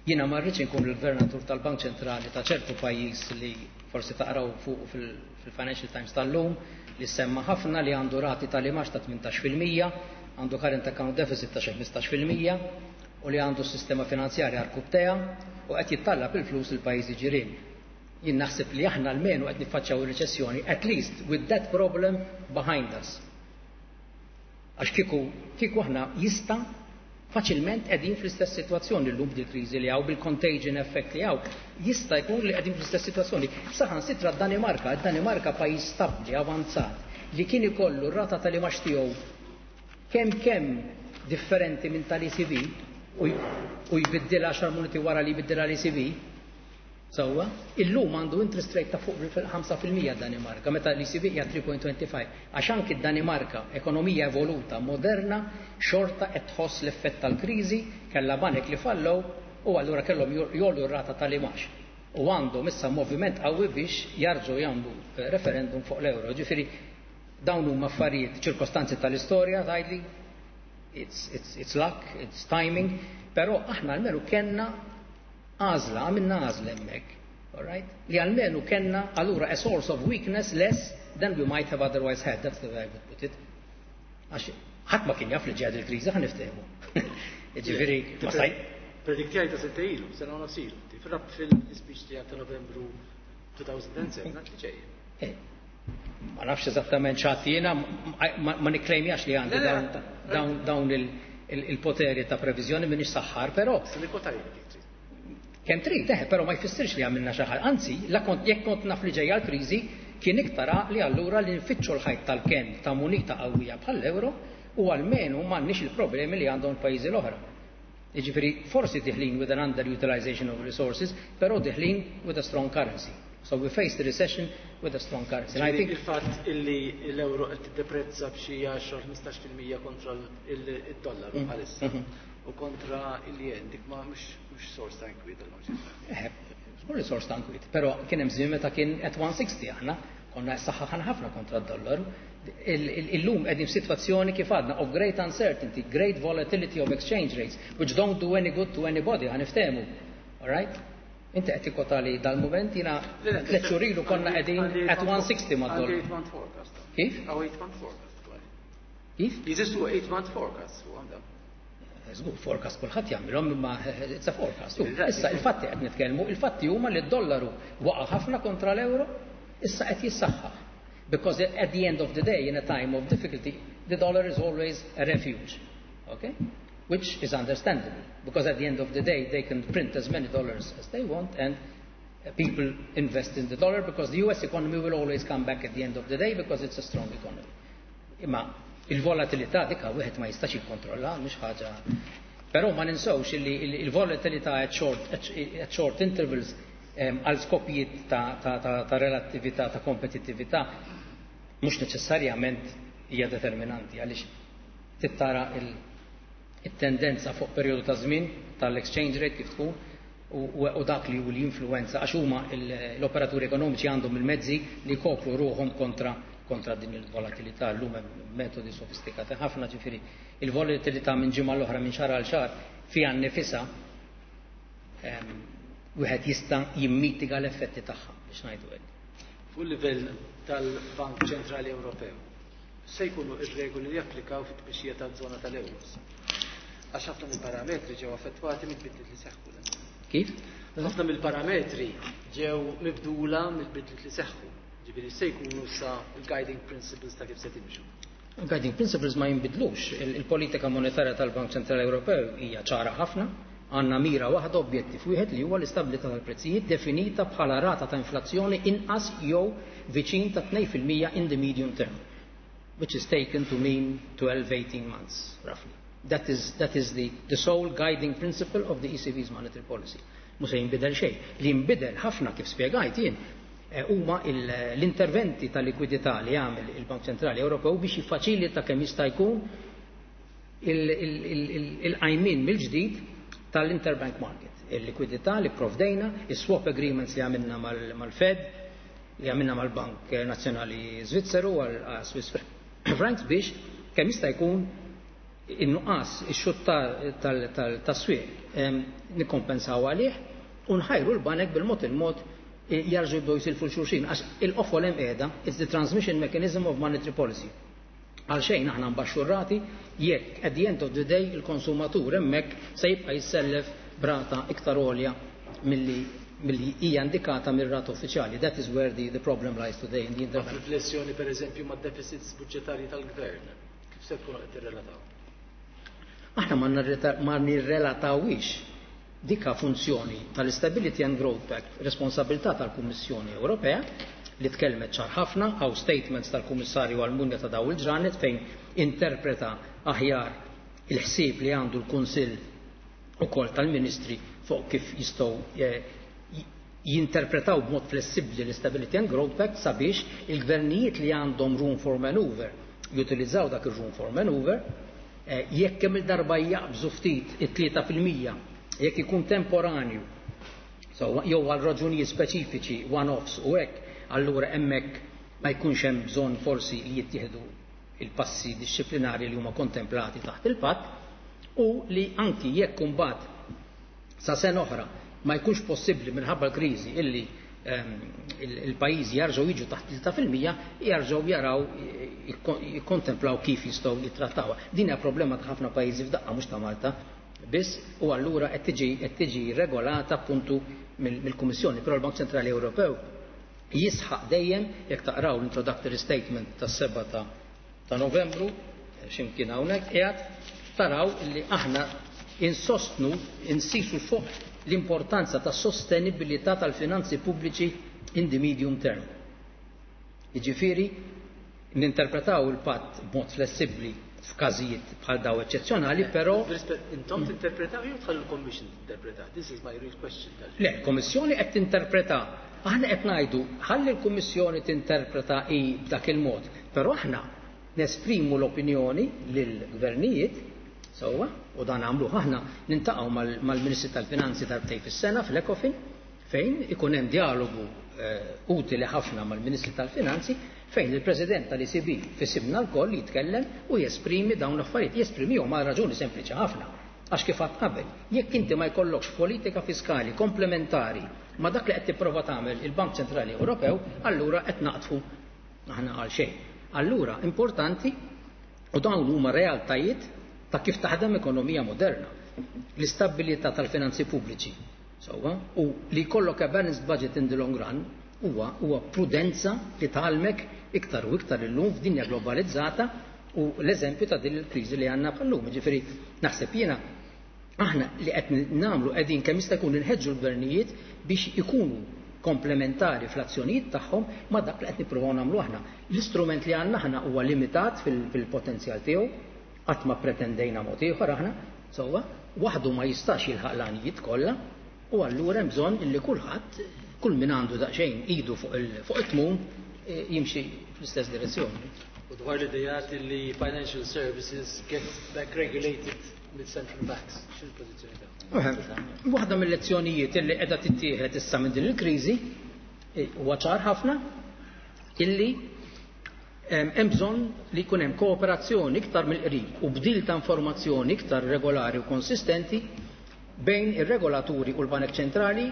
Jiena ma rridx inkun il-gvernatur tal-Bank Ċentrali ta' ċertu pajjiż li forsi taqraw fuq fil-Financial Times tal-lum, li semma ħafna li għandu rati tal-imax ta' tmintax fil-mija, għandu current account deficit ta' xi ħmistax fil-mija, u li għandu s-sistema finanzjarja arkubtea u qed jittallab il-flus il-pajjiżi ġirien. Jien naħseb li aħna almenu qed niffaċċjaw ir-reċessjoni, at least with that problem behind us. Għax kieku, kieku aħna jista' faċilment qegħdin fl-istess sitwazzjoni llum bil-kriżi li hawn, bil-contagion effect li hawn, jista' jkun li qegħdin fl-istess sitwazzjoni. Saħansitra d-Danimarka, d-Danimarka pajjiż stabbli, avanzat, li kien ikollu r-rata tal-imax tiegħu kemm kemm differenti minn tal-E C B u jbiddilha għaxar minuti wara li jbiddilha l-E C B, sewwa, illum għandu interest rate ta' fuq ħamsa fil-mija d-Danimarka, meta l-E C B hija three point twenty five. Għax anki d-Danimarka, ekonomija evoluta, moderna, xorta qed tħoss l-effett tal-kriżi, kellha banek li fallew u allura kellhom jollu r-rata tal-imax. U għandhom issa moviment qawwi biex jarġgħu jagħmlu referendum fuq l-euro. Ġifieri dawn huma affarijiet, ċirkostanzi tal-istorja tgħidli, it's, it's, it's luck, it's timing, però aħna almenu kellna għażla, għamilna għażla hemmhekk, all right? Li almenu kellna allura a source of weakness less than we might have otherwise had, that's the way I would put it. Għax ħadd ma kien jaf li ġejja il-kriżi, ħa niftehmu. Jiġifieri, ma staj. Prediktjajta sentejn ilu, sena u nofs ilu. Tifrab fil-speech tiegħek ta' Novembru two thousand and seven, għad li ġejja. Eh, ma nafx eżattament x'għad jiena, ma, ma nikklejmjax li għandi Le, le, dawn, le. dawn, dawn il, il, il-poteri ta' previżjoni minix saħħar, però Se nikkwota jien kif trid. Kemm trid, eh, però ma jfissirx li għamilna xi ħaġa. Anzi, la kont, jekk kont naf li ġejja l-kriżi, Kien iktar għaqli allura li nfittxu l-ħajt tal-kenn ta' munita qawwija bħall-euro u almenu m'għandniex il-problemi li għandhom il-pajjiżi l-oħra. Jiġifieri forsi deħlin with an underutilization of resources, però deħlin with a strong currency. So we face the recession with a strong currency. And I think il-fatt illi l-euro qed tiddeprezza b'xi għaxra ħmistax fil-mija kontra il-dollaru mm. bħalissa mm-hmm. u kontra il-yen, dik ma mhux sors ta' inkwiet il Żgur li sors ta' inkwiet, però kien hemm żmien meta kien at one sixty, aħna konna saħħaħan ħafna kontra d-dollaru. Illum qegħdin f'sitwazzjoni, kif għadna, of great uncertainty, great volatility of exchange rates, which don't do any good to anybody, ħa niftehmu. All right? Inti qed tikkota li dal-mument, jiena tliet xhur ilu konna qegħdin at one sixty mad-dollaru. Kif? Kif? Jeżistu eight month forecast u għandha. Żgur, forecast kulħadd jagħmilhom, imma it's a forecast. Issa il-fatti qed nitkellmu, il-fatti huma li d-dollaru waqa' ħafna kontra l-euro, issa qed jissaħħaħ. Because at the end of the day, in a time of difficulty, the dollar is always a refuge. Okay? Which is understandable, because at the end of the day, they can print as many dollars as they want and people invest in the dollar because the U S economy will always come back at the end of the day because it's a strong economy. Imma il-volatilità dika wieħed ma jistax jikkontrolla, mhux ħaġa. Però ma ninsewx li il-volatilità at short, at short intervals għal skopijiet ta', ta, ta, ta relattività, ta' kompetittività, mhux neċessarjament hija determinanti, għaliex tittara il-tendenza fuq perjodu ta' żmien tal-exchange rate kif tkun u dak li hu l-influenza, għax huma l-operaturi ekonomiċi għandhom il-mezzi li jkopru ruħhom kontra kontra din il-volatilità. Llum hemm metodi sofistikati ħafna, ġifieri il-volatilità minn ġimgħa l-oħra, minn xahar għal xahar, fiha nnifisha wieħed jista' jimmitiga l-effetti tagħha, biex ngħidu hekk. Fuq livell tal-Bank Ċentrali Ewropew, se jkunu ir-regoli li japplikaw fit-tmexxija taż-żona tal-euros? Għax ħafna mill-parametri ġew affettwati mill-bidliet li seħħu. Kif? Ħafna mill-parametri ġew mibdula mill-bidliet li seħħu. Ġifieri se jkunu sa il-guiding principles ta' kif se timxu? Il-guiding principles ma jinbidlux. Il-politika monetarja tal-Bank Ċentrali Ewropew hija ċara ħafna. Għandna mira waħda, objettiv wieħed, li huwa l-istabilità tal-prezzijiet definita bħala rata ta' inflazzjoni inqas jew viċin ta' tnejn fil-mija in the medium term, which is taken to mean twelve eighteen months, roughly. That is, that is the, the sole guiding principle of the E C B's monetary policy. Mhux se jinbidel xejn. Li jinbidel ħafna, kif spjegajt jien, eh, huma l-interventi ta' likwidità li jagħmel il-Bank Ċentrali Ewropew biex jiffaċilita kemm jista' jkun il-qajmin mill-ġdid tal-interbank market. Il-likwidità li provdejna, il-swap agreements li għamilna mal-Fed, li għamilna mal-Bank Nazzjonali Svizzeru għal Swiss francs, biex kemm jista' jkun in-nuqqas, ix-xutt tas-swieq nikkompensaw għalih u nħajru l-banek bil-mod il-mod jerġgħu jibdew jisilfu xulxin, għax il-qofol hemm qiegħda, it's the transmission mechanism of monetary policy. Għalxejn aħna nbaxxu rati jekk at the end of the day il-konsumatur hemmhekk se jibqa' jissellef b'rata iktar għolja milli milli hija indikata mir-rata uffiċjali. That is where the, the problem lies today in the interbank. Riflessjoni per eżempju ma' deficits budġetarji tal-gvern. Kif se tkunu qed tirrelataw? Aħna ma nirrelatawix. Dika funzjoni tal-Stability and Growth Pact, responsabilità tal-Kummissjoni Ewropea li tkellmet ċar ħafna, għaw statements tal-Kummissarju Almunia ta' daw il-ġranet fejn interpreta aħjar il-ħsieb li għandu l-Kunsill ukoll tal-Ministri fuq kif jistgħu eh, jinterpretaw b'mod flessibbli l-Stability and Growth Pact sabiex il-gvernijiet li għandhom room for maneuver jutilizzaw dak il-room for maneuver eh, jekk kemm il-darba jaqbżu ftit it-tlieta fil-mija, jekk ikun temporanju, so, jew għal raġunijiet speċifiċi, one-offs u hekk, allura hemmhekk ma jkunx hemm bżonn forsi li jittieħdu il-passi disciplinari li huma kontemplati taħt il-patt, u li anki jekk imbagħad sa sena oħra ma jkunx possibbli minħabba l-kriżi illi ehm, il-pajjiżi jarġgħu jiġu taħt tlieta fil-mija, jarġgħu jaraw, jikkontemplaw kif jistgħu jittrattawha. Din hija problema ta' ħafna pajjiżi f'daqqa, mhux ta' Malta biss, u allura qed tiġi qed tiġi regolata appuntu mill-Kummissjoni, però l-Bank Ċentrali Ewropew jisħaq dejjem, jekk taqraw l-introductory statement tas-seba ta' ta' Novembru, x'imkien hawnhekk qiegħed, taraw li aħna insostnu, insisu fuq l-importanza ta' sostenibilità tal-finanzi pubbliċi in the medium term. Jiġifieri ninterpretaw il-patt b'mod flessibbli f'każijiet bħal daw eċċezzjonali, però Intom tinterpretaw jew tħallu l-Commission tinterpreta? This is my real question. Le, l-Kommissjoni qed tinterpreta. Aħna qed ngħidu ħalli l-Kummissjoni tinterpreta hi b'dak il-mod, però aħna nesprimu l-opinjoni lill-gvernijiet sewwa, u dan għamlu aħna niltaqgħu mal-Ministri tal-Finanzi darbtejn fis-sena fl-Ecofin, fejn ikun hemm dialogu utili ħafna mal-Ministri tal-Finanzi, fejn il-President tal-E C B f'isimna lkoll jitkellem u jesprimi dawn l-affarijiet, jesprimihom għal raġuni sempliċi ħafna. Għax kif għedt qabel, jekk inti ma jkollokx politika fiskali komplementari ma dak li qed tipprova tagħmel il-Bank Ċentrali Ewropew, allura qed naqtfu aħna għal xejn. Allura importanti, u dawn huma realtajiet ta' kif taħdem ekonomija moderna. L-istabilità tal-finanzi pubbliċi, sewwa, u li jkollok a balanced budget in the long run huwa huwa prudenza li tgħallmek iktar u iktar illum f'dinja globalizzata u l-eżempju ta' din il-kriżi li għandna bħallum. Ġifieri naħseb jiena aħna li qed nagħmlu qegħdin kemm jista' jkun inħeġġu l-gvernijiet biex ikunu komplementari fl-azzjonijiet tagħhom ma' dak li qed nippruvaw nagħmlu aħna. L-istrument li għandna aħna huwa limitat fil-potenzjal tiegħu, qatt ma pretendejna mod ieħor aħna, sewwa, waħdu ma jistax jilħaq l-għanijiet kollha, u allura hemm bżonn illi kulħadd, kull min għandu daqsxejn idu fuq it-tmun, jimxi fl-istess direzzjoni. U dwar l-idejat li financial services get back regulated with central banks, x'il-pożizzjoni tagħhom? Waħda mill-lezzjonijiet illi qiegħda tittieħed issa minn din il-kriżi huwa ċar ħafna illi hemm bżonn li jkun hemm kooperazzjoni iktar mill-qrib u bdil ta' informazzjoni iktar regolari u konsistenti bejn ir-regolaturi u l-Banek Ċentrali,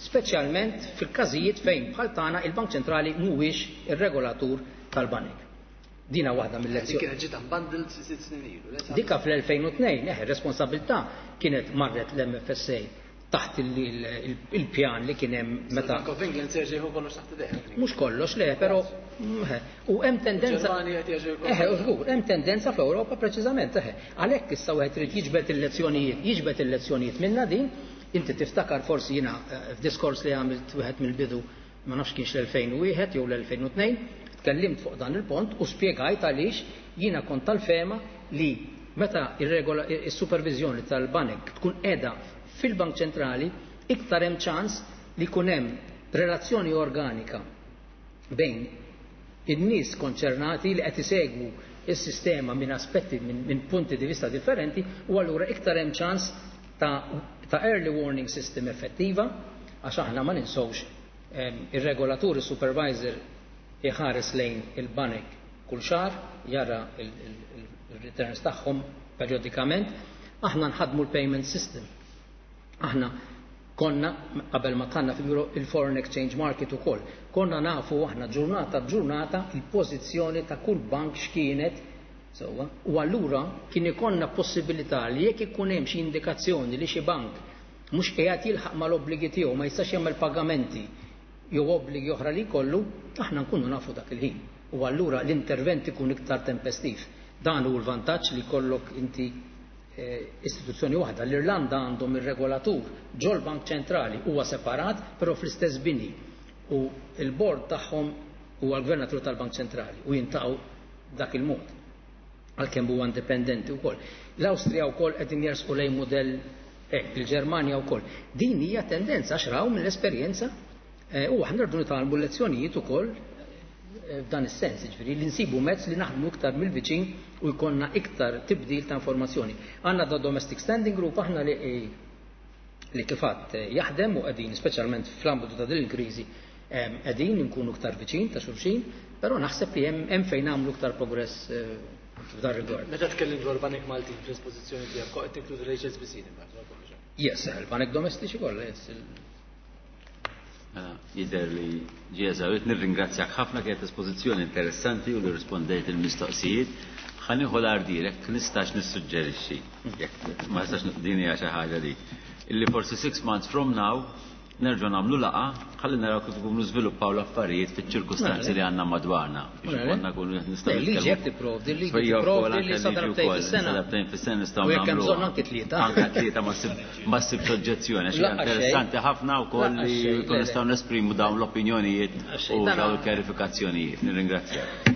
speċjalment fil-każijiet fejn bħal tagħna il-Bank Ċentrali mhuwiex ir-regolatur tal-banek. Dina waħda mill-lezzjoni. Kienet ġiet unbundled sitt snin ilu. Dika fl-elfejn u tnejn, eh, responsabilità kienet marret l-M F S A taħt il-pjan li kien hemm meta. Bank of England se jieħu kollox taħt idejh. Mhux kollox le, però u hemm tendenza. Eh, żgur, hemm tendenza fl-Ewropa preċiżament, eh. Għalhekk issa wieħed irid jiġbed il-lezzjonijiet, jiġbed il-lezzjonijiet minna din. Inti tiftakar forsi jiena f'diskors li għamilt wieħed mill-bidu, ma nafx kienx l-elfejn u wieħed jew l-elfejn u tnejn, tkellimt fuq dan il-pont u spjegajt għaliex jiena kont tal-fehma li meta il-supervizjoni tal-banek tkun qiegħda fil-Bank Ċentrali, iktar hemm ċans li jkun hemm relazzjoni organika bejn in-nies konċernati li qed isegwu is-sistema minn aspetti, minn min punti di vista differenti, u allura iktar hemm ċans ta', ta early warning system effettiva, għax aħna ma ninsewx ir-regolatur, il-supervisor iħares lejn il-banek kull xahar, jara il-returns tagħhom periodikament. Aħna nħadmu l-payment system. Aħna konna, qabel ma kanna fil il-foreign exchange market ukoll, konna nafu aħna ġurnata b'ġurnata il-pożizzjoni ta' kull bank x'kienet sewwa, u allura kien ikollna possibilità li jekk ikun hemm xi indikazzjoni li xi bank mhux qiegħed jilħaq mal-obbligi tiegħu, ma jistax jagħmel pagamenti jew obbligi oħra li jkollu, aħna nkunu nafu dak il-ħin. U allura l-intervent ikun iktar tempestiv. Dan hu l-vantaġġ li jkollok inti istituzzjoni waħda. L-Irlanda għandhom ir-regolatur ġol-Bank Ċentrali, huwa separat, però fl-istess bini. U il-bord tagħhom huwa l-gvernatur tal-Bank Ċentrali u jiltaqgħu dak il-mod. Għalkemm huwa indipendenti wkoll. L-Awstrija wkoll qegħdin jersqu lejn mudell hekk, il-Ġermanja wkoll. Din hija tendenza għax raw mill-esperjenza u aħna rridu nitgħallmu lezzjonijiet ukoll f'dan is-sens, ġifieri li nsibu mezz li naħdmu iktar mill-viċin u jkollna iktar tibdil ta' informazzjoni. Għandna da Domestic Standing Group aħna li li kif għedt jaħdem u qegħdin speċjalment fl-ambitu ta' din il-kriżi qegħdin nkunu iktar viċin ta' xulxin, però naħseb li hemm fejn nagħmlu iktar progress f'dan rigward. Meta tkellim dwar banek Maltin fl-espożizzjoni tiegħek, qed tinkludi l-H S B C? Yes, il-banek domestiċi kollha, yes. Jidher li ġie eżawrit. Nirringrazzjak ħafna, kienet espożizzjoni interessanti u li rispondejt il-mistoqsijiet. Ħa nieħu l-ardir, jekk nistax nissuġġerixxi, jekk ma nistax, din hija xi ħaġa li illi forsi six months from now nerġgħu nagħmlu laqgħa ħalli naraw kif ikunu żviluppaw l-affarijiet fiċ-ċirkustanzi li għandna madwarna biex ikollna nkunu nistgħu. Liġi hekk tipprovdi, liġi tipprovdi li sa darbtejn fis-sena. Darbtejn fis-sena nistgħu nagħmlu. U jekk hemm bżonn anke tlieta. Anke tlieta ma ssibx oġġezzjoni għax interessanti ħafna wkoll li nkunu nistgħu nesprimu dawn l-opinjonijiet u dawn il-kjarifikazzjonijiet. Nirringrazzjak.